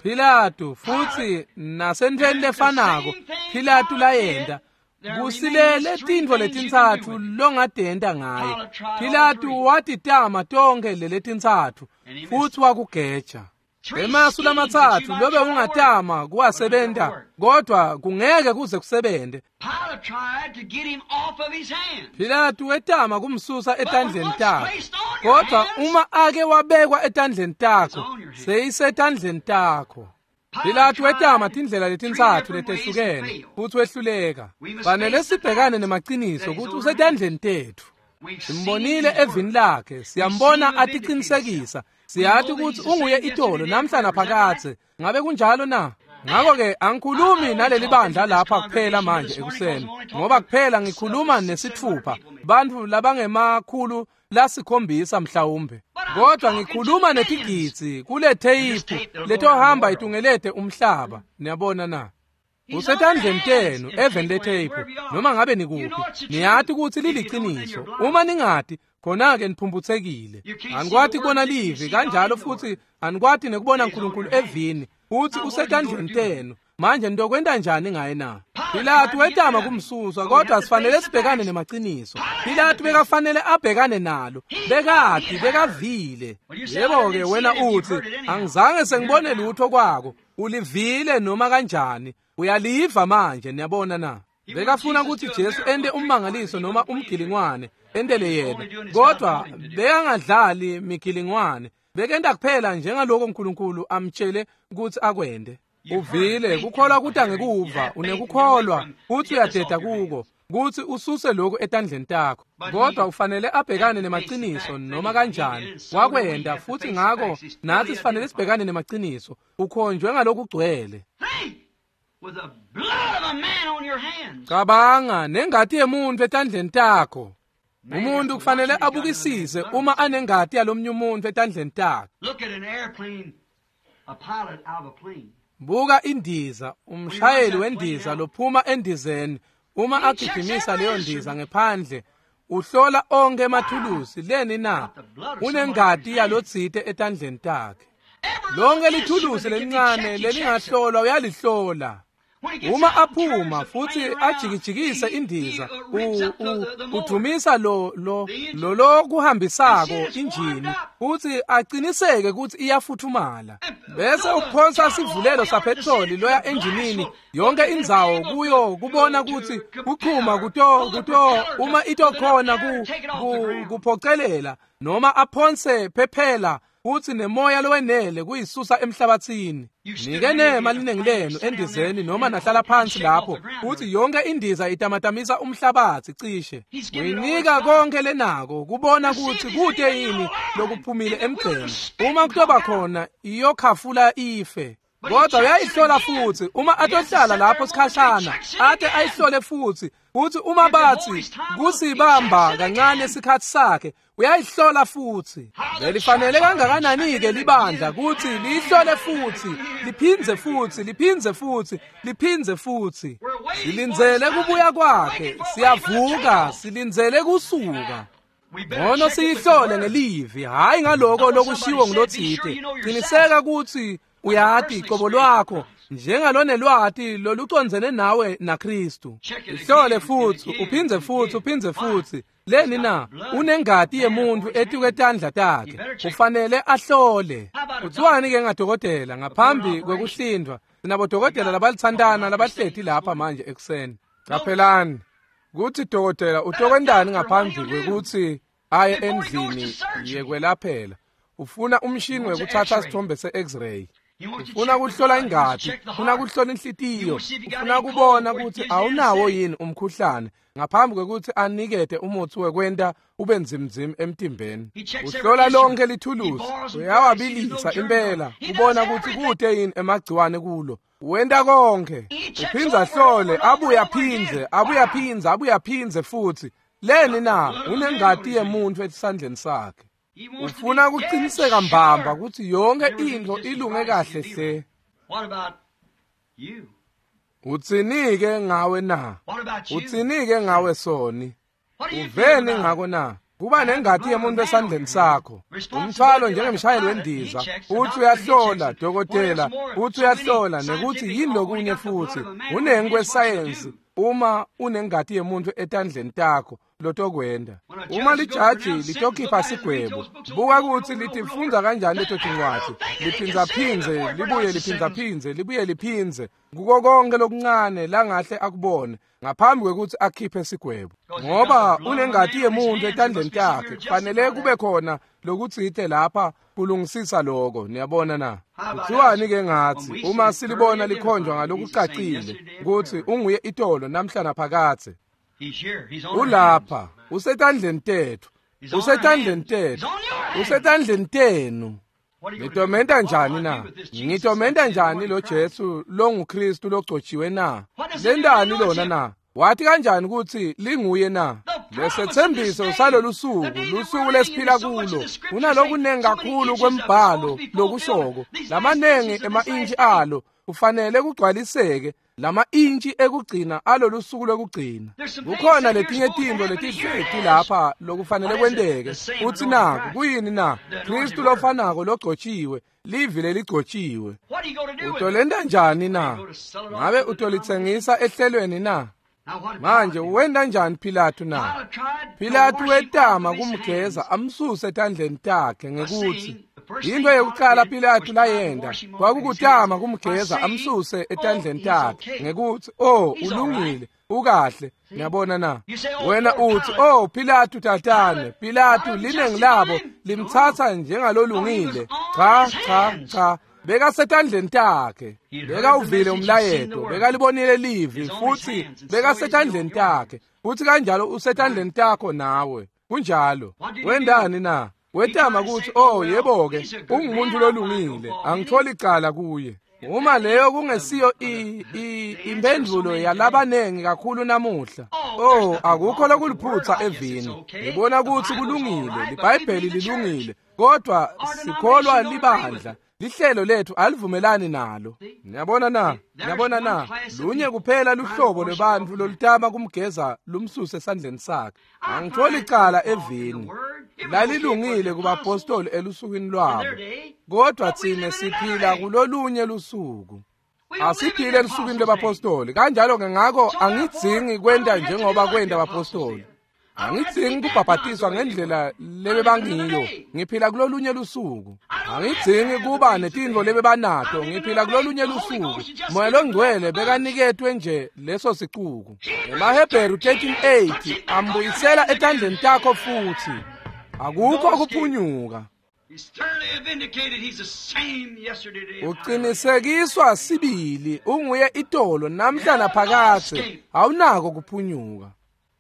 S1: Pilatu futhi nasentweni lefanako Pilatu layenta kusilele tintfo letintsatfu longadenta ngaye. Pilatu watitama tonkhe leletintsatfu futhi wakugeja. Emasu lamatsatfu lobe ungatama kuwasebenta kodwa kungeke kuze kusebente. Pilatu wetama kumsusa etandleni takhe, kodwa uma ake wabekwa etandleni takho, seyisetandleni takho. Pilatu wetama tindlela letintsatfu letehlukene futhi wehluleka. Fanele sibhekane nemaciniso kutsi usetandleni tetfu. Simbonile evini lakhe, siyambona atiqinisekisa, siyati kutsi unguye itolo namhla naphakadze. Ngabe kunjalo na? Ngakho-ke angikhulumi naleli bandla lapha kuphela manje ekuseni, ngoba kuphela ngikhuluma nesitfupha bantfu labangema-700 mhlawumbe, kodwa ngikhuluma netigidzi kule theyiphu letohamba itungelete umhlaba. Niyabona na? Usetandleni tenu eveni letheyiphu, noma ngabe nikuphi, niyati kutsi liliqiniso. Uma ningati, khona-ke niphumphutsekile. Anikwati kubona livi kanjalo futhi anikwati nekubona uNkulunkulu evini, futhi usetandleni tenu. Manje nitokwenta njani ngaye na? Pilatu wetama kumsusa, kodwa sifanele sibhekane nemaciniso. Pilatu bekafanele abhekane nalo, bekati, bekavile. Yebo-ke wena uthi, angizange sengibone lutho kwako. Ulivile noma kanjani, uyaliva manje, niyabona na? Bekafuna ukuthi Jesu ente ummangaliso noma umgilingwane, entele yena, kodwa bekangadlali migilingwane, bekenta kuphela njengaloko uNkulunkulu amtshele ukuthi akwente. Uvile, kukholwa kuta ngekuva, unekukholwa futhi uyadeda kuko, kuthi ususe lokhu etandleni takho. Kodwa ufanele abhekane nemaciniso noma kanjani. Wakwenda futhi ngako nathi sifanele sibhekane nemaciniso. Ukhonjwe ngalokugcwele. Cabanga nengati yemuntu etandleni takho. Umuntu kufanele abukisise uma anengati yalomnye umuntu etandleni takhe. Buka indiza, umshayeli wendiza lophuma endizeni, uma agijimisa leyo ndiza ngephandle, uhlola onke emathulusi leni na? Unengati yalotsite etandleni takhe. Lonke lithulusi lelincane lelingahlolwa uyalihlola. Uma aphuma futhi ajikijikise indiza, udumisa lo lokuhambisako injini futhi aqiniseke ukuthi iyafuthumala, bese uphonsa sivulelo sapetroli loya enjinini yonke indzawo kuyo kubona ukuthi kuchuma kuto uma itokhona kuphocelela noma aphonse phephela futhi nemoya lowenele kuyisusa emhlabathini. Nike nema linengi lenu endizeni noma nahlala phansi lapho, futhi yonke indiza itamatamisa umhlabathi cishe. Uyinika konke lenako kubona ukuthi kude yini lokuphumile emgceni. Uma kutoba khona iyokhafula ife. Kodwa uyayihlola futhi uma atohlala lapho sikhashana, ate ayihlole futhi, futhi uma bathi kusibamba kancane isikhathi sakhe, uyayihlola futhi. Belifanele kangakanani-ke libandla kuthi liyihlole futhi, liphindze futhi, liphindze futhi, liphindze futhi. Silindzele kubuya kwakhe, siyavuka, silindzele kusuka. Ngono siyihlole ngelivi, hhayi ngaloko lokushiwo ngulotsite. Qiniseka ukuthi uyati qobo lwakho njengalonelwati lolucondzene nawe naKristu. Ihlole futhi, uphindze futhi, uphindze futhi. Leni na? Unengati yemuntu etikwe tandla takhe. Ufanele ahlole. Kuthiwani-ke ngadokotela ngaphambi kwekuhlindwa? Sinabodokotela labalithandana labahleti lapha manje ekuseni. Qaphelani kuthi dokotela utokwentani ngaphambi kwekuthi aye endlini yekwelaphela. Ufuna umshini wekuthatha sithombe se-X-ray. Ufuna kuhlola ingati, ufuna kuhlola inhlitiyo, ufuna kubona ukuthi awunawo yini umkhuhlane ngaphambi kwekuthi anikete umuthi wekwenta ube nzimnzim emtimbeni. Uhlola lonke lithulusi, uyawabilisa impela kubona ukuthi kude yini emagciwane kulo. Wenta konke, uphindze ahlole, abuye aphindze, abuye aphindze, abuye aphindze futhi. Leni na? Unengati yemuntu esandleni sakhe. Ufuna kuqiniseka mbamba ukuthi yonke into ilunge kahle hle. Utsini-ke ngawe na? Utsini-ke ngawe soni? Uveni ngako na? Kuba nengati yemuntu esandleni sakho. Umthwalo njengemshayeli wendiza, uthi uyahlola dokotela, uthi uyahlola nekuthi yini lokunye futhi. Unengi kwesayensi uma unengati yemuntu etandleni takho lotokwenda. Uma lijaji litokhipha sigwebo, buka ukuthi litifundza kanjani leto tincwadi, liphindzaphindze, libuye liphindzaphindze, libuye liphindze kuko konke lokuncane langahle akubone ngaphambi kwekuthi akhiphe sigwebo. Ngoba unengati yemuntu etandleni takhe, kufanele kube khona lokutsite lapha kulungisisa lokho. Niyabona na? Kuthiwani-ke ngathi uma silibona likhonjwa ngalokucacile ukuthi unguye itolo namhla naphakathe? Ulapha, usetandleni tethu, usetandleni tethu, usetandleni tenu. Ngitomenta njani na? Ngitomenta njani lo Jesu longuKristu logcotshiwe na? Lentani lona na? Wathi kanjani ukuthi linguye na? Lesethembiso salolu suku, lusuku lesiphila kulo, kunalokunengi kakhulu kwembhalo lokushoko, lamanengi ema-intshi alo Ufanele kugcwaliseke lama intshi ekugcina alolusuku lokugcina. Kukhona letinye tintfo letihleti lapha lokufanele kwenteke. Uthi naku kuyini na? Kristu lofanako logcotshiwe, livi leligcotshiwe. Utolenta njani na? Ngabe utolitsengisa ehlelweni na? Manje wenta njani Pilatu na? Pilatu wetama kumgeza amsuse etandleni takhe ngekuthi into yokuqala Pilatu layenda kwakukutama kumgeza amsuse etandleni takhe ngekuthi oh ulungile ukahle. Niyabona na? Wena uthi oh Pilatu tatane, Pilatu linengi labo limthatha njengalolungile. Cha cha cha, bekasetandleni takhe, bekawuvile umlayeto, bekalibonile livi, futhi bekasetandleni takhe, futhi kanjalo usetandleni takho nawe. Kunjalo. Wendani na? Wetama ukuthi oh yebo-ke ungumuntu lolungile, angitholi icala kuye. Uma leyo kungesiyo impendulo yalabanengi kakhulu namuhla. Oh akukho lokuliphutha evini. Ngibona ukuthi kulungile, liBhayibheli lilungile, kodwa sikholwa libandla. Lihlelo lethu alivumelani nalo. Niyabona na? Niyabona na? Lunye kuphela luhlobo lwebantfu lolutama kumgeza lumsuse esandleni sakhe. Angitholi icala evini. Lalilungile kubapostoli elusukwini lwabo, kodwa thina siphila kulolunye lusuku. Asiphile elusukwini lwabapostoli. Kanjalo-ke ngakho angidzingi kwenta njengoba kwenta abapostoli. Angidzingi kubhabhatiswa ngendlela lebebangiyo. Ngiphila kulolunye lusuku. Angidzingi kuba netintfo lebebanato. Ngiphila kulolunye lusuku. Moya longcwele bekaniketwe nje leso sicuku. EmaHebheru 13:8 ambuyisela etandleni takho futhi. Akukho kuphunyuka. Uqinisekiswa sibili unguye itolo namhla naphakadze. Awunako kuphunyuka.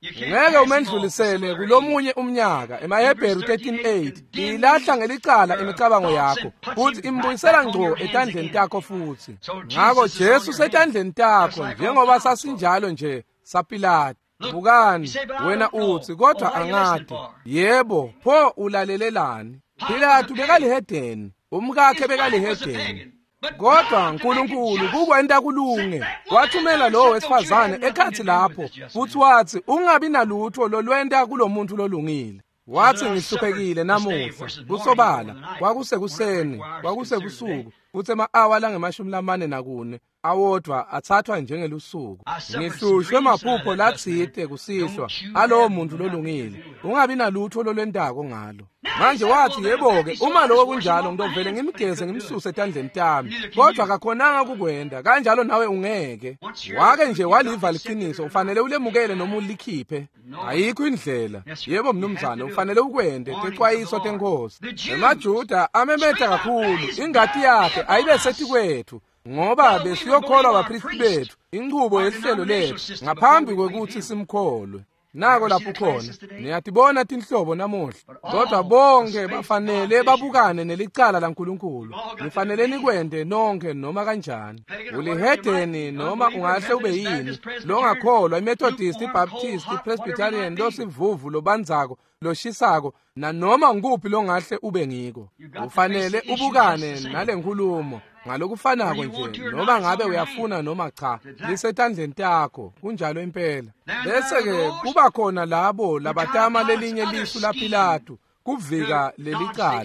S1: Ngeke umendlulisele kulomunye umnyaka. EmaHebheru 13:8 ilahla ngelicala imicabango yakho futhi imbuyisela ngco etandleni takho futhi. Ngakho Jesu setandleni takho njengoba sasinjalo nje saPilatu. Bukani, wena uthi kodwa angadi. Yebo, pho ulalelelani? Pilatu bekalihedeni, umkakhe bekalihedeni. Kodwa uNkulunkulu kukwenta kulunge wathumela lowo wesifazane ekhathi lapho futhi wathi ungabi nalutho lolwenta kulomuntu lolungile. Wathi ngihluphekile namuhla. Kusobala kwakusekuseni, kwakusekusuku, futhi ema-awa lange-44 awodwa athathwa njengelusuku. Ngihlushwe maphupho latsite kusihlwa alowo muntu lolungile. Ungabi nalutho lolwentako ngalo. Manje wathi yebo-ke uma lokho kunjalo ngidovele ngimgeze ngimsuse etandleni tami. Kodwa akakhonanga kukwenda, kanjalo nawe ungeke. Wake nje waliva liqiniso, ufanele ulemukele noma ulikhiphe. Ayikho indlela. Yebo mnumzane, ufanele ukwende tecwayiso tenkosi. EmaJuda amemeta kakhulu, ingati yakhe ayibe setikwethu. Ngoba besiyokholwa abapristi bethu, inqubo yehlelo lethu ngaphambi kwekuthi simkholwe. Nako lapho khona niyatibona tinhlobo namuhla, kodwa bonke bafanele babukane nelicala laNkulunkulu. Nifanele nikwente nonke noma kanjani. Ulihedeni noma ungahle ube yini, longakholwa, iMethodist, iBaptist, iPresbyterian, losivuvu, lobanzako, loshisako, nanoma nguphi longahle ube ngiko. Ufanele ubukane nalenkulumo ngalokufanako nje, noma ngabe uyafuna noma cha, lisetandleni takho. Kunjalo impela. Bese-ke kuba khona labo labatama lelinye lisu laPilatu kuvika lelicala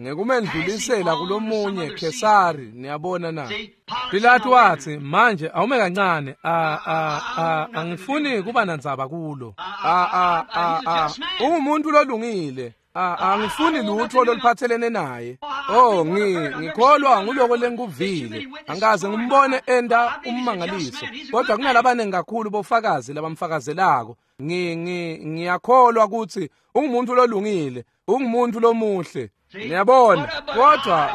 S1: ngekumendlulisela kulomunye Khesari. Niyabona na? Pilatu wathi manje awume kancane, angifuni kuba nandzaba kulo. Ungumuntu lolungile. Angifuni lutho loluphathelene naye. Oh ngikholwa nguloko lengikuvile. Angikaze ngimbone enda ummangaliso, kodwa kunalabanengi kakhulu bofakazi labamfakazelako. Ngiyakholwa ukuthi ungumuntu lolungile, ungumuntu lomuhle. Niyabona,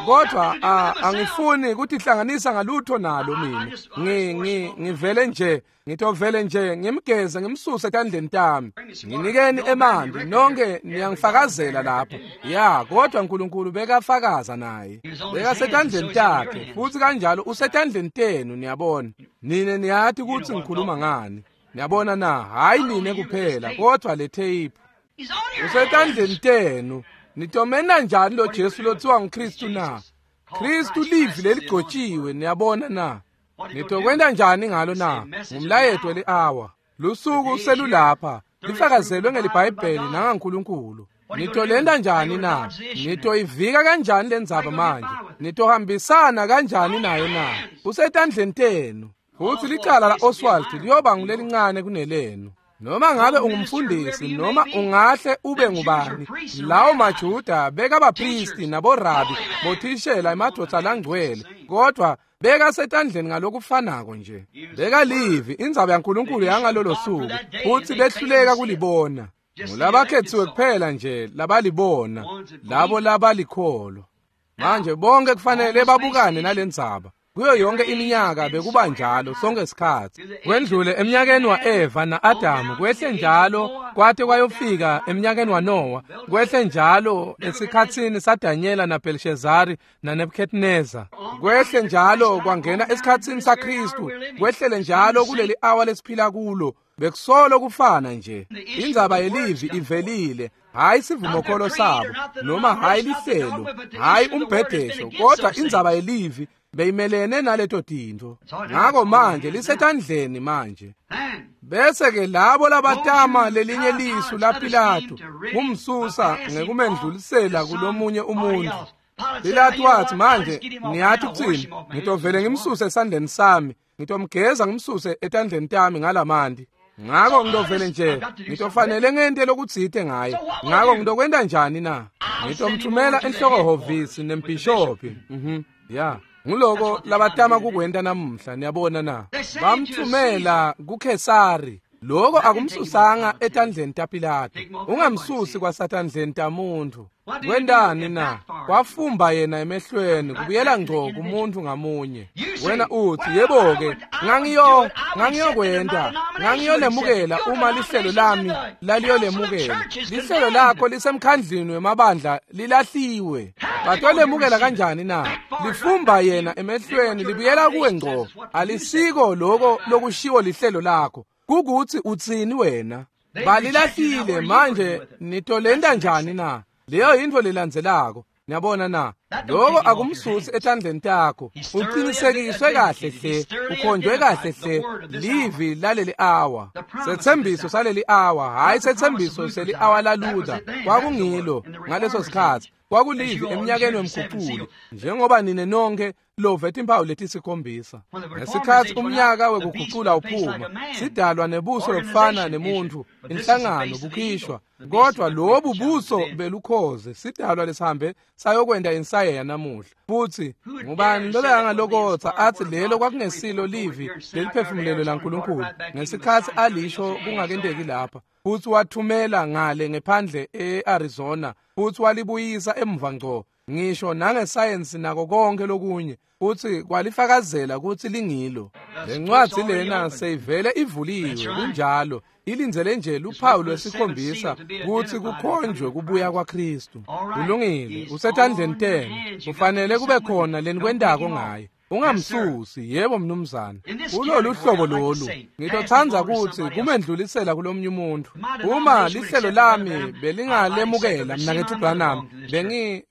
S1: kodwa angifuni ukutihlanganisa ngalutho nalo mina. Ngivele nje, ngitovele nje ngimgeze ngimsuse etandleni tami. Nginikeni emanti nonke niyangifakazela lapho. Ya, kodwa uNkulunkulu bekafakaza naye. Bekasetandleni takhe futhi kanjalo usetandleni tenu. Niyabona, nine niyathi ukuthi ngikhuluma ngani. Niyabona na? Hayi nine kuphela, kodwa le tape usetandleni tenu. Nitomena njani lo Jesu lothiwa nguKristu na? Kristu livi leligcotshiwe, niyabona na? Nitokwenta njani ngalo na? Ngumlayeto li-awa. Lusuku selulapha, lifakazelwe ngeliBhayibheli nangaNkulunkulu. Nitolenta njani na? Nitoyivika kanjani lendzaba manje? Nitohambisana kanjani nayo na? Kusetandleni tenu. Futhi licala la-Oswald liyoba ngulelincane kunelenu. Noma ngabe ungumfundisi noma ungahle ube ngubani, lawo maJuda bekabapristi naborabi bothishela emadvodza langcwele, kodwa bekasetandleni ngalokufanako nje. Bekalivi indzaba yaNkulunkulu yangalolo suku, futhi behluleka kulibona. Ngulabakhethiwe kuphela nje labalibona, labo labalikholwa. Manje bonke kufanele babukane nalendzaba. Kuyo yonke iminyaka bekuba njalo sonke isikhathi. Kwendlule eminyakeni wa-Eva na-Adamu, kwehle njalo kwate kwayofika eminyakeni waNowa, kwehle njalo esikhatsini saDanyela naBelshezari naNebuchadnezzar, kwehle njalo kwangena esikhatsini saKristu, kwehlele njalo kuleli awa lesiphila kulo. Bekusolo kufana nje. Indzaba yelivi ivelile, hayi sivumokholo sabo noma hayi lihlelo, hayi umbhedesho, kodwa indzaba yelivi beyimelene naleto tintfo. Ngako manje lisetandleni manje. Bese ke labo labatama lelinye lisu laPilato kumsusa ngekumendlulisela kulomunye umuntu. Pilato wathi, manje niyathi ukuthini? Ngitovele ngimsuse esandleni sami, ngitomgeza ngimsuse etandleni tami ngalamanti. Ngako ngitovele nje ngitofanele ngente lokutsite ngaye. Ngako ngitokwenta njani na? Ngitomthumela enhlokohhovisi nembhishophi. Ya. Nguloko labatama kukwenta namuhla, niyabona na? Bamthumela kuKhesari. Loko akumsusanga etandleni taPilato. Ungamsusi kwasatandleni tamuntu. Kwentani na? Kwafumba yena emehlweni kubuyela ngco kumuntu ngamunye. Wena uthi, yebo-ke, ngangiyokwenta, ngangiyolemukela uma lihlelo lami laliyolemukela. Lihlelo lakho lisemkhandlini wemabandla lilahliwe. Batolemukela kanjani na? Lifumba yena emehlweni libuyela kuwe ngco. Alisiko loko lokushiwo lihlelo lakho. Kukuthi utsini wena? Balilahlile manje, nitolenta njani na? Leyo yintfo lelandzelako. Niyabona na? Loko akumsusi etandleni takho. Uqinisekiswe kahle hle, ukhonjwe kahle hle livi laleli awa. Setsembiso saleli awa, hayi setsembiso seli awa la Luther. Kwakungilo ngaleso sikhathi. Kwakulivi eminyakeni wemguculo, njengoba nine nonke love timpawu letisikhombisa. Ngesikhathi umnyaka wekugucula uphuma, sidalwa nebuso lobufana nemuntu, inhlangano bukhishwa, kodwa lobu buso belukhoze sidalwa lesihambe sayokwenta insayeya namuhla. Futhi ngubani lobekangalokotsa athi lelo kwakungesilo livi leliphefumulelo laNkulunkulu ngesikhathi alisho kungakenteki lapha? Futhi wathumela ngale ngephandle e-Arizona, futhi walibuyisa emva ngco, ngisho nangesayensi nako konke lokunye, futhi kwalifakazela ukuthi lingilo. Lencwadzi lena seyivele ivuliwe, kunjalo, ilindzele nje luphawu lwesikhombisa kutsi kukhonjwe kubuya kwaKristu. Kulungile, usetandleni tenu, kufanele kube khona lenikwentako ngaye. Ungamsusi, yebo mnumzane. Kulolu hlobo lolu, ngitotsandza kutsi kumendlulisela kulomnye umuntu. Uma lihlelo lami belingalemukela, mnaketfu Branham,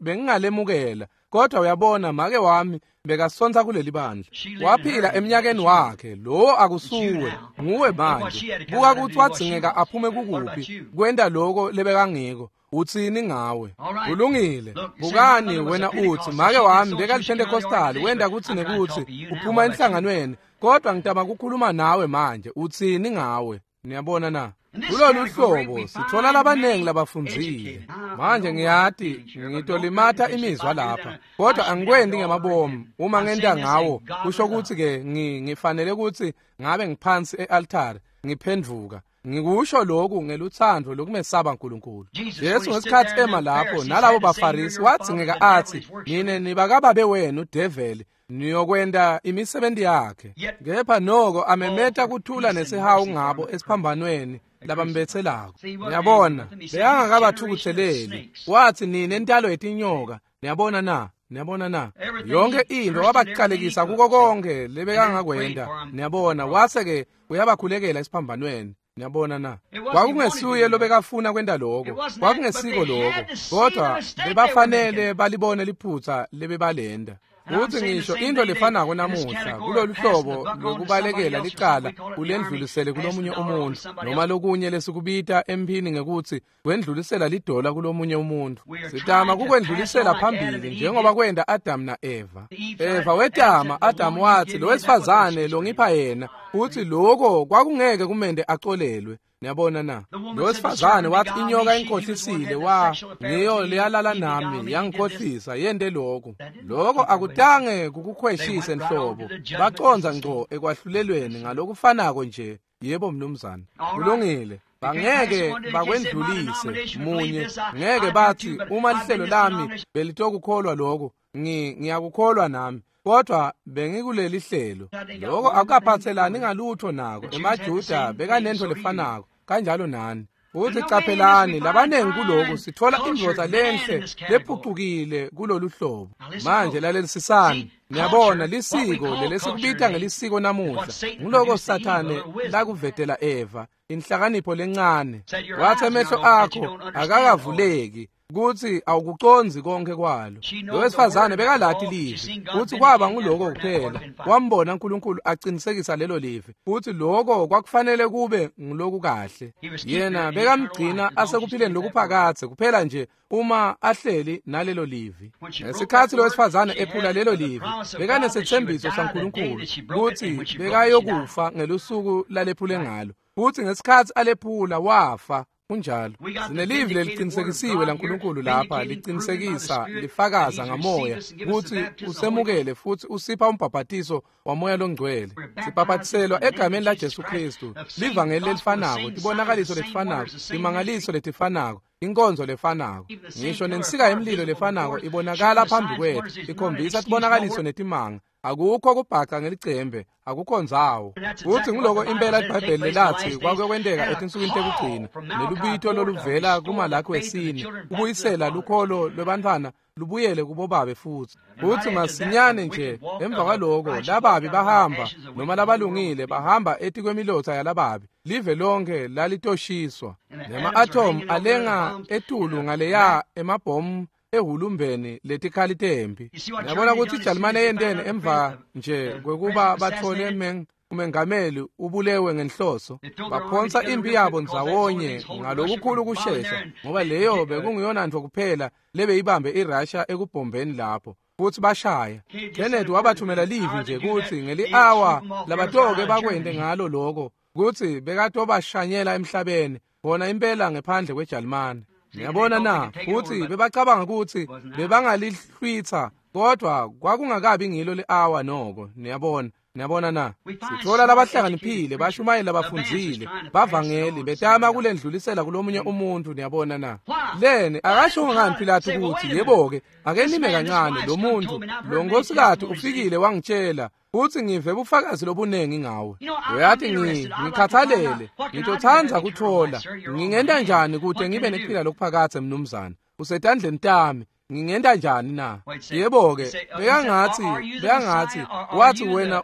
S1: bengingalemukela. Kodwa uyabona, make wami bekasonta kuleli bandla. Waphila eminyakeni wakhe, lowo akusuwe, nguwe manje. Buka kutsi wadzingeka aphume kukuphi, kwenta loko lebekangiko. Utsini ngawe? Kulungile. Bukani wena uthi, make wami bekaliPentecostal, wenta kutsi nekutsi uphuma enhlanganweni, kodwa ngitama kukhuluma nawe manje. Utsini ngawe? Niyabona na? Kulolu hlobo sithola labanengi labafundzile. Manje ngiyati ngitolimata imizwa lapha, kodwa angikwendi ngemabomu. Uma ngenta ngawo, kusho kutsi ke ngifanele kutsi ngabe ngiphansi e-altare ngiphendvuka. Ngikusho lokhu ngelutsandvo lokumesaba uNkulunkulu. Jesu ngesikhathi ema lapho nalabo baFarisi wadzingeka athi, nine nibakababe wenu develi, niyokwenta imisebenzi yakhe. Kepha noko amemeta kuthula nesihawu ngabo esiphambanweni labambetselako. Niyabona, bekangakabathukutheleli. Wathi, nine ntalo yetinyoka. Niyabona na? Niyabona na? Yonke into wabaqalekisa kuko konke lebekangakwenta. Niyabona, wase ke uyabakhulekela esiphambanweni. Niyabona na? Kwakungesuye lobekafuna kwenta lokho, kwakungesiko lokho, kodwa bebafanele balibone liphutha lebebalenda. Futhi ngisho into lefanako namuhla kulolu hlobo lokubalekela licala ulendlulisele kulomunye umuntu noma lokunye lesikubita emphini ngekuthi kwendlulisela lidola kulomunye umuntu. Sitama kukwendlulisela phambili njengoba kwenda Adam na-Eva. Eva wetama, Adam wathi lo wesifazane longipha yena, futhi lokho kwakungeke kumende acolelwe. Niyabona na? Lo wesifazane wathi inyoka inkhohlisile, wa ngiyo leyalala nami yangikhohlisa yente lokho. Lokho akutange kukukhweshise nhlobo. Baconza ngco ekwahlulelweni ngalokufanako nje. Yebo mnumzane. Kulungile. Bangeke bakwendlulise munye, ngeke bathi uma lihlelo lami belitokukholwa lokho, ngiyakukholwa nami. Kodwa bengikuleli hlelo. Lokho akukaphathelani ngalutho nako. EmaJuda bekanento lefanako kanjalo nani. Futhi caphelani labanengi kuloko sithola indvodza lenhle lephucukile kulolu hlobo. Manje lalelisisani. Niyabona lisiko lelesikubita ngelisiko namuhla. Nguloko Sathane lakuvetela Eva, inhlakanipho lencane. Wathi emehlo akho akakavuleki kuthi awukuconzi konke kwalo. Lo wesifazane bekalati livi, futhi kwaba nguloko kuphela. Wambona uNkulunkulu aqinisekisa lelo livi, futhi lokho kwakufanele kube ngiloku kahle. Yena bekamgcina asekuphileni lokuphakathe kuphela nje uma ahleli nalelo livi. Ngesikhathi lo wesifazane ephula lelo livi, bekanesethembiso saNkulunkulu kuthi bekayokufa ngelusuku lalephule ngalo. Futhi ngesikhathi alephula wafa. Kunjalo. Sinelivi leliqinisekisiwe laNkulunkulu lapha, liqinisekisa, lifakaza ngamoya ukuthi usemukele futhi usipha umbhabhatiso wamoya longcwele. Sibhabhatiselwa egameni laJesu Kristu, livangeli lelifanako, tibonakaliso letifanako, timangaliso letifanako, inkonzo lefanako. Ngisho nensika yemlilo lefanako ibonakala phambi kwethu, ikhombisa tibonakaliso netimanga. Akukho kubhaca ngelicembe, akukho ndzawo. Futhi nguloko impela iBhayibheli lelathi kwakuyokwenteka etinsukwini tekugcina, nelubito loluvela kuMalaki wesine, kubuyisela lukholo lwebantfwana lubuyele kubobabe futhi. Futhi masinyane nje emva kwaloko lababi bahamba, noma labalungile bahamba etikwemilotha yalababi. Live lonke lalitoshiswa. Nema-atom alenga etulu ngaleya emabhomu ehulumbeni letikhali tempi. Yabona ukuthi iJalimane yenteni emva nje kwekuba bathole umengameli ubulewe ngenhloso. Baphonsa impi yabo ndzawonye ngalokukhulu kushesha, ngoba leyo bekungiyona nto kuphela lebeyibambe iRussia ekubhombeni lapho. Futhi bashaya. Kennedy wabathumela livi nje kuthi ngeli-hour labatoke bakwente ngalo lokho, kuthi bekatobashanyela emhlabeni bona impela ngephandle kweJalimane. Niyabona na? Futhi bebacabanga ukuthi bebangalihlwitha, kodwa kwakungakabi ngilo le-hour noko. Niyabona? Niyabona na? Sithola labahlakaniphile, bashumayela, bafundzile, bavangeli betama kulendlulisela kulomunye umuntu. Niyabona na? Leni akasho ngani Pilato ukuthi yebo-ke ake nime kancane, lo muntu lo nkosikati ufikile wangitshela futhi ngive bufakazi lobunengi ngawe. Uyathi ngikhathalele, ngitotsandza kuthola ngingenta njani kude ngibe nekuphila lokuphakathe mnumzane. Usetandleni tami, ngingenta njani na? Yebo-ke bekangathi wathi wena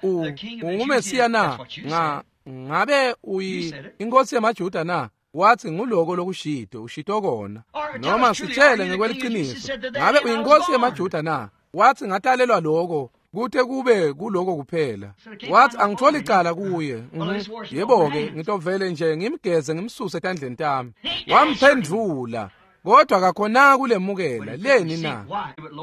S1: unguMesiya na? Ngabe uyi inkosi yamaJuda na? Wathi nguloko lokushito, ushito kona. Noma sitshele ngekweliciniso, ngabe uyinkosi yamaJuda na? Wathi ngatalelwa lokho, kute kube kuloko kuphela. Wathi angitholi icala kuye. Yebo-ke ngitovele nje ngimgeze ngimsuse etandleni tami. Wamphendvula, kodwa kakhona kulemukela. Leni na?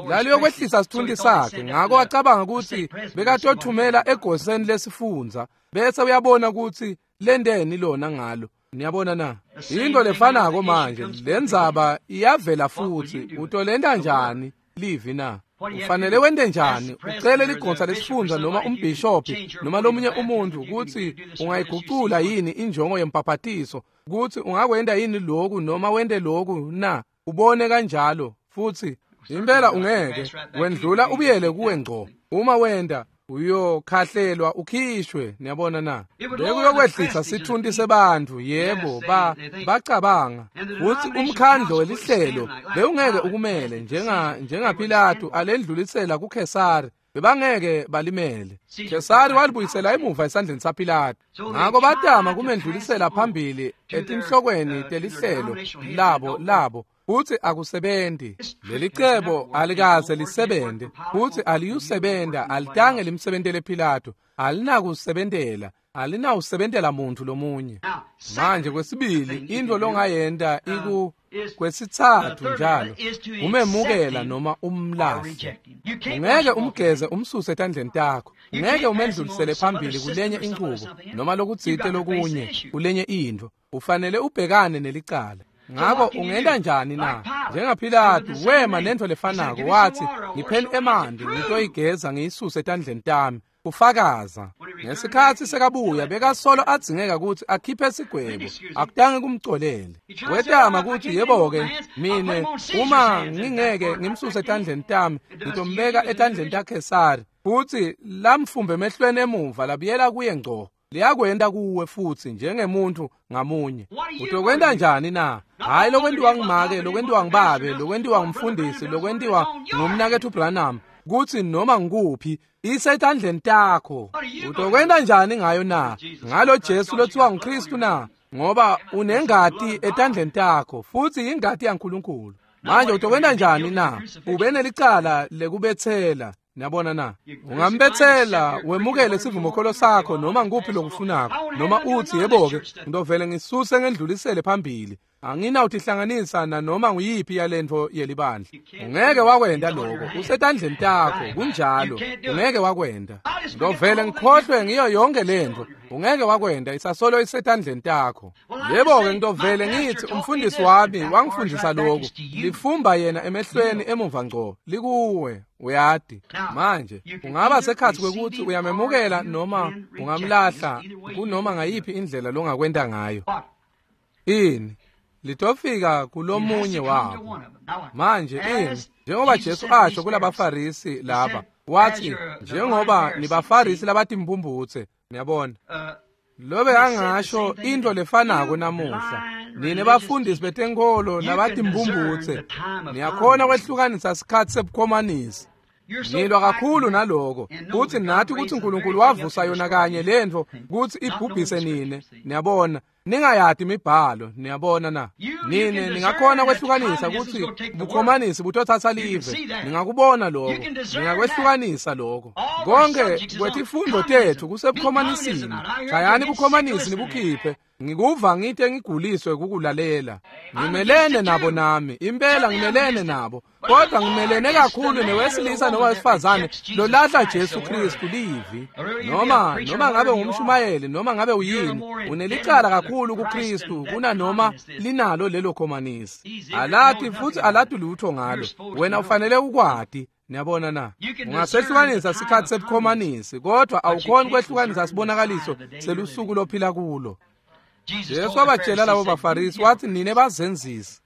S1: Laliyokwehlisa sithunti sakhe, ngako acabanga ukuthi bekatothumela egoseni lesifundza bese uyabona ukuthi lendeni lona ngalo. Niyabona na? Into lefanako manje, lendzaba iyavela futhi. Utolenta njani livi na? Ufanele wente njani? Ucele ligonsa lesifundza noma umbhishophi noma lomunye umuntu ukuthi ungayigucula yini injongo yembhabhatiso, ukuthi ungakwenta yini lokhu noma wente lokhu na? Ubone kanjalo futhi impela ungeke wendlula ubuyele kuwe ngco. Uma wenda uyokhahlelwa ukhishwe. Niyabona na? Bekuyokwehlisa sithunti sebantu. Yebo, bacabanga ukuthi umkhandlo welihlelo bewungeke ukumele njengaPilato alendlulisela kuKhesari. Bebangeke balimele. Kesari walibuyisela emuva esandleni saPilato. Ngako batama kumendlulisela phambili etinhlokweni telihlelo labo futsi akusebenzi. Lelicebo alikaze lisebenze, futsi aliyusebenta, alitange limsebentele Pilato, alinakusebentela, alinawusebentela muntu lomunye. Manje kwesibili into longayenta iku kwesitsatfu njalo umemukela noma umlahle. Ungeke umgeze umsuse etandleni takho, ungeke umendlulisele phambili kulenye inchubo noma lokutsite lokunye kulenye intfo. Ufanele ubhekane nelicala. Ngako ungenta njani na? NjengaPilato wema nentfo lefanako, wathi ngipheni emanti ngitoyigeza ngiyisuse etandleni tami. Kufakaza. Ngesikhatsi sekabuya bekasolo adzingeka kutsi akhiphe sigwebo, akutange kumcolele. Wetama kutsi yebo-ke mine uma ngingeke ngimsuse etandleni tami ngitombeka etandleni taKhesari, futsi lamfumbe emehlweni emuva labuyela kuye ngco. Liyakwenta kuwe futsi njengemuntu ngamunye. Utokwenta njani na? Hayi lokwentiwa ngumake, lokwentiwa ngibabe, lokwentiwa ngumfundisi, lokwentiwa ngumnaketfu Branham, kutsi noma ngikuphi isetandleni takho. Utokwenta njani ngayo na? Ngalo Jesu lothiwa nguKristu na? Ngoba unengati etandleni takho, futsi ingati yaNkulunkulu. Manje utokwenta njani na? Ube nelicala lekubetsela. Niyabona na? Ungambetsela wemukele sivumokholo sakho noma ngikuphi lokufunako, noma uthi yebo-ke ngidovele ngisuse ngendlulisele phambili, anginawutihlanganisa nanoma nguyiphi yalentfo yelibandla. Ungeke wakwenta lokho, usetandleni takho, kunjalo. Ungeke wakwenta. Ngidovele ngikhohlwe ngiyo yonke lentfo. Ungeke wakwenta, isasolo isetandleni takho. Yebo-ke ngidovele ngithi umfundisi wami wangifundisa lokhu, lifumba yena emehlweni emuva ngco, likuwe. Uyati. Manje ungaba sekhatsi kwekuthi uyamemukela noma ungamlahla, kunoma ngayiphi indlela longakwenta ngayo. Ini litofika kulomunye wabo. Manje ini njengoba Jesu asho kulabaFarisi laba, wathi njengoba nibaFarisi labatimphumphutse, niyabona. Lobe angasho into lefanako namuhla. Nine bafundisi betenkholo labatimphumphutse, niyakhona kwehlukanisa sikhatsi sebukhomanisi. Nilwa kakhulu naloko, kutsi nathi kutsi uNkulunkulu wavusa yona kanye lentfo kutsi ibhubhise nine. Niyabona, ningayati imibhalo, niyabona na? Nine ningakhona kwehlukanisa kutsi bukhomanisi butothatsa live. Ningakubona lokho, ningakwehlukanisa lokho. Konke kwetifundo tethu kusebukhomanisini. Shayani bukhomanisi nibukhiphe. Ngikuva ngite ngiguliswe kukulalela. Ngimelene nabo nami, impela ngimelene nabo, kodwa ngimelene kakhulu newesilisa noma wesifazane lolahla Jesu Kristu livi. Noma ngabe ngumshumayeli noma ngabe uyini, unelicala kakhulu kuKristu kunanoma linalo lelo khomanisi. Alati futsi alati lutho ngalo. Wena ufanele ukwati. Niyabona na? Ungasehlukanisa sikhatsi sebukhomanisi, kodwa awukhoni kwehlukanisa sibonakaliso selusuku lophila kulo. Jesu wabatshela labo baFarisi wathi nine bazenzisi.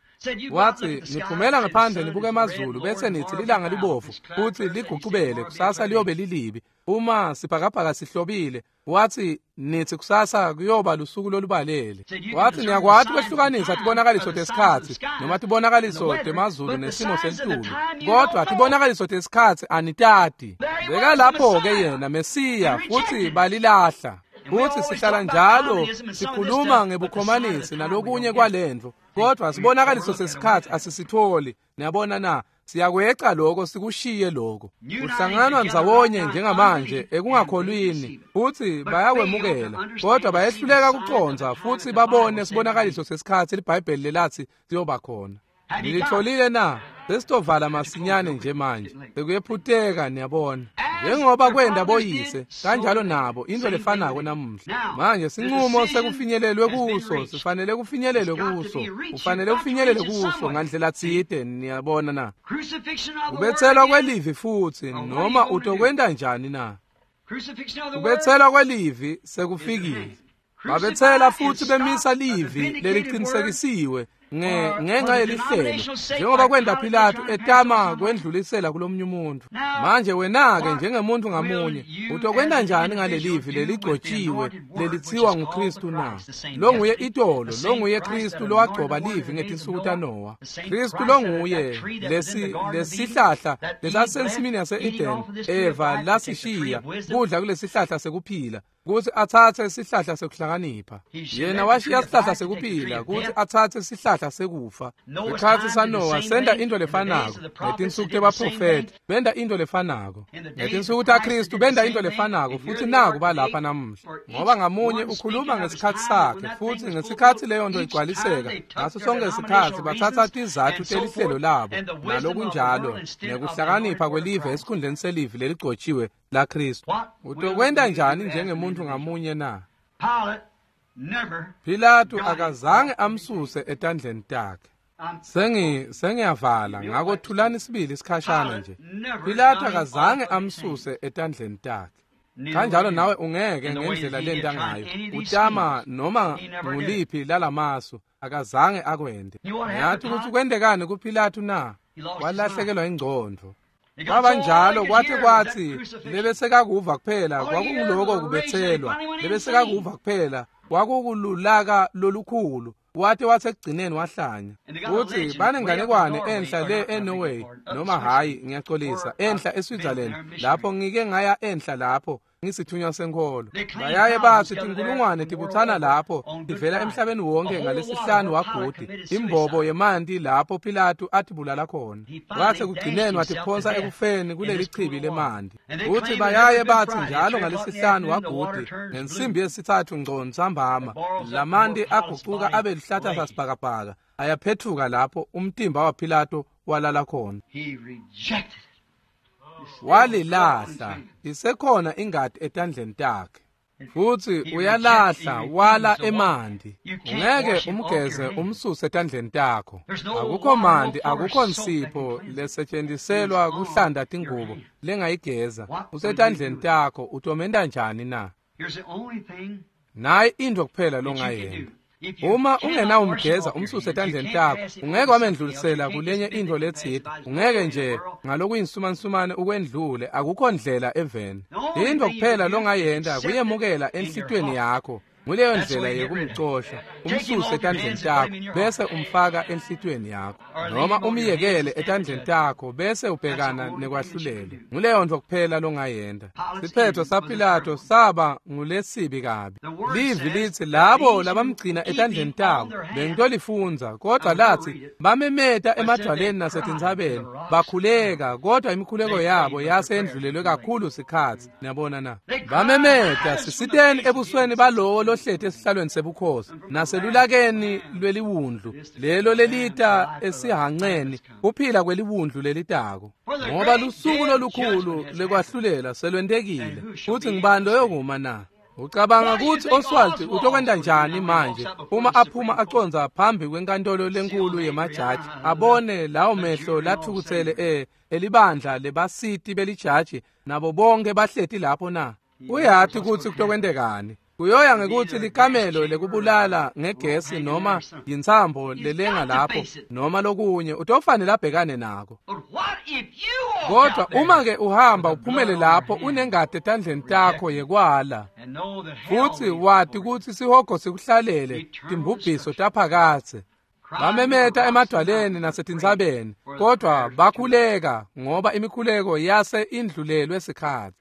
S1: Wathi niphumela ngaphandle nibuke emazulu bese nithi lilanga libovu futhi ligucubele, kusasa liyobe lilibi. Uma sibhakabhaka sihlobile, wathi nithi kusasa kuyoba lusuku lolubalele. Wathi niyakwati kwehlukanisa tibonakaliso tesikhatsi noma tibonakaliso temazulu nesimo selitulu, kodwa tibonakaliso tesikhatsi anitati. Beka lapho-ke yena Mesiya, futhi balilahla. Futhi sihlala njalo sikhuluma ngebukhomanisi nalokunye kwalentfo, kodwa sibonakaliso sesikhatsi asisitholi. Niyabona na? Siyakweca lokho, sikushiye lokho. Kuhlanganwa ndzawonye njengamanje ekungakholwini, futhi bayakwemukela, kodwa bayehluleka kucondza futhi babone sibonakaliso sesikhatsi liBhayibheli lelathi siyoba khona. Nilitholile na? Sesitovala masinyane nje manje. Sekuyephuteka, niyabona. Njengoba kwenda boyise, kanjalo nabo into lefanako namuhla. Manje sinqumo sekufinyelelwe kuso, sifanele kufinyelelwe kuso. Ufanele ufinyelele kuso ngandlela tsite, niyabona na? Kubetselwa kwelivi futsi, noma utokwenta njani na? Kubetselwa kwelivi sekufikile. Babetsela futsi bemisa livi leliqinisekisiwe. Ngenxa yelihlelo njengoba kwenda Pilato etama kwendlulisela kulomnye umuntu. Manje wena-ke njengemuntu ngamunye utokwenta njani ngalelivi leligcotshiwe lelithiwa nguKristu na? Longuye itolo, longuye Kristu lowagcoba livi ngetinsuku taNowa. Kristu longuye lesihlahla lesasensimini yase-Eden Eva lasishiya kudla kulesihlahla sekuphila kutsi atsatse sihlahla sekuhlakanipha. Yena washiya sihlahla sekuphila kutsi atsatse sihlahla sekufa. Ngesikhatsi saNowa senta into lefanako, ngetinsuku tebaprofethi benta into lefanako, ngetinsuku taKristu benta into lefanako, futsi naku balapha namuhla. Ngoba ngamunye ukhuluma ngesikhatsi sakhe, futsi ngesikhatsi leyo nto igcwaliseka, ngaso sonke isikhatsi batsatsa tizatfu telihlelo labo nalokunjalo nekuhlakanipha kwelive esikhundleni selivi leligcotshiwe laKristu. Utokwenta njani njengemuntu ngamunye na? Pilato akazange amsuse etandleni takhe. Sengiyavala ngakho thulani sibili isikhashana nje. Pilato akazange amsuse etandleni takhe. Kanjalo nawe ungeke ngendlela lenta ngayo utama noma nguliphi lalamasu, akazange akwende. Ngiyathi ukuthi kwentekani kuPilato na? Walahlekelwa ingcondvo. Kwabanjalo kwathi lebesekakuva kuphela kwakunguloko kubethelwa, lebesekakuva kuphela kwakukululaka lolukhulu. Wathi wasekugcineni wahlanya. Uthi banenganekwane enhla le eNorway noma hayi ngiyaxolisa enhla eSwitzerland lapho ngike ngaya enhla lapho ngisithunywa senkholo. Bayaye bathi tinkulungwane tibuthana lapho tivela emhlabeni wonke ngalesihlanu wagudi imbobo yemanti lapho Pilato atibulala khona. Wathi kugcineni watiphonsa ekufeni kuleli chibi lemanti. Uthi bayaye bathi njalo ngalesihlanu wagudi ngensimbi yesithathu ngco ntsambama lamanti agucuka abe lihlahla sasibhakabhaka ayaphethuka lapho umtimba waPilato walala khona. Walilahla isekhona ingati etandleni takhe. Futhi uyalahla wala emanti. Ungeke umgeze umsuse etandleni takho. Akukho manti, akukho nsipho lesetshenziselwa kuhlanda tingubo lengayigeza. Usetandleni takho, utomenta njani na? Nayi into kuphela longayenta. Uma ungenawumgeza umsuse etandleni takho, ungeke wamendlulisela kulenye into letsite. Ungeke nje ngalokuyinsumansumane ukwendlule, akukho ndlela eveni. Into kuphela longayenta kuyemukela enhlitweni yakho. Nguleyo ndlela yekumcosha, umsuse etandleni takho bese umfaka enhlitweni yakho, noma umyekele etandleni takho bese ubhekana nekwahlulela. Nguleyo nto kuphela longayenta. Siphetho saPilato saba ngulesibi kabi. Livi lithi labo labamgcina etandleni tabo bengitolifundza, kodwa lathi bamemeta emadwaleni nasetintsabeni bakhuleka, kodwa imikhuleko yabo yase endlulelwe kakhulu sikhatsi. Niyabona na? Bamemeta sisiteni ebusweni balowo lohleti esihlalweni sebukhosi naselulakeni lweliwundlu lelo lelita esihanqeni kuphila kweliwundlu lelitako. Ngoba lusuku lolukhulu lekwahlulela selwentekile, futhi ngibani loyokuma na? Ucabanga ukuthi Oswald utokwenta njani manje uma aphuma aconza phambi kwenkantolo lenkulu yemajaji, abone lawo mehlo lathukutsele elibandla lebasiti belijaji nabo bonke bahleti lapho na? Uyathi ukuthi kutokwentekani. Kuyoya ngekuthi likamelo lekubulala ngegesi noma yintsambo lelenga lapho noma lokunye, utofanele abhekane nako. Kodwa uma ke uhamba uphumele lapho unengati etandleni takho yekwala, futhi wati ukuthi sihogo sikuhlalele timbubhiso taphakathe. Bamemeta emadwaleni nasetintsabeni, kodwa bakhuleka ngoba imikhuleko yase indlulelwe sikhatsi.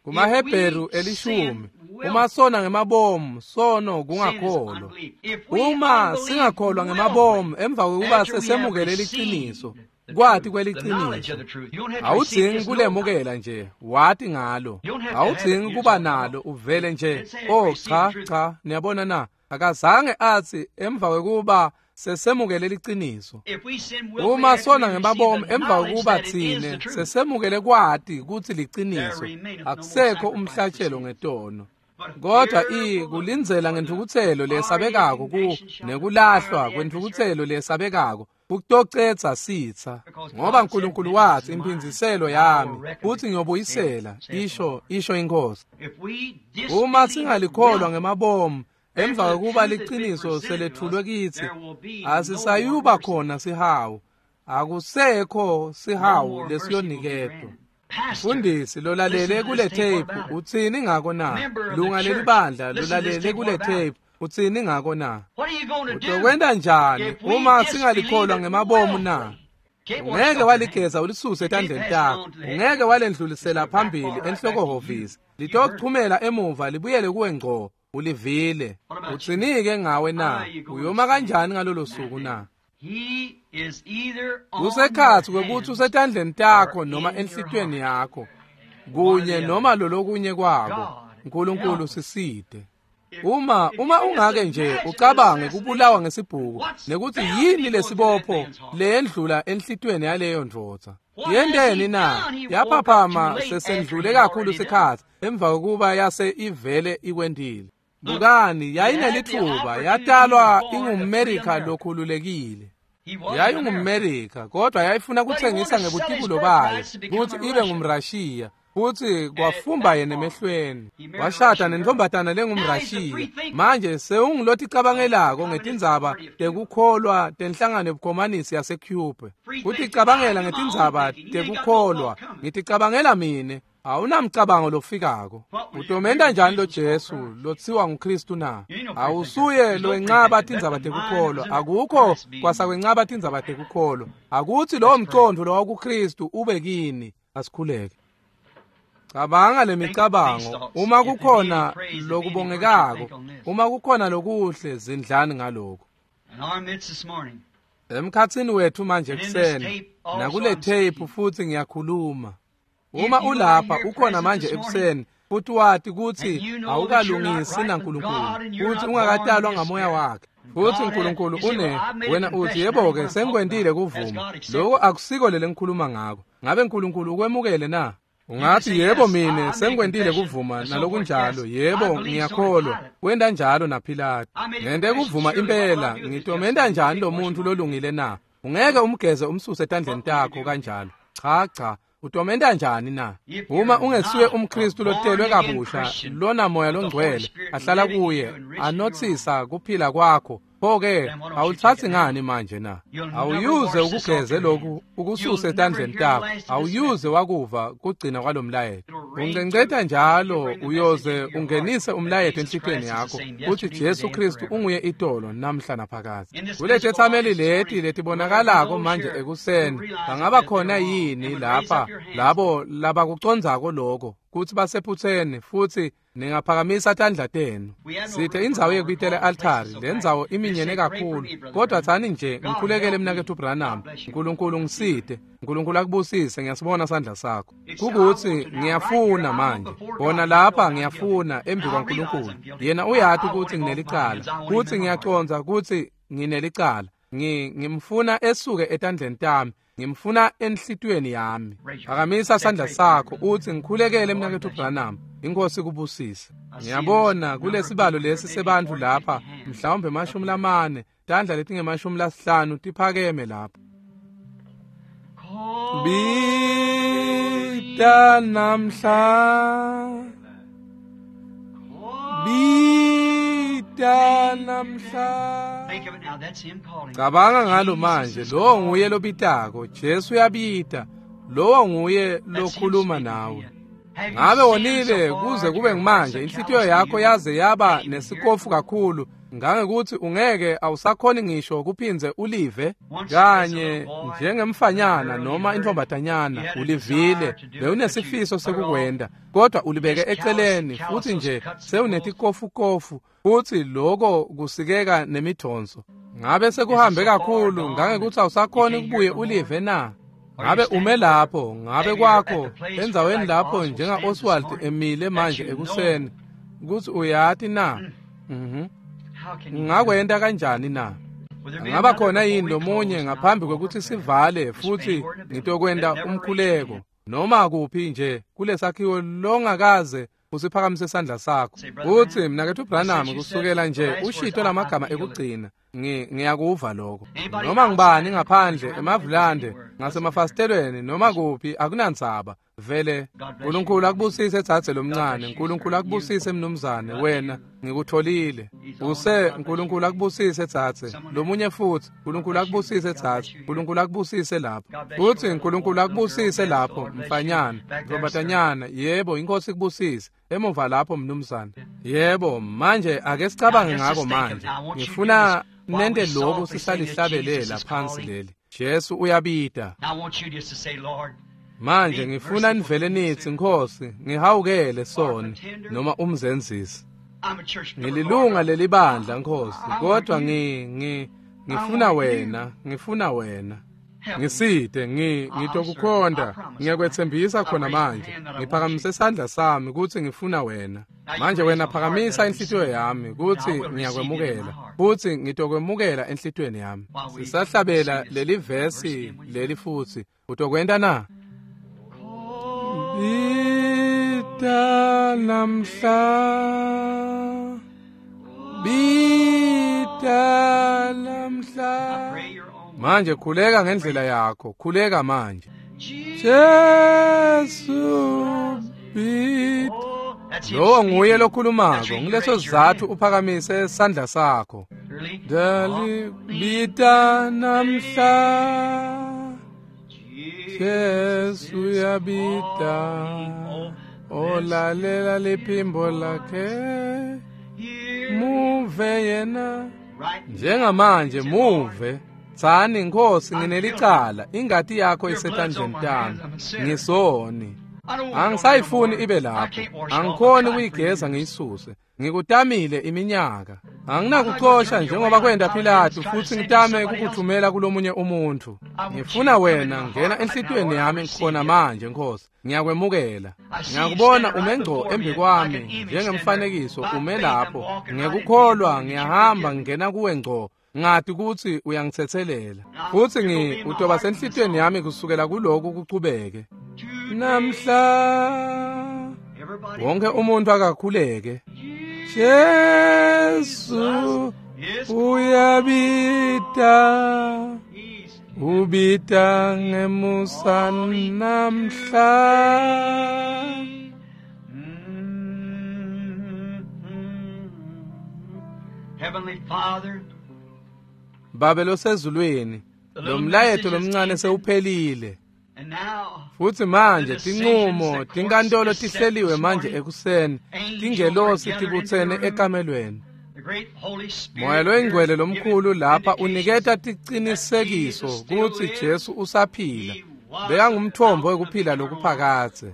S1: KumaHebheru 10, uma sona ngemabomu, sono kungakholwa. Uma singakholwa ngemabomu emva kokuba sesemukele liciniso, kwati kweliciniso, awudzingi kulemukela nje, wati ngalo. Awudzingi kuba nalo, uvele nje. Oh cha cha, niyabona na? Akazange athi emva kokuba sesemukele liciniso. Uma sona ngemabomu emva kokuba thine sesemukele kwati kutsi liciniso, akusekho umhlatshelo ngetono. Kodwa kulindzela ngentfukutselo lesabekako nekulahlwa kwentfukutselo lesabekako kutocetsa sitsa, ngoba uNkulunkulu wathi impindziselo yami futhi ngiyobuyisela, isho inkosi. Uma singalikholwa ngemabomu Emva kokuba liqiniso selethulwe kithi, asisayuba khona sihawu. Akusekho sihawu lesiyoniketwa. Mfundisi lolalele kule tape utsini ngako na? Lunga lelibandla lolalele kule tape utsini ngako na? Utokwenta njani uma singalikholwa ngemabomu na? Ungeke waligeza ulisuse etandleni takho, ungeke walendlulisela phambili enhlokohhovisi, litokuchumela emuva libuyele kuwe ngco. Ulivile. Utsinike ngawe na? Uyoma kanjani ngalolo suku na? Kusekhatsi kwekutsi usetandleni takho noma enhlitiyweni yakho, kunye noma lolokunye kwako. Nkulunkulu sisite. Uma ungake nje ucabange kubulawa ngesibhuku nekuthi yini lesibopho leyendlula enhlitiyweni yaleyo ndvodza. Yenteni na? Yaphaphama sesendlule kakhulu sikhatsi emva kokuba yase ivele ikwendile. Bukani, yayinelithuba, yatalwa ingumMerika lokhululekile. YayingumMerika, kodwa yayifuna kuthengisa ngebutibulo bayo kutsi ibe ngumRashiya, futsi kwafumba yena emehlweni. Washada nentombatana lengumRashiya. Manje sewungiloticabangelako ngetindzaba tekukholwa tenhlangano yebukhomanisi yaseCuba. Kuticabangela ngetindzaba tekukholwa, ngiticabangela mine. Awunamcabango lofikako. Utomenta njani lo Jesu lotsiwa nguKristu na? Awusuye lowenqaba tindzaba tekukholwa. Akukho kwasakwenqaba tindzaba tekukholwa. Akuthi lowo mcondvo lowakuKristu ube kini. Asikhuleke. Cabanga lemicabango. Uma kukhona lokubongekako, uma kukhona lokuhle, zindlani ngaloko. Emkhatsini wethu manje ekuseni, nakule tape futhi ngiyakhuluma. Uma ulapha ukhona manje ekuseni futhi wati kutsi awukalungisi naNkulunkulu, futhi ungakatalwa ngamoya wakhe, futhi uNkulunkulu une wena uthi yebo-ke sengikwentile kuvuma, lokho akusiko lele ngikhuluma ngako. Ngabe uNkulunkulu ukwemukele na? Ungathi yebo mine sengikwentile kuvuma nalokunjalo, yebo ngiyakholwa. Wenta njalo naPilatu. Ngente kuvuma impela, ngitomenta njani lo muntu lolungile na? Ungeke umgeze umsuse etandleni takho kanjalo. Cha cha. Utomenta njani na? Uma ungesuye umKristu lotelwe kabusha, lona moya longcwele ahlala kuye, anothisa kuphila kwakho, pho-ke awulithathi ngani manje na? Awuyuze ukugeze lokhu ukususe etandleni takho, awuyuze wakuva kugcina kwalomlayeto. Uncenceta njalo uyoze ungenise umlayeto enhlitiyweni yakho uthi Jesu Kristu unguye itolo namhla naphakadze. Kuletethameli leti letibonakalako manje ekuseni, bangaba khona yini lapha labo labakucondzako lokho kutsi basephutseni futhi ningaphakamisa tandla tenu? Sithe indzawo yekubitela e-altari, le ndzawo iminyene kakhulu, kodwa tsani nje ngikhulekele mnaketfu Branham, Nkulunkulu ngisite, Nkulunkulu akubusise, ngiyasibona sandla sakho. Kukuthi ngiyafuna manje, bona lapha ngiyafuna embi kwaNkulunkulu. Yena uyati ukuthi nginelicala, kuthi ngiyacondza kutsi nginelicala. Ngimfuna esuke etandleni tami, ngimfuna enhlitiyweni yami. Phakamisa sandla sakho uthi ngikhulekele mnaketfu Branham, inkosi kubusise. Ngiyabona kulesibalo lesi sebantfu lapha, mhlawumbe 40, tandla letinge-50 tiphakeme lapha. Bita namhla, bita namhla. Cabanga ngalo manje, lowo nguye lobitako. Jesu uyabita, lowo nguye lokhuluma nawe. Ngabe wonile kuze kube ngimanje, inhlitiyo yakho yaze yaba nesikofu kakhulu ngangekuthi ungeke awusakhoni ngisho kuphindze ulive kanye njengemfanyana noma intombatanyana. Ulivile, bewunesifiso sekukwenda, kodwa ulibeke eceleni futhi nje sewunetikofukofu futhi lokho kusikeka nemidonso. Ngabe sekuhambe kakhulu ngangekuthi awusakhoni kubuye ulive na? Ngabe ume lapho, ngabe kwakho endzaweni lapho njenga Oswald emile manje ekuseni, kuthi uyati na? Ungakwenta kanjani na? Angaba khona yini lomunye ngaphambi kwekuthi sivale futhi ngitokwenta umkhuleko noma kuphi nje kulesakhiwo longakaze usiphakamise isandla sakho uthi mnaketfu Branham, kusukela nje ushito lamagama ekugcina ngiyakuva lokho. Noma ngibani ngaphandle emavulande ngasemafasitelweni noma kuphi akunandzaba, Vele Nkulunkulu akubusise dzadze lomncane, Nkulunkulu akubusise mnumzane, wena ngikutholile. Use Nkulunkulu akubusise dzadze, lomunye futsi, Nkulunkulu akubusise dzadze, Nkulunkulu akubusise lapho. Futsi Nkulunkulu akubusise lapho, mfanyana, ntombatanyana, yebo, inkosi ikubusise. Emuva lapho mnumzane. Yebo, manje ake sicabange ngako manje. Ngifuna nente lokhu sisalihlabelela phansi leli. Jesu uyabita. Manje ngifuna nivele nithi Nkosi, ngihawukele soni noma umzenzisi. Ngililunga lelibandla Nkosi, kodwa ngifuna wena, ngifuna wena. Ngisite, ngitokukhonda, ngiyakwethembisa khona manje. Ngiphakamise isandla sami ukuthi ngifuna wena. Manje wena phakamisa inhlitiyo yami ukuthi ngiyakwemukela, futhi ngitokwemukela enhlitiyweni yami. Sisahlabela leli vesi leli futhi. Utokwenta na? Bita namhla, bita namhla. Manje khuleka ngendlela yakho, khuleka manje. Jesu bita. Lowo nguye lokhulumako, ngileso sizathu uphakamise isandla sakho. Dali bita namhla. Jesu uyabita, olalela liphimbo lakhe, muve yena. Njengamanje muve, tsani Nkosi nginelicala, ingati yakho isetandleni tami, ngisoni. Angisayifuni ibe lapho, angikhoni ukuyigeza ngiyisuse. Ngikutamile iminyaka. Anginakuxosha njengoba kwenda Pilatu futhi ngitame ukukuthumela kulomunye umuntu. Ngifuna wena ngena enhlitiyweni yami khona manje Nkosi. Ngiyakwemukela. Ngiyakubona ume ngco embi kwami njengemfanekiso ume lapho. Ngekukholwa ngiyahamba ngingena kuwe ngco. Ngati ukuthi uyangithethelela. Futhi utoba senhlitiyweni yami kusukela kuloku kuchubeke. Namhla wonke umuntu akakhuleke. Jesu uyabita, ubita ngemusa namhla.
S2: Heavenly Father,
S1: Babe losezulwini, lo mlayeto lomncane sewuphelile. Futhi manje tinqumo tinkantolo tihleliwe manje ekuseni, tingelosi tibutsene ekamelweni. Moya loyingcwele lomkhulu lapha uniketa ticinisekiso kutsi Jesu usaphila. Bekangumthombo wekuphila lokuphakadze.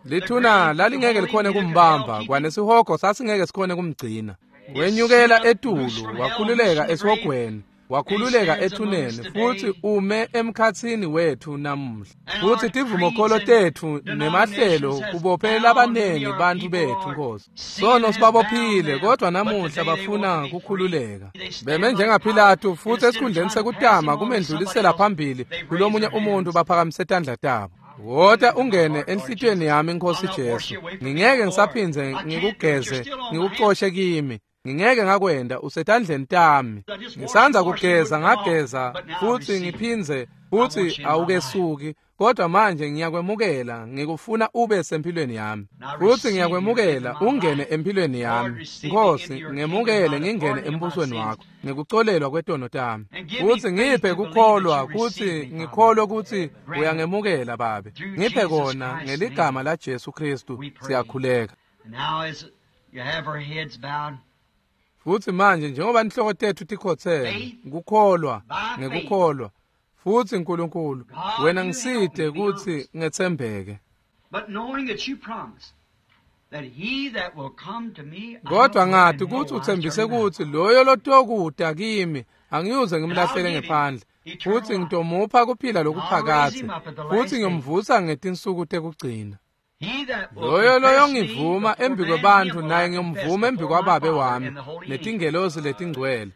S1: Lithuna lalingeke likhone kumbamba, kwanesihogo sasingeke sikhone kumgcina. Wenyukela etulu, wakhululeka esihogweni, wakhululeka ethuneni, futhi ume emkhatsini wethu namuhla. Futhi tivumokholo tetfu nemahlelo kubophela labanengi bantu bethu Nkosi. Sono sibabophile, kodwa namuhla bafuna kukhululeka. Beme njengaPilatu futhi esikhundleni sekutama kumendlulisela phambili kulomunye umuntu baphakamise tandla tabo. Wota ungene enhlitiyweni yami Nkosi Jesu. Ngingeke ngisaphindze ngikugeze, ngikuxoshe kimi. Ngingeke ngakwenda usetandleni tami. Ngisanza kugeza ngageza futhi ngiphindze futhi awukesuki, kodwa manje ngiyakwemukela, ngikufuna ube sempilweni yami. Futhi ngiyakwemukela ungene empilweni yami. Nkosi, ngemukele ngingene embusweni wakho ngikucolelwa kwetono tami. Futhi ngiphe kukholwa kuthi ngikholwe ukuthi uyangemukela Babe. Ngiphe kona ngeligama la Jesu Kristu siyakhuleka. Futhi manje njengoba inhloko tethu tikhothele, ngukholwa, ngekukholwa. Futhi Nkulunkulu, wena ngiside ukuthi ngethembeke. Kodwa ngathi ukuthi uthembise ukuthi loyo lotokuda kimi angiyuze ngimlahlele ngephandle, futhi ngitomupha kuphila lokuphakadze, futhi ngiyomvusa ngetinsuku tekugcina. Loyo loyo ngivuma embi kwebantu naye ngiyomvuma embi kwababe wami netingelosi letingcwele.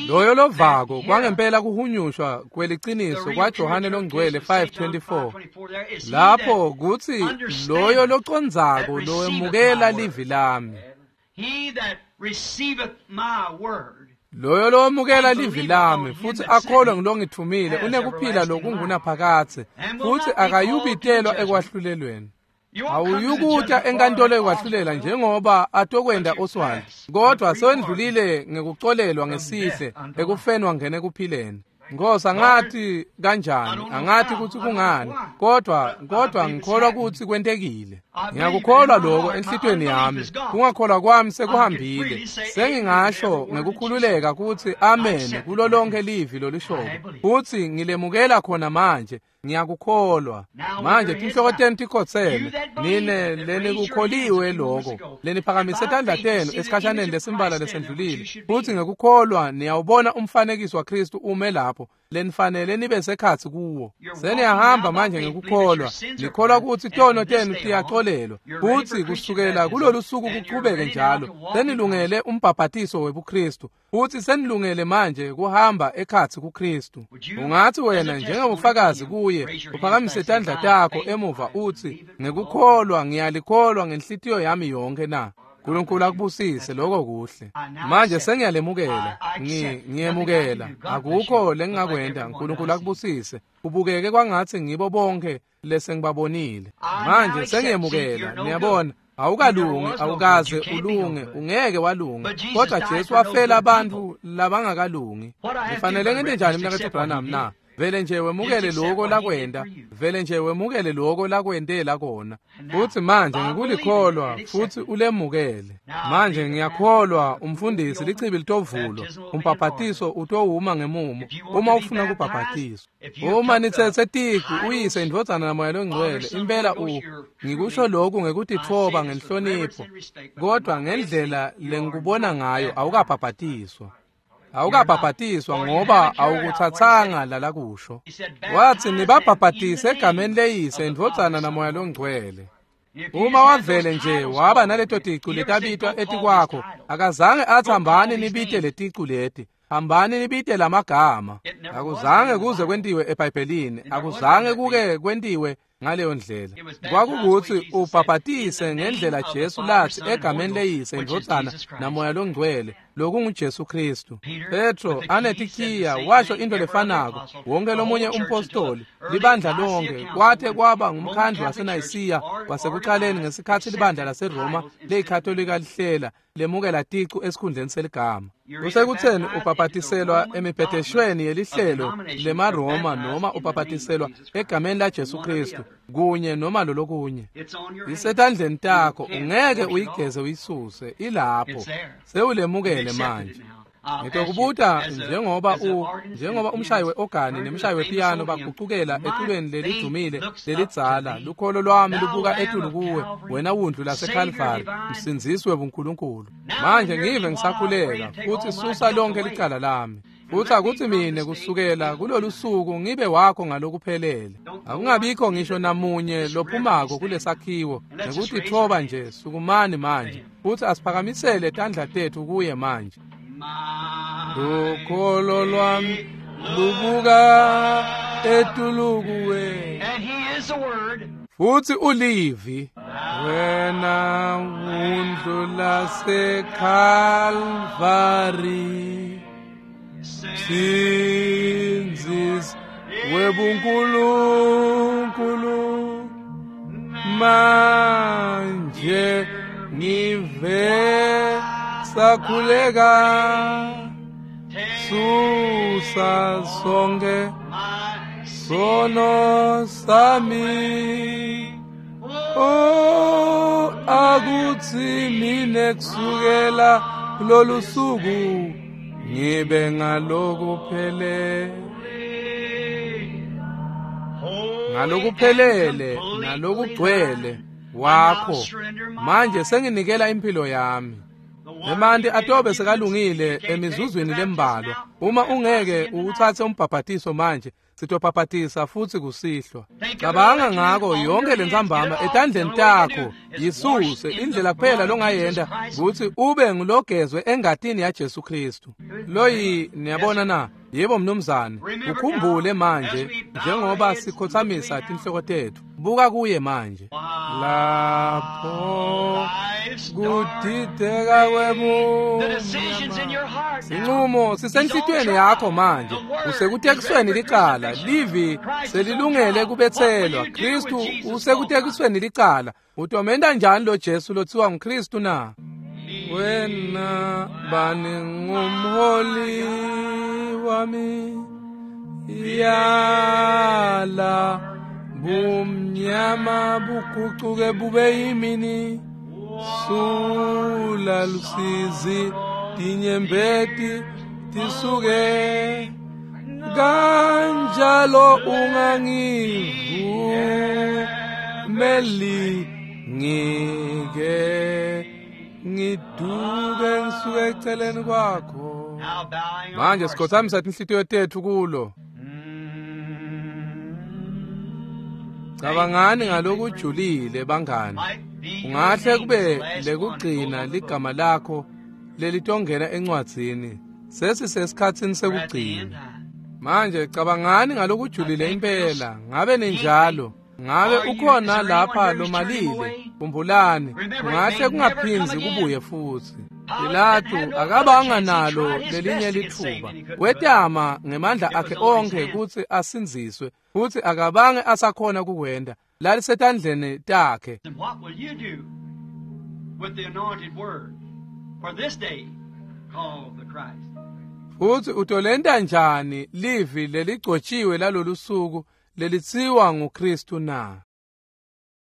S1: Loyo lovako kwangempela kuhunyushwa kweliciniso kwaJohane longcwele 5:24, lapho kuthi loyo locondzako lowemukela livi lami. Loyo lowamukela livi lami futhi akholwe ngilongithumile unekuphila lokungunaphakadze futhi akayubitelwa ekwahlulelweni. Awuyukuta enkantolo yokwahlulela njengoba atokwenda Oswald, kodwa sewendlulile ngekucolelwa ngesihle ekufeni wangena ekuphileni. Nkosi, angathi kanjani, angathi ukuthi kungani, kodwa ngikholwa ukuthi kwentekile. Ngiyakukholwa lokho enhlitiyweni yami. Kungakholwa kwami sekuhambile. Sengingasho ngekukhululeka ukuthi amen kulo lonke livi lolishoko. Futhi ngilemukela khona manje. Ngiyakukholwa. Manje tinhloko tenu tikhotseme. Nine lenikukholiwe lokho, leniphakamise tandla tenu esikhashaneni lesimbala lesendlulile. Futhi ngekukholwa niyawubona umfanekiso waKristu ume lapho, lenifanele nibe sekhatsi kuwo. Seniyahamba manje ngekukholwa, nikholwa ukuthi tono tenu tiyaxolelwa. Futhi kusukela kulolu suku kuqhubeke njalo, senilungele umbhabhatiso webuKristu. Futhi senilungele manje kuhamba ekhatsi kuKristu. Ungathi wena njengobufakazi kuye, uphakamise tandla takho emuva uthi, ngekukholwa ngiyalikholwa ngenhlitiyo yami yonke na? uNkulunkulu akubusise, lokho kuhle. Manje sengiyalemukela, ngiyemukela. Akukho lengingakwenda. uNkulunkulu akubusise. Kubukeke kwangathi ngibo bonke lesengibabonile. Manje sengiyemukela, niyabona. Awukalungi, awukaze ulunge, ungeke walunga. Kodwa Jesu wafela abantu labangakalungi. Ngifanele ngente njani mnaketfu Branham na? Vele nje wemukele lokho lakwenda, vele nje wemukele lokho lakwentela kona. Futhi manje ngikulikholwa futhi ulemukele. Manje ngiyakholwa umfundisi lichibi litovulwa, umbhabhatiso utowuma ngemumo uma ufuna kubhabhatiswa. Uma nithethe tiku uyise indvodzana naMoya loNgcwele, impela ngikusho lokhu ngekutitfoba ngenhlonipho, kodwa ngendlela lengikubona ngayo awukabhabhatiswa. Awukabhabhatiswa ngoba awukuthathanga lalakusho. Wathi nibabhabhatise egameni leyise indvodzana naMoya loNgcwele. Uma wavele nje waba naleto ticu letabitwa etikwakho, akazange athi hambani nibite leticu leti, hambani nibite lamagama. Akuzange kuze kwentiwe eBhayibhelini, akuzange kuke kwentiwe ngaleyo ndlela. Kwakukuthi ubhabhatise ngendlela Jesu lathi egameni leyise indvodzana naMoya loNgcwele, lokunguJesu Kristu. Petro anetikhiya washo into lefanako, wonke lomunye umpostoli, libandla lonke, kwathe kwaba ngumkhandlu waseNayisiya wasekuqaleni ngesikhathi libandla laseRoma leyikatolika lihlela lemukela ticu esikhundleni seligama. Kusekutheni ubhabhatiselwa emibhedeshweni yelihlelo lemaRoma noma ubhabhatiselwa egameni laJesu Kristu, kunye noma lolokunye. Isetandleni takho, ungeke uyigeze uyisuse, ilapho. Sewulemukele manje. Ngitokubuta njengoba umshayi weogani nemshayi wepiyano bagucukela eculweni lelidumile lelidzala, lukholo lwami lubuka etulu kuwe, wena wundlu laseKalvari, msindzisi webuNkulunkulu. Manje ngive ngisakhuleka futhi susa lonke licala lami. Futhi akuthi mine kusukela kulolu suku ngibe wakho ngalokuphelele. Akungabikho ngisho namunye lophumako kulesakhiwo ngekutitfoba nje. Sukumani manje futhi asiphakamisele tandla tethu kuye manje. Lukholo lwami lubuka etulu kuwe. Futhi ulivi wena wundlu laseKalvari, Msindzisi webuNkulunkulu, manje ngive sakhuleka, susa sonke sono sami. Oh, akuthi mine kusukela kulolu suku ngibe ngalokuphelele, ngalokuphelele nalokugcwele wakho. Manje senginikela impilo yami. Emanti atobe sekalungile emizuzwini lembalwa. Uma ungeke uwuthathe umbhabhatiso manje, sitobhabhatisa futhi kusihlwa. Cabanga ngako yonke lentsambama etandleni takho, yisuse. Indlela kuphela longayenda ukuthi ube ngulogezwe engatini yaJesu Kristu. Loyi niyabona na? Yebo mnumzane, ukhumbule manje njengoba sikhothamisa tinhloko tetfu. Buka kuye manje. Lapho kudideka kwebumnyama. Sinqumo sisenhlitiyweni yakho manje. Usekutekisweni licala. Livi selilungele kubetselwa. Kristu usekutekisweni licala. Utomenta njani lo Jesu lothiwa nguKristu na? Wena bani ngumholi wami, yala bumnyama bugucuke bube yimini, sula lusizi tinyembeti tisuke, kanjalo ungangivumeli ngike ngiduke ngisuke eceleni kwakho. Manje sikhothamisa tinhlitiyo tetfu kulo. Cabangani ngalokujulile bangani. Ungahle kube lekugcina ligama lakho lelitongena encwadzini. Sesisesikhatsini sekugcina. Manje cabangani ngalokujulile impela. Ngabe ninjalo? Ngabe ukhona lapha lomalile? Khumbulani, kungahle kungaphindzi kubuye futsi. Pilatu akabanga nalo lelinye litfuba. Wetama ngemandla akhe onkhe kutsi asindziswe, futsi akabange asakhona kukwenta. Lalisetandleni takhe.
S2: And what will you do with the anointed word for this day called the Christ?
S1: Futsi utolenta njani livi leligcotshiwe lalolu suku lelitsiwa nguKristu na?